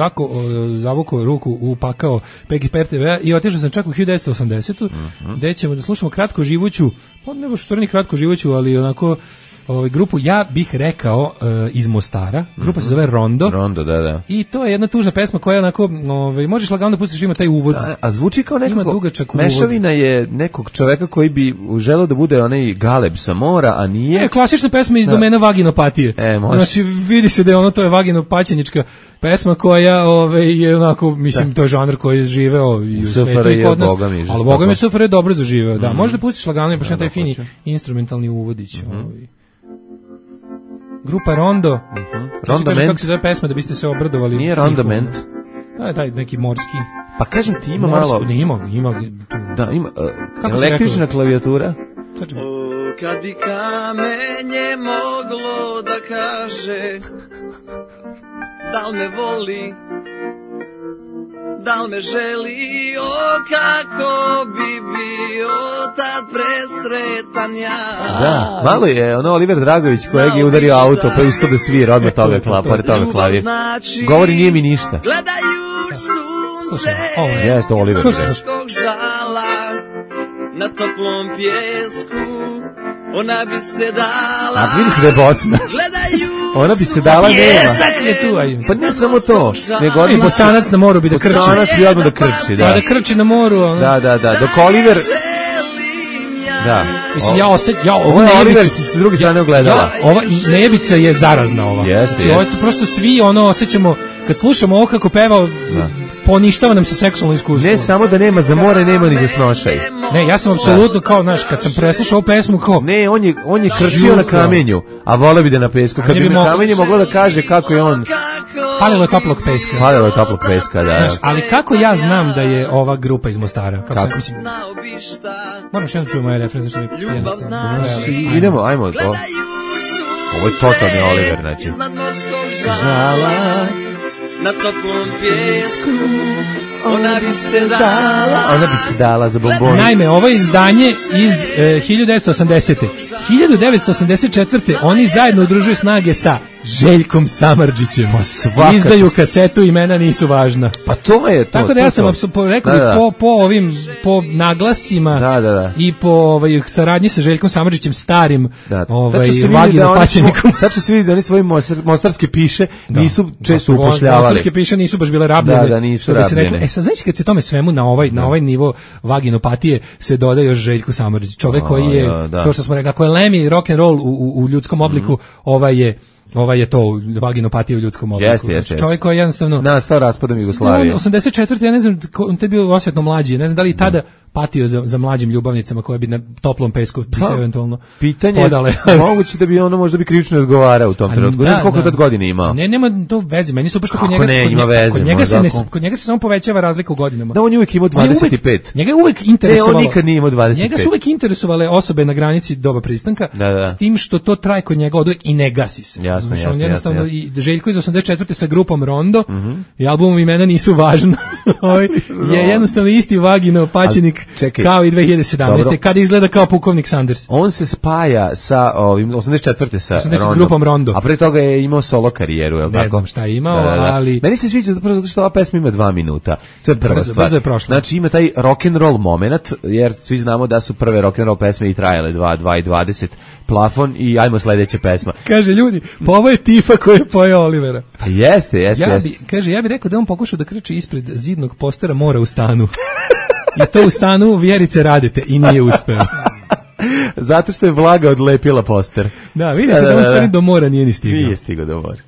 [SPEAKER 5] zavukao ruku u pakao PGP RTV i otišao sam čak u 1980. Gde ćemo da slušamo kratko živuću, pa ne baš stvarno kratko živuću, ali onako grupu, ja bih rekao, iz Mostara. Grupa se zove Rondo.
[SPEAKER 6] Rondo, da.
[SPEAKER 5] I to je jedna tužna pesma koja je onako, možeš lagano da pustiš, ima taj uvod.
[SPEAKER 6] A zvuči kao nekako, mešavina je nekog čoveka koji bi želeo da bude onaj Galeb sa mora, a nije.
[SPEAKER 5] Klasična pesma iz domena vaginopatije. Znači, vidi se da je ono, to je vaginopaćenička pesma koja je onako, mislim, to je žanr koji je živeo i u svetu i kod nas. Ali Boga mi SFRJ je dobro zaživeo, da. Možeš da pustiš lagano i baš taj fini instrumentalni uvodić. Grupa Rondo.
[SPEAKER 6] Rondament.
[SPEAKER 5] Kako se zove pesma da biste se obradovali?
[SPEAKER 6] Nije Rondament.
[SPEAKER 5] Daj neki morski.
[SPEAKER 6] Pa kažem ti ima malo.
[SPEAKER 5] Ne, ima.
[SPEAKER 6] Da, ima električna klavijatura.
[SPEAKER 11] Kad bi kamenje moglo da kaže da li me voli, da li me želi, kako bi bio tad presretan ja.
[SPEAKER 6] Da, malo je Oliver Dragović kojeg je udario auto pa isto da svira odmah toga klavir. Govori nije mi ništa.
[SPEAKER 11] Gledajuć sunce
[SPEAKER 6] jeste Oliver
[SPEAKER 11] teškog žala na toplom pjesku, ona bi se dala.
[SPEAKER 6] A vidi se da je Bosna. Ona bi se dala,
[SPEAKER 5] nema.
[SPEAKER 6] Pa ne samo to.
[SPEAKER 5] I Bosanac na moru bi da krči.
[SPEAKER 6] Bosanac bi odmah da krči, da.
[SPEAKER 5] Da krči na moru.
[SPEAKER 6] Da. Dok Oliver... Da.
[SPEAKER 5] Mislim,
[SPEAKER 6] ovo je Oliver s druge strane ogledala.
[SPEAKER 5] Ova nejebica je zarazna ova. Znači, ovo je prosto svi osjećamo, kad slušamo ovo kako peva, poništava nam se seksualno iskustvo.
[SPEAKER 6] Ne samo da nema za more, nema ni za snošaj.
[SPEAKER 5] Ne, ja sam apsolutno kao, kad sam preslušao ovu pesmu, kao...
[SPEAKER 6] Ne, on je krčio na kamenju, a voleo bi da na pesku. Kad bi na kamenju moglo da kaže kako je on...
[SPEAKER 5] Palilo je toplog peska.
[SPEAKER 6] Da.
[SPEAKER 5] Ali kako ja znam da je ova grupa iz Mostara? Kako? Moram što jedno čujem ovaj refren, zašto mi jednostavno...
[SPEAKER 6] Idemo, ajmo to. Ovo je totalni Oliver, znači.
[SPEAKER 11] Žala na toplom pjesku, ona bi se dala
[SPEAKER 6] za bombon.
[SPEAKER 5] Naime, ovo je izdanje iz 1980. 1984. oni zajedno udružuju snage sa Željkom Samardžićem. Izdaju kasetu Imena nisu važna.
[SPEAKER 6] Pa to je to.
[SPEAKER 5] Tako da ja sam rekao po naglascima i po saradnji sa Željkom Samardžićem, starim vaginopaćenikom.
[SPEAKER 6] Tačno se vidi da oni svoje mostarske piše nisu često upošljavali.
[SPEAKER 5] Mostarske piše nisu baš bile rabljene.
[SPEAKER 6] Da, nisu rabljene.
[SPEAKER 5] Sad znači kad se tome svemu na ovaj nivo vaginopatije se doda još Željko Samardžić. Čovek koji je, kao što smo rekli, ako je Lemmy rock and roll u ljudskom obliku, ovaj je to vaginopatija u ljudskom obliku.
[SPEAKER 6] Jeste.
[SPEAKER 5] Čovjek koji je jednostavno
[SPEAKER 6] nastao raspadom Jugoslavije.
[SPEAKER 5] 84. ja ne znam, on te bio osjetno mlađi, ne znam da li i tada patio za mlađim ljubavnicama koje bi na toplom pesku se eventualno podale.
[SPEAKER 6] Moguće da bi ono možda bi krivično odgovarao u tom trenutku. Ne znam koliko tad godina ima.
[SPEAKER 5] Ne, nema to veze. Meni su baš kod njega. Kod njega se samo povećava razlika u godinama.
[SPEAKER 6] Da, on je uvijek imao 25.
[SPEAKER 5] Njega je uvijek interesovalo.
[SPEAKER 6] On nikad nije imao 25.
[SPEAKER 5] Njega su uvijek interesovale osobe na granici doba pristanka, s tim što to traje kod njega oduvijek i ne gasi se.
[SPEAKER 6] Jasno.
[SPEAKER 5] I Željko iz 84. sa grupom Rondo i albumom Imena nisu važna. Je jednostavno isti vaginopaćenik kao i 2017. Kad izgleda kao pukovnik Sanders.
[SPEAKER 6] On se spaja sa ovim 84. sa
[SPEAKER 5] grupom Rondo.
[SPEAKER 6] A pre toga je imao solo karijeru, je li tako?
[SPEAKER 5] Ne znam šta je imao, ali...
[SPEAKER 6] Meni se sviđa zato što ova pesma ima 2 minuta. To je prva stvar.
[SPEAKER 5] Brzo je prošla.
[SPEAKER 6] Znači ima taj rock and roll moment, jer svi znamo da su prve rock and roll pesme i trajale 2:20 plafon i ajmo sledeća pesma.
[SPEAKER 5] Kaže ljudi, pa ovo je tifa koja je pojao Olivera.
[SPEAKER 6] Pa jeste.
[SPEAKER 5] Ja bi rekao da on pokušao da krči ispred zidnog postera Mora u stanu. I to u stanu Vjerice Radete i nije uspeo.
[SPEAKER 6] Zato što je vlaga odlepila poster.
[SPEAKER 5] Da, vidi se da on stvari do mora nije ni stigao.
[SPEAKER 6] Nije stigao do mora.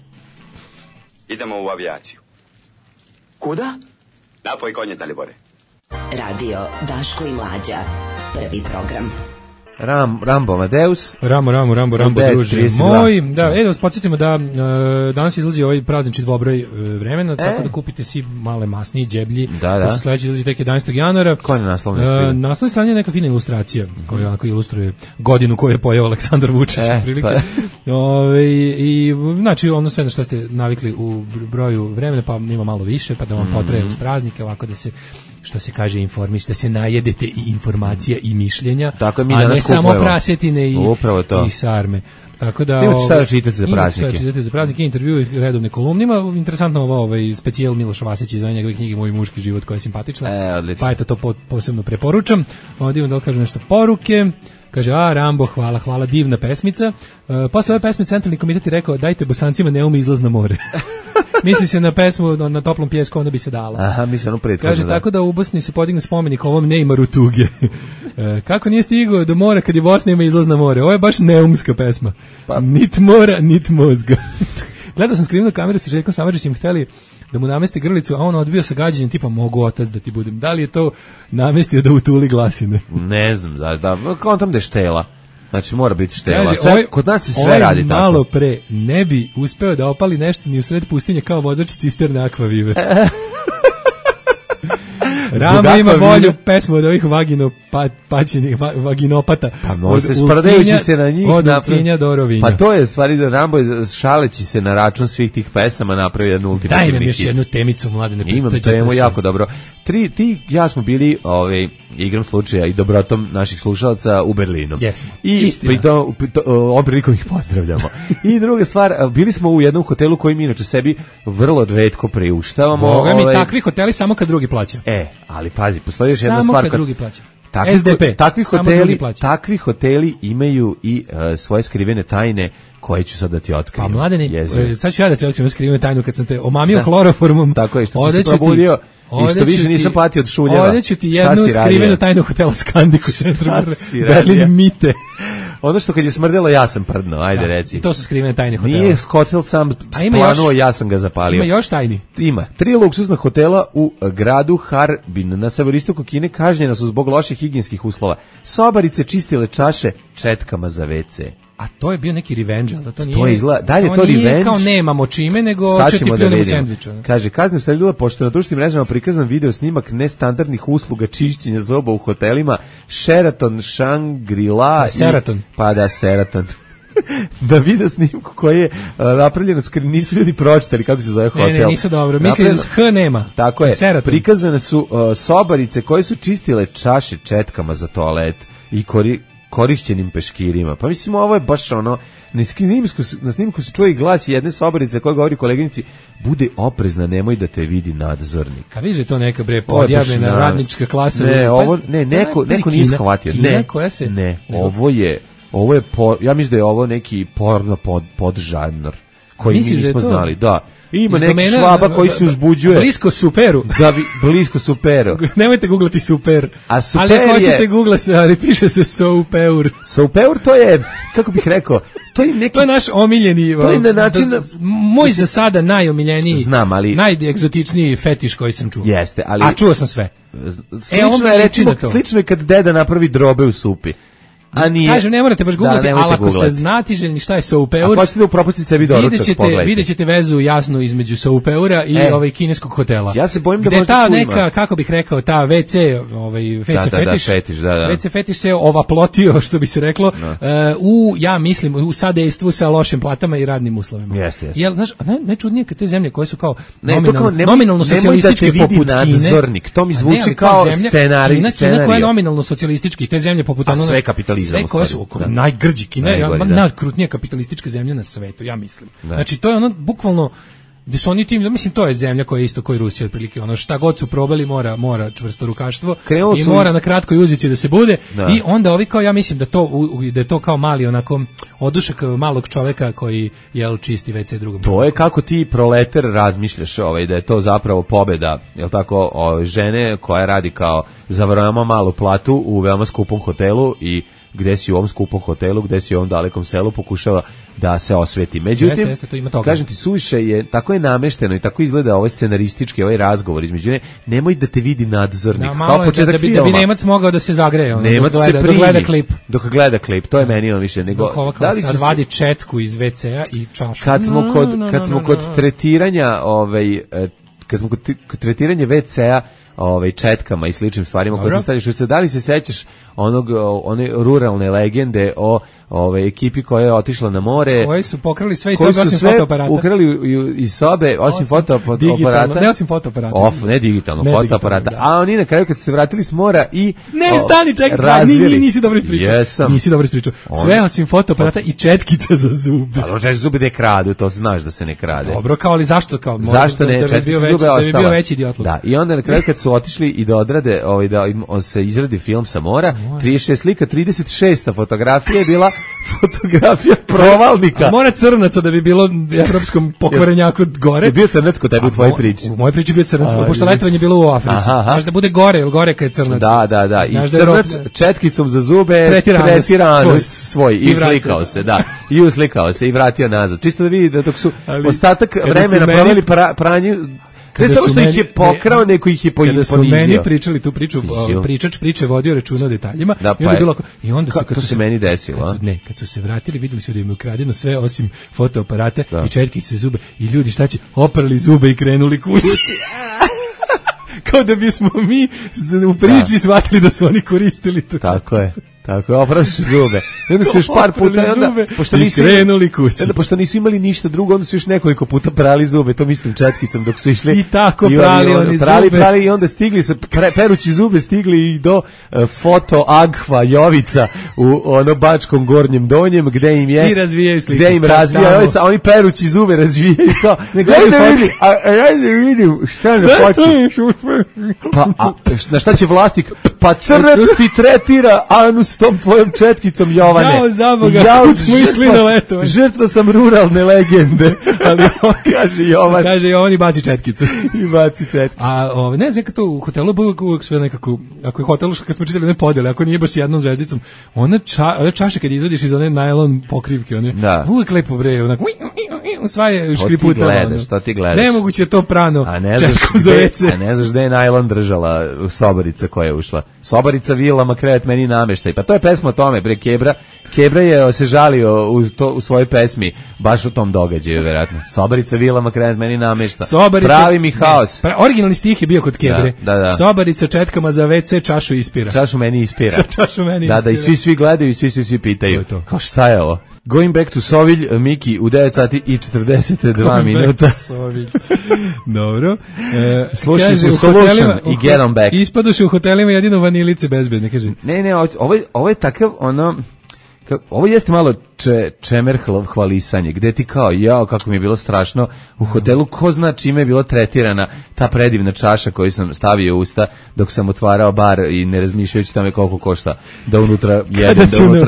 [SPEAKER 12] Idemo u avijaciju.
[SPEAKER 13] Kuda?
[SPEAKER 12] Napoj konje, Dalibore.
[SPEAKER 9] Radio Daško i Mlađa. Prvi program.
[SPEAKER 6] Rambo Amadeus.
[SPEAKER 5] Rambo, druže moj. Da, da vas podsjetimo da danas izlazi ovaj praznični dvobroj vremena, tako da kupite svi male masniji, džeblji.
[SPEAKER 6] Da.
[SPEAKER 5] Sledeći izlazi tek 11. januara.
[SPEAKER 6] Ko je naslovna strana?
[SPEAKER 5] Naslovna strana je neka fina ilustracija, koja onako ilustruje godinu koju je pojeo Aleksandar Vučić. Prilike. I znači ono sve na što ste navikli u broju vremena, pa ima malo više, pa da vam potraje uz praznike, ovako da se, što se kaže, informiš, da se najedete i informacija i mišljenja,
[SPEAKER 6] tako,
[SPEAKER 5] a ne samo prasetine i sarme. Tako da
[SPEAKER 6] imate šta da čitate za praznike.
[SPEAKER 5] Intervju i redovne kolumne. Ima interesantno ovaj specijal Miloša Vasića iz njegove knjige Moj muški život, koja je simpatična. Pa eto, to posebno preporučam. Ovdje da kažem nešto poruke. Kaže, Rambo, hvala, divna pesmica. Posle ove pesme Centralni komitet je rekao, dajte Bosancima Neume izlaz na more. Misli se na pesmu na toplom pjesku, onda bi se dala.
[SPEAKER 6] Aha, misli ono prethodno.
[SPEAKER 5] Kaže, tako da u Bosni se podigne spomenik ovom Neymaru tuge. Kako nije stigao do mora kad je Bosna ima izlaz na more? Ovo je baš neumska pesma. Nit mora, nit mozga. Gledao sam skrivnu kameru sa Željkom Samardžićem, hteli da mu namesti grlicu, a on odbio sa gađenjem tipa mogu otac da ti budem. Da li je to namestio da utuli glasine?
[SPEAKER 6] Ne znam, kao tam da je štela. Znači mora biti štela. Kod nas se sve radi tako.
[SPEAKER 5] Malo pre ne bi uspeo da opali nešto ni u sred pustinje kao vozač cisterne Akvavive. Rama ima bolju pesmu od ovih vaginopata.
[SPEAKER 6] Pa može se sprdajući se na njih.
[SPEAKER 5] Od Ulcinja do Rovinja.
[SPEAKER 6] Pa to je stvari da Rambo šaleći se na račun svih tih pesama napravi jednu ultimativni hit.
[SPEAKER 5] Daj nam još jednu temicu, Mladene.
[SPEAKER 6] Imam temu jako dobro. Ja smo bili igrom slučaja i dobrotom naših slušalaca u Berlinu.
[SPEAKER 5] Jesmo.
[SPEAKER 6] I ovom prilikom ih pozdravljamo. I druga stvar, bili smo u jednom hotelu koji mi inače sebi vrlo retko priuštavamo.
[SPEAKER 5] Boga mi takvi hoteli samo kad drugi plaća.
[SPEAKER 6] Ali pazi, postoji još jedna stvar.
[SPEAKER 5] Samo kad drugi plaća.
[SPEAKER 6] SDP. Takvi hoteli imaju i svoje skrivene tajne koje ću sad da ti otkrijem.
[SPEAKER 5] Pa Mladene, sad ću ja da ti otkrijem skrivenu tajnu kad sam te omamio hloroformom.
[SPEAKER 6] Tako je, što si se probudio i što više nisam patio od šuljeva.
[SPEAKER 5] Ovdje ću ti jednu skrivenu tajnu hotela Skandik u centru Berlin Mite.
[SPEAKER 6] Ono što kad je smrdelo, ja sam prdno, ajde reci.
[SPEAKER 5] I to su skrivene tajne hotela.
[SPEAKER 6] Nije hotel sam planuo, ja sam ga zapalio.
[SPEAKER 5] Ima još tajni?
[SPEAKER 6] Ima. 3 luksuzna hotela u gradu Harbin na severistoku Kine kažnjena su zbog loših higijenskih uslova. Sobarice čistile čaše četkama za WC.
[SPEAKER 5] A to je bio neki revenge, ali to nije...
[SPEAKER 6] To izgleda, da li je to revenge?
[SPEAKER 5] Nije kao nemamo čime, nego će ti pljunemo sendviča.
[SPEAKER 6] Kaže, kazne usledila pošto na društvenim mrežama prikazan video snimak nestandardnih usluga čišćenja zoba u hotelima Sheraton, Shangri-La...
[SPEAKER 5] Sheraton.
[SPEAKER 6] Sheraton. Da video snimku koji je napravljeno, nisu ljudi pročitali kako se zove hotel.
[SPEAKER 5] Ne, nisu dobro. Mislim, H nema.
[SPEAKER 6] Tako je. Sheraton. Prikazane su sobarice koje su čistile čaše četkama za toalet i korišćenim peškirima. Pa mislim, ovo je baš ono, na snimku se čuje i glas jedne sobarice koja govori koleginici, bude oprezna, nemoj da te vidi nadzornik.
[SPEAKER 5] A vidiš je to neka podjavljena radnička klasa.
[SPEAKER 6] Neko nije shvatio. Ovo je, ja mislim da je ovo neki porno podžanr koji mi nismo znali. Da. Ima neki švaba koji se uzbuđuje.
[SPEAKER 5] Blisko superu.
[SPEAKER 6] Blisko superu.
[SPEAKER 5] Nemojte googlati super.
[SPEAKER 6] A super
[SPEAKER 5] ali ako hoćete googlati, ali piše se soupeur.
[SPEAKER 6] Soupeur to je, kako bih rekao, to je
[SPEAKER 5] naš omiljeni, to je na način, moj za sada najomiljeniji,
[SPEAKER 6] znam, ali
[SPEAKER 5] najegzotičniji fetiš koji sam čuo.
[SPEAKER 6] Jeste, ali
[SPEAKER 5] a čuo sam sve.
[SPEAKER 6] Slično je kad deda napravi drobe u supi.
[SPEAKER 5] Kažem, ne morate baš googlati, ali ako ste znatiželjni šta je soupeur,
[SPEAKER 6] ako hoćete da upropustite sebi doručak, pogledajte.
[SPEAKER 5] Vidjet ćete vezu jasno između soupeura i kineskog hotela.
[SPEAKER 6] Ja se bojim da
[SPEAKER 5] možda ta neka, kako bih rekao, ta WC fetiš, WC fetiš se ovaplotio, što bi se reklo, ja mislim, u sadejstvu sa lošim platama i radnim uslovima.
[SPEAKER 6] Jeste.
[SPEAKER 5] Jel, znaš, najčudnije kad te zemlje koje su kao nominalno socijalističke poput Kine,
[SPEAKER 6] to mi zvuči kao scenarij.
[SPEAKER 5] Kina koja je nominalno socijalistički, te zemlje poput sve koje su najgrđi, Kina je najkrutnija kapitalistička zemlja na svetu, ja mislim. Znači, to je ono, bukvalno, gde su oni tim, mislim, to je zemlja koja je isto koji Rusija, otprilike, ono, šta god su probali, mora čvrsto rukaštvo i mora na kratkoj uzici da se bude, i onda ovi kao, ja mislim da je to kao mali, onako, odušak malog čoveka koji, čisti WC drugom.
[SPEAKER 6] To je kako ti proleter razmišljaš, da je to zapravo pobeda, žene koja radi kao za veoma malu platu u veoma skupom hotelu i gde si u ovom skupom hotelu, gde si u ovom dalekom selu, pokušava da se osveti. Međutim, kažem ti, suviše je, tako je namešteno i tako izgleda ovaj scenaristički, ovaj razgovor između nemoj da te vidi nadzornik.
[SPEAKER 5] Da, malo je da bi Nemac mogao da se zagreje,
[SPEAKER 6] Nemac dok gleda klip, to je meni više nego...
[SPEAKER 5] Da li sad vadi četku iz WC-a i čašu?
[SPEAKER 6] Kad smo kod tretiranja, kad smo kod tretiranja WC-a četkama i sličnim stvarima koje ti staviš u sve, da li se sećaš one ruralne legende o ekipi koja je otišla na more,
[SPEAKER 5] koji su pokrali sve iz sobe osim fotoaparata,
[SPEAKER 6] ukrali iz sobe osim fotoaparata,
[SPEAKER 5] ne osim fotoaparata,
[SPEAKER 6] ne digitalno, fotoaparata, a oni na kraju kad su se vratili s mora i
[SPEAKER 5] stani, čekaj, nisi dobro ispričao, sve osim fotoaparata i četkica za zube.
[SPEAKER 6] Ali četkica za zube da je kradu, to znaš da se ne krade.
[SPEAKER 5] Dobro, kao ali zašto
[SPEAKER 6] ne, četkica za zube
[SPEAKER 5] da bi bio veći idiotluk.
[SPEAKER 6] Da, i onda na kraju kad su otišli i da odrade, da se izradi film sa mora, 36 slika, 36. fotografija je bila fotografija provalnika.
[SPEAKER 5] A mora crnaca da bi bilo evropskom pokvarenjaku gore.
[SPEAKER 6] Si bio crnac kod tebe u tvojoj priči?
[SPEAKER 5] U mojoj priči bio crnac, pošto letovanje je bilo u Africi. Znaš da bude gore, ili gore kad je crnac.
[SPEAKER 6] Da. I crnac četkicom za zube tretirano svoj. I uslikao se, da. I uslikao se i vratio nazad. Čisto da vidi da dok su ostatak vremena proveli pranju. Ne samo što ih je pokrao, neko ih je ponizio.
[SPEAKER 5] Kada su meni pričali tu priču, pričač priče vodio računa o detaljima, i onda su
[SPEAKER 6] kako se meni desilo,
[SPEAKER 5] kad su se vratili, videli su da im je ukradeno sve osim fotoaparata i četkice zube i ljudi šta će, oprali zube i krenuli kući. Kao da bismo mi u priči shvatili da su oni koristili to.
[SPEAKER 6] Tako je, opraši zube. I onda su još par puta, pošto nisu imali ništa drugo, onda su još nekoliko puta prali zube, to mislim četkicom dok su išli.
[SPEAKER 5] I tako prali oni zube.
[SPEAKER 6] Prali i onda stigli se, perući zube stigli i do foto Agfa Jovica u Bačkom Gornjem Donjem, gde im je...
[SPEAKER 5] I razvijaju slike.
[SPEAKER 6] Gde im razvija Jovica, a oni perući zube razvijaju kao... Ja ne vidim, šta na fotu? Pa, na šta će vlasnik? Pa crnac ti tretira anus s tom tvojom četkicom, Jovane.
[SPEAKER 5] Jao za Boga, kud smo išli na letovanje.
[SPEAKER 6] Žrtva sam ruralne legende. Ali kaže Jovan.
[SPEAKER 5] Kaže Jovan i baci četkicu.
[SPEAKER 6] A
[SPEAKER 5] ne znam, kad to u hotelu uvijek sve nekako, ako je hotel, kad smo čitali one podjele, ako nije baš jednom zvezdicom, ona čaša kad izvadiš iz one najlon pokrivke, uvijek lepo bre, onako, sva je škriputa.
[SPEAKER 6] Što ti gledaš?
[SPEAKER 5] Nemoguće to prano.
[SPEAKER 6] A ne znaš gde je najlon držala sobarica koja je ušla. Sobarica vilama krevet meni nameštaj. Pa to je pesma o tome, bre, Kebra je se žalio u svojoj pesmi baš u tom događaju, verovatno. Sobarica vilama krevet meni namešta. Pravi mi haos.
[SPEAKER 5] Originalni stih je bio kod Kebre.
[SPEAKER 6] Da.
[SPEAKER 5] Sobarica četkama za WC čašu ispira.
[SPEAKER 6] Čašu meni ispira. Da, i svi gledaju i svi pitaju. Kao šta je ovo? Going back to Sovilj, Miki, u 9 sati i 42 minuta.
[SPEAKER 5] Sovilj. Dobro.
[SPEAKER 6] Slušali su Solution i Get On Back.
[SPEAKER 5] Ispadoše u hotelima jedino vanilice bezbedne, kaže.
[SPEAKER 6] Ne, ovo je takav, ovo jeste malo čemer hvalisanje, gde ti kao, kako mi je bilo strašno u hotelu, ko zna čime je bila tretirana ta predivna čaša koju sam stavio u usta dok sam otvarao bar i ne razmišljajući tamo koliko košta da unutra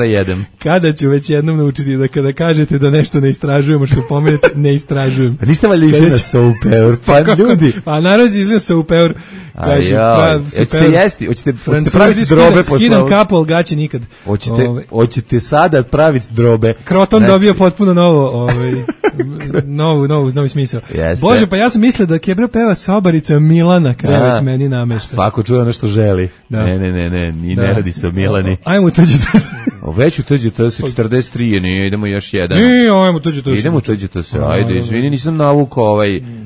[SPEAKER 6] jedem.
[SPEAKER 5] Kada ću već jednom naučiti da kada kažete da nešto ne istražujemo, što pomenete, ne istražujem.
[SPEAKER 6] Pa niste valjda išli na Soupeur, pa ljudi.
[SPEAKER 5] Pa naravno izli na Soupeur.
[SPEAKER 6] Hoćete jesti, hoćete praviti drobe posle.
[SPEAKER 5] Skidam kapu, ali gaće nikad.
[SPEAKER 6] Hoćete sada praviti drobe.
[SPEAKER 5] Kroton dobio potpuno novi smisao. Bože, pa ja sam mislio da Kebra peva Sobarica Milana, krevet meni namešta.
[SPEAKER 6] Svako čuje ono što želi. Ne, ne radi se o Milani.
[SPEAKER 5] Ajmo tuđi to se.
[SPEAKER 6] Već tuđi to se 43, ne, idemo još jedan.
[SPEAKER 5] Ajmo tuđi to se.
[SPEAKER 6] Idemo tuđi to se, ajde, izvini, nisam navukao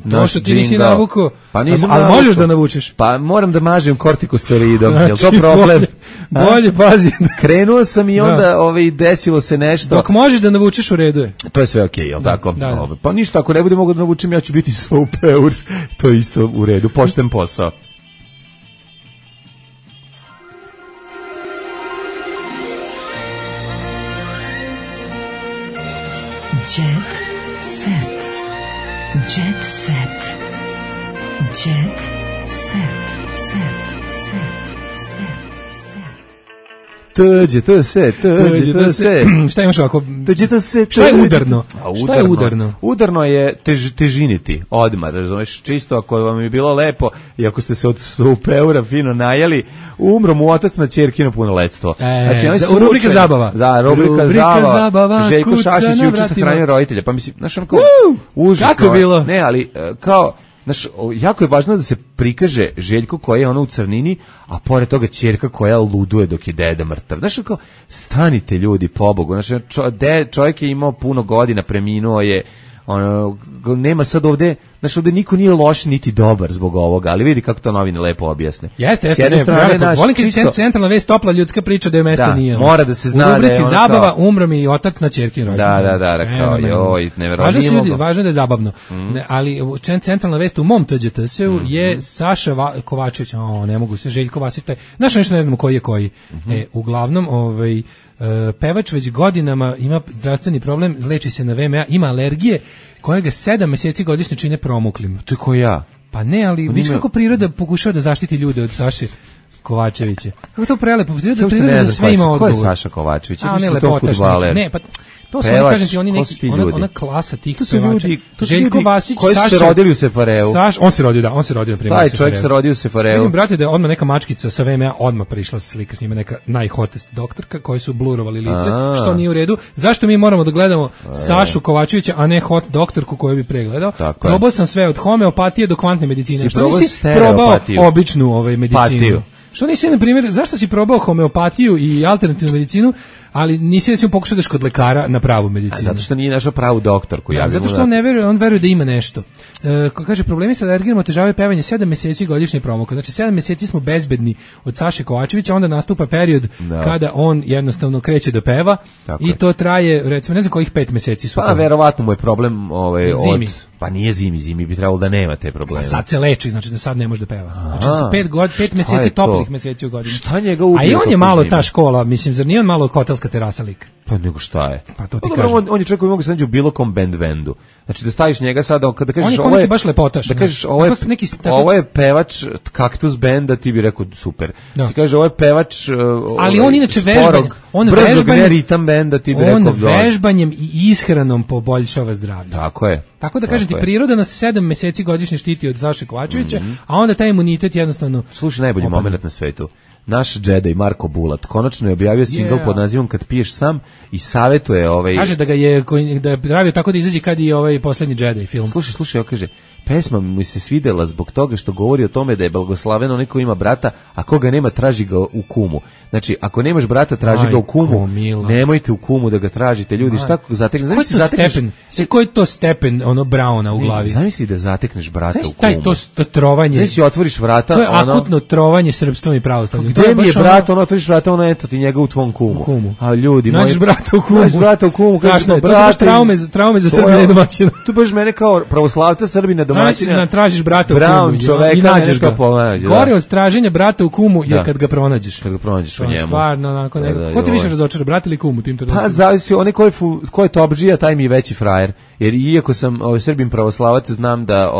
[SPEAKER 6] naš
[SPEAKER 5] džingl. Ti nisi navukao,
[SPEAKER 6] ali
[SPEAKER 5] možeš da navučeš.
[SPEAKER 6] Pa moram da mažem kortikosteroidom, je li to problem?
[SPEAKER 5] Bolje, pazi.
[SPEAKER 6] Krenuo sam i onda desilo se nešto.
[SPEAKER 5] Dok možeš da navučeš, u redu je.
[SPEAKER 6] To je sve okej, jel tako? Pa ništa, ako ne bude mogu da navučem, ja ću biti Soupeur. To je isto u redu, pošten posao.
[SPEAKER 9] Jet set. Jet set. Jet set.
[SPEAKER 6] Tuđe se.
[SPEAKER 5] Šta imaš ovako?
[SPEAKER 6] Tuđe se.
[SPEAKER 5] Šta je udarno? Šta je udarno?
[SPEAKER 6] Udarno je težiniti, odmah, razumeš, čisto ako vam je bilo lepo i ako ste se od super fino najeli, umro mu otac na ćerkino punoletstvo.
[SPEAKER 5] Znači, rubrika zabava.
[SPEAKER 6] Da, rubrika zabava. Željko Šašić juče sahranio roditelja. Pa mislim, znaš, kao užasno.
[SPEAKER 5] Kako je bilo?
[SPEAKER 6] Ne, ali kao, znaš, jako je važno da se prikaže Željko koji je ono u crnini, a pored toga ćerka koja luduje dok je deda mrtav. Znaš, kao, stanite ljudi, pobogu. Znaš, čovjek je imao puno godina, preminuo je, ono, nema sad ovde, znači ovde niko nije loš niti dobar zbog ovoga, ali vidi kako to novine lepo objasne.
[SPEAKER 5] Jeste, volim kad centralna vest, topla ljudska priča da je mesto nije.
[SPEAKER 6] Mora da se zna
[SPEAKER 5] u rubrici zabava, umro mi i otac na ćerkin rođendan.
[SPEAKER 6] Da, rekao, joj, neverovatno.
[SPEAKER 5] Važno da je zabavno. Ali centralna vest u mom TGTS-u je Saša Kovačević, ne mogu se, Željko Vasić, znaš nešto ne znamo koji je koji. Uglavnom, pevač već godinama ima zdravstveni problem, leči se na VMA, ima alergije koje ga 7 meseci godišnje čine promuklim.
[SPEAKER 6] To je ko ja.
[SPEAKER 5] Pa ne, ali viš kako priroda pokušava da zaštiti ljude od Saše Kovačevića. Kako to prelepo, priroda za sve ima odgovor.
[SPEAKER 6] Ko je Saša Kovačević?
[SPEAKER 5] A ne, lepotaš. Ne, pa to su oni, kažem ti, oni neki, ona klasa tih pevača. Željko Vasić,
[SPEAKER 6] koji su se rodili u Sefareu.
[SPEAKER 5] On se rodio na primjer.
[SPEAKER 6] Taj čovjek se rodio u Sefareu.
[SPEAKER 5] Vidim, brate, da je odmah neka mačkica sa VMA odmah prišla sa slika s njima, neka najhotest doktorka koji su blurovali lice, što nije u redu. Zašto mi moramo da gledamo Sašu Kovačevića, a ne hot doktorku koju bi pregledao? Probao sam sve od homeopatije do kvantne medicine. Što nisi probao običnu medicinu? Što nisi, na primjer, zašto si probao homeopatiju i alternativnu medicinu, ali nisi recimo pokušao da kod lekara na pravu medicinu?
[SPEAKER 6] Zato što nije našao pravu doktorku.
[SPEAKER 5] Zato što on veruje da ima nešto. Kaže, problemi sa alergijom otežavaju pevanje 7 meseci godišnje promuka. Znači 7 meseci smo bezbedni od Saše Kovačevića, onda nastupa period kada on jednostavno kreće da peva i to traje, recimo, ne znam kojih 5 meseci su.
[SPEAKER 6] Pa verovatno mu je problem zimi. Pa nije zimi bi trebalo da nema te probleme.
[SPEAKER 5] A sad se leči, znači da sad ne može da peva. Znači 5 meseci toplih meseci u godini.
[SPEAKER 6] Šta njega ubije?
[SPEAKER 5] A i on je malo ta škola, mislim, zar nije on malo hotelska terasa lik?
[SPEAKER 6] Pa nego šta je?
[SPEAKER 5] Pa to ti kažem.
[SPEAKER 6] On je čovjek koji mogu se naći u bilo kom bendu. Znači da staviš njega sada, kada kažeš
[SPEAKER 5] ovo je baš lepotaš.
[SPEAKER 6] Da kažeš ovo je pevač Kaktus benda, ti bi rekao super. Ti kaže ovo je pevač
[SPEAKER 5] ali on inače vežbanjem,
[SPEAKER 6] ritam benda, ti bi rekao
[SPEAKER 5] on vežbanjem i ishranom poboljšava zdravlje.
[SPEAKER 6] Tako je.
[SPEAKER 5] Tako da kažem ti, priroda nas 7 meseci godišnje štiti od Saše Kovačevića, a onda taj imunitet jednostavno...
[SPEAKER 6] Slušaj, najbolji moment na svetu. Naš Jedi Marko Bulat konačno je objavio singl pod nazivom Kad piješ sam i savjetuje
[SPEAKER 5] Kaže da je pravio tako da izađe kad i poslednji Jedi film.
[SPEAKER 6] Slušaj, kaže, pesma mi se svidela zbog toga što govori o tome da je blagoslaveno onaj ko ima brata, a koga nema traži ga u kumu. Znači, ako nemaš brata, traži ga u kumu. Nemojte u kumu da ga tražite, ljudi. Šta zatekneš?
[SPEAKER 5] Koji je to stepen Brauna u glavi?
[SPEAKER 6] Zamisli da zatekneš brata u kumu.
[SPEAKER 5] To trovanje.
[SPEAKER 6] Znači, otvoriš vrata.
[SPEAKER 5] To je akutno trovanje srpstvom i pravoslavljem.
[SPEAKER 6] Gde mi je brat, otvoriš vrata, eto ti njega u tvom kumu. A ljudi moji.
[SPEAKER 5] Nađeš brata u kumu.
[SPEAKER 6] Strašno je.
[SPEAKER 5] To su baš traume za Srbina i domaćina.
[SPEAKER 6] Tu baš mene kao pravoslavca, Srbina, domaćina.
[SPEAKER 5] Znači, tražiš brata u kumu i nađeš ga. Gore od traženja brata u kumu je kad ga pronađeš.
[SPEAKER 6] Kad ga pronađeš u njemu.
[SPEAKER 5] Stvarno, onako nekako. Ko ti više razočara, brat ili kum u tim trenucima?
[SPEAKER 6] Pa zavisi, onaj ko je topdžija, taj mi je veći frajer. Jer iako sam Srbin pravoslavac, znam da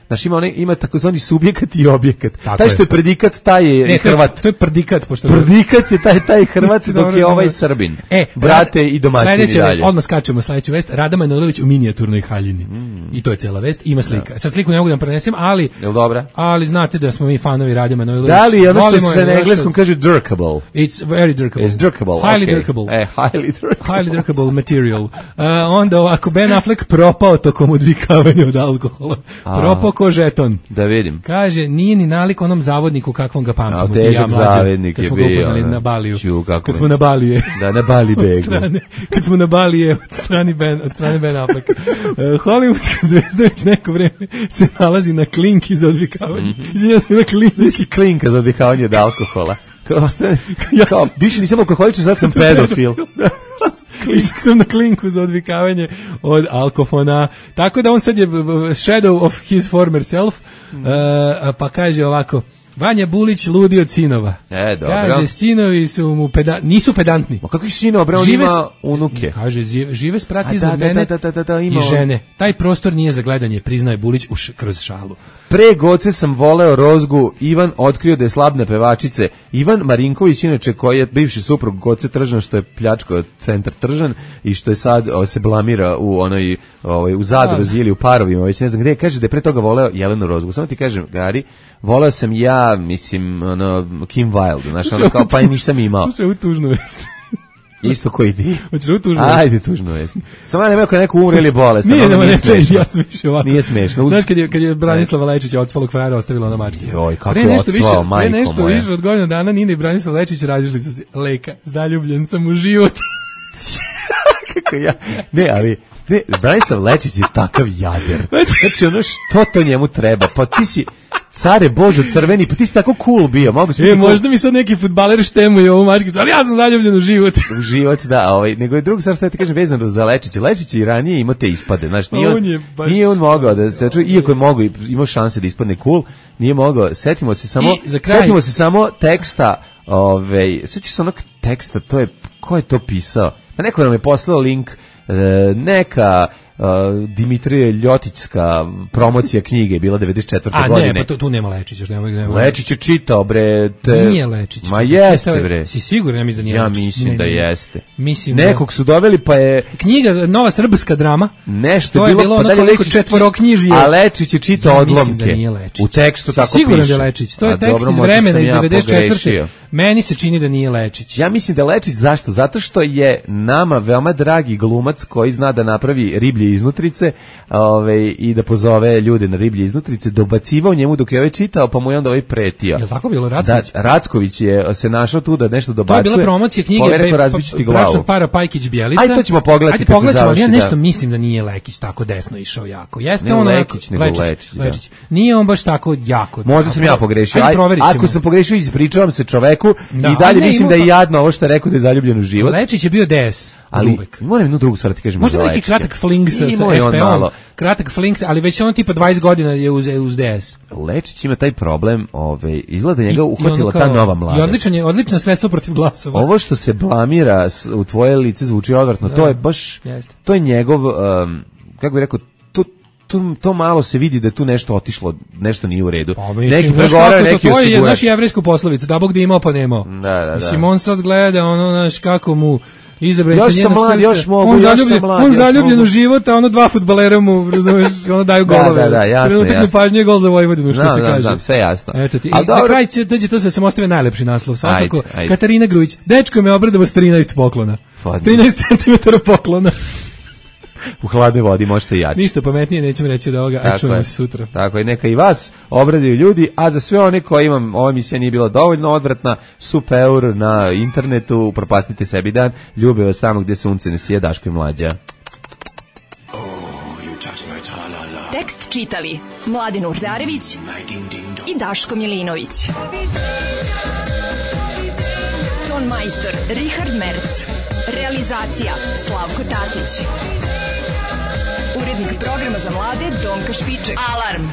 [SPEAKER 6] znači ima takozvani subjekat i objekat. Taj što je predikat, taj je Hrvat.
[SPEAKER 5] To je predikat.
[SPEAKER 6] Predikat je taj Hrvat dok je ovaj Srbin. Brate i domaćini dalje.
[SPEAKER 5] Odmah skačemo sledeću vest. Rada Manojlović u minijaturnej haljini. I to je cijela vest. Ima slika. Sa sliku ne mogu da vam prenesem, ali...
[SPEAKER 6] Jel dobra?
[SPEAKER 5] Ali znate da smo mi fanovi Rade Manojlović.
[SPEAKER 6] Da li je ono što se na engleskom kaže dirkable?
[SPEAKER 5] It's very dirkable.
[SPEAKER 6] It's dirkable,
[SPEAKER 5] highly dirkable.
[SPEAKER 6] Highly
[SPEAKER 5] dirkable material. Onda ovako, Ben Affleck propao tokom odvikavanja od alkohola. Propao ko žeton.
[SPEAKER 6] Da vidim.
[SPEAKER 5] Kaže, nije ni nalik onom zavodniku kakvom ga pamtimo.
[SPEAKER 6] Težak zavodnik je bio.
[SPEAKER 5] Kad smo ga upoznali na Baliju. Kad smo na Balije.
[SPEAKER 6] Da, na Bali begu.
[SPEAKER 5] Kad smo na Balije od strane Ben Afflecka. Hollywoodska zvezda već neko vreme se nalazi na klinki za odvikavanje. Ja sam na klinki.
[SPEAKER 6] Klinka za odvikavanje od alkohola. Više nisam alkoholičan, sad sam pedofil.
[SPEAKER 5] Išao sam na klinku za odvikavanje od alkofona. Tako da on sad je shadow of his former self. Pa kaže ovako, Vanja Bulić ludi od sinova.
[SPEAKER 6] Dobro.
[SPEAKER 5] Kaže, sinovi su mu nisu pedantni.
[SPEAKER 6] Ma kakvi sinova, bre, on ima unuke.
[SPEAKER 5] Kaže, žive sprati iznad mene i žene. Taj prostor nije za gledanje, priznaje Bulić kroz šalu.
[SPEAKER 6] Pre Goce sam voleo Rozgu, Ivan otkrio da je slabne pevačice. Ivan Marinković, inače, koji je bivši suprug Goce Tržan, što je pljačkao centar Tržan i što je sad se blamira u onoj u Zadruzi ili u Parovima, već ne znam gde, kaže da je pre toga voleo Jelenu Rozgu. Samo ti kažem, Gari, voleo sam ja, mislim, Kim Wilde, znaš, ono kao, pa i nisam imao.
[SPEAKER 5] Slušaj, u tužnu vest.
[SPEAKER 6] Isto koji ti.
[SPEAKER 5] Hoćeš u tužnu vest?
[SPEAKER 6] Ajde, tužnu vest. Samo ja ne ako je neko umre ili bolestan.
[SPEAKER 5] Nije smešno. Ja sam više ovako.
[SPEAKER 6] Nije smešno.
[SPEAKER 5] Znaš, kad je Branislava Lečić odsvalog frajera ostavila na mački.
[SPEAKER 6] Joj, kako je odsvao, majko moja.
[SPEAKER 5] Pre nešto više od godina dana Nina i Branislav Lečić rađili su se leka. Zaljubljen sam u život.
[SPEAKER 6] Kako ja? Ne, Branislav Lečić je takav jader. Znači, ono što to njemu treba? Pa ti si care Božo crveni, pa ti si tako cool bio.
[SPEAKER 5] Možda mi sad neki fudbaler štemuje ovu mačkicu, ali ja sam zaljubljen u život.
[SPEAKER 6] U život, da. Nego je drugo, sad što ja ti kažem, vezano za Lečića. Lečić i ranije imao te ispade. Znači, nije on mogao da se čuje, iako je mogao, imao šanse da ispadne cool, nije mogao. Setimo se samo teksta, sećaš se onog teksta, to je, ko je to pisao? Pa neko nam je poslao link, neka Dimitrije Ljotićska promocija knjige je bila 94. godine.
[SPEAKER 5] A ne, pa tu nema Lečića.
[SPEAKER 6] Lečić je čitao, bre.
[SPEAKER 5] Nije Lečić.
[SPEAKER 6] Ma jeste, bre.
[SPEAKER 5] Si siguran, ja mislim da nije Lečić.
[SPEAKER 6] Ja mislim da jeste.
[SPEAKER 5] Mislim
[SPEAKER 6] nekog su doveli, pa je...
[SPEAKER 5] Knjiga, nova srpska drama.
[SPEAKER 6] Nešto
[SPEAKER 5] je bilo ono koliko četvoroknjižije.
[SPEAKER 6] A Lečić je čitao odlomke.
[SPEAKER 5] Mislim da nije Lečić.
[SPEAKER 6] U tekstu tako piše.
[SPEAKER 5] Siguran da je Lečić. To je tekst iz vremena iz 94. Meni se čini da nije Lečić.
[SPEAKER 6] Ja mislim da je Lečić, zašto? Zato što je nama veoma dragi glumac koji zna da napravi riblje iznutrice i da pozove ljude na riblje iznutrice, dobacivao njemu dok je čitao, pa mu je onda pretio.
[SPEAKER 5] Je li tako bilo Racković?
[SPEAKER 6] Da, Racković je se našao tu da nešto dobacuje.
[SPEAKER 5] To je bila promocija knjige Bračnog para Pajkić Bjelica.
[SPEAKER 6] Ajde, to ćemo pogledati.
[SPEAKER 5] Ajde, pogledamo, ja nešto mislim da nije Lekić tako desno išao jako. Jeste on
[SPEAKER 6] Lekić, nego Lečić.
[SPEAKER 5] Nije on baš tako jako.
[SPEAKER 6] Možda sam ja pogrešio. Ako sam pogrešio, ispričavam se čoveku i dalje mislim da je jadno ovo što je rekao da je zaljubljen u život.
[SPEAKER 5] Lečić je bio DS.
[SPEAKER 6] Ali moram jednu drugu stvar ti kažem.
[SPEAKER 5] Možda neki kratak fling sa SPO-om. Kratak fling, ali već on tipa 20 godina je uz DS.
[SPEAKER 6] Lečić ima taj problem, izgleda njega uhvatila ta nova mladost.
[SPEAKER 5] I odlično sredstvo protiv glasova.
[SPEAKER 6] Ovo što se blamira u tvoje lice zvuči odvratno, to je baš, to je njegov, kako bih rekao, to malo se vidi da je tu nešto otišlo, nešto nije u redu. Neki pregovaraju, neki osigurač. To je naš jevrejsku poslovicu, da Bog da imao pa nemao. Da.
[SPEAKER 5] Mislim, on sad gleda, znaš, kako mu izabrani
[SPEAKER 6] još sam mlad, još mogu,
[SPEAKER 5] on zaljubljen u život, a ono dva fudbalera mu, razumeš, ono daju golove.
[SPEAKER 6] Da, jasno.
[SPEAKER 5] Trenutak nepažnje je gol za Vojvodinu, što se kaže.
[SPEAKER 6] Da, sve jasno.
[SPEAKER 5] Eto ti. I za kraj će, to se ostavi najlepši naslov, svakako. Katarina Grujić, dečko me obradovao s 13 poklona. S 13 cm poklona.
[SPEAKER 6] U hladnoj vodi možete jači.
[SPEAKER 5] Ništa pametnije nećemo reći od ovoga, a čujemo se sutra.
[SPEAKER 6] Tako je, neka i vas obraduju ljudi, a za sve one koji imam, ova emisija nije bila dovoljno odvratna, super na internetu, propastite sebi dan, ljube vas tamo gdje sunce ne sije, Daško i Mlađa.
[SPEAKER 3] Tekst čitali Mladin Urdarević i Daško Milinović. Ton majstor Richard Merc. Realizacija Slavko Tatić. Urednik programa za mlade Donka Špiček. Alarm!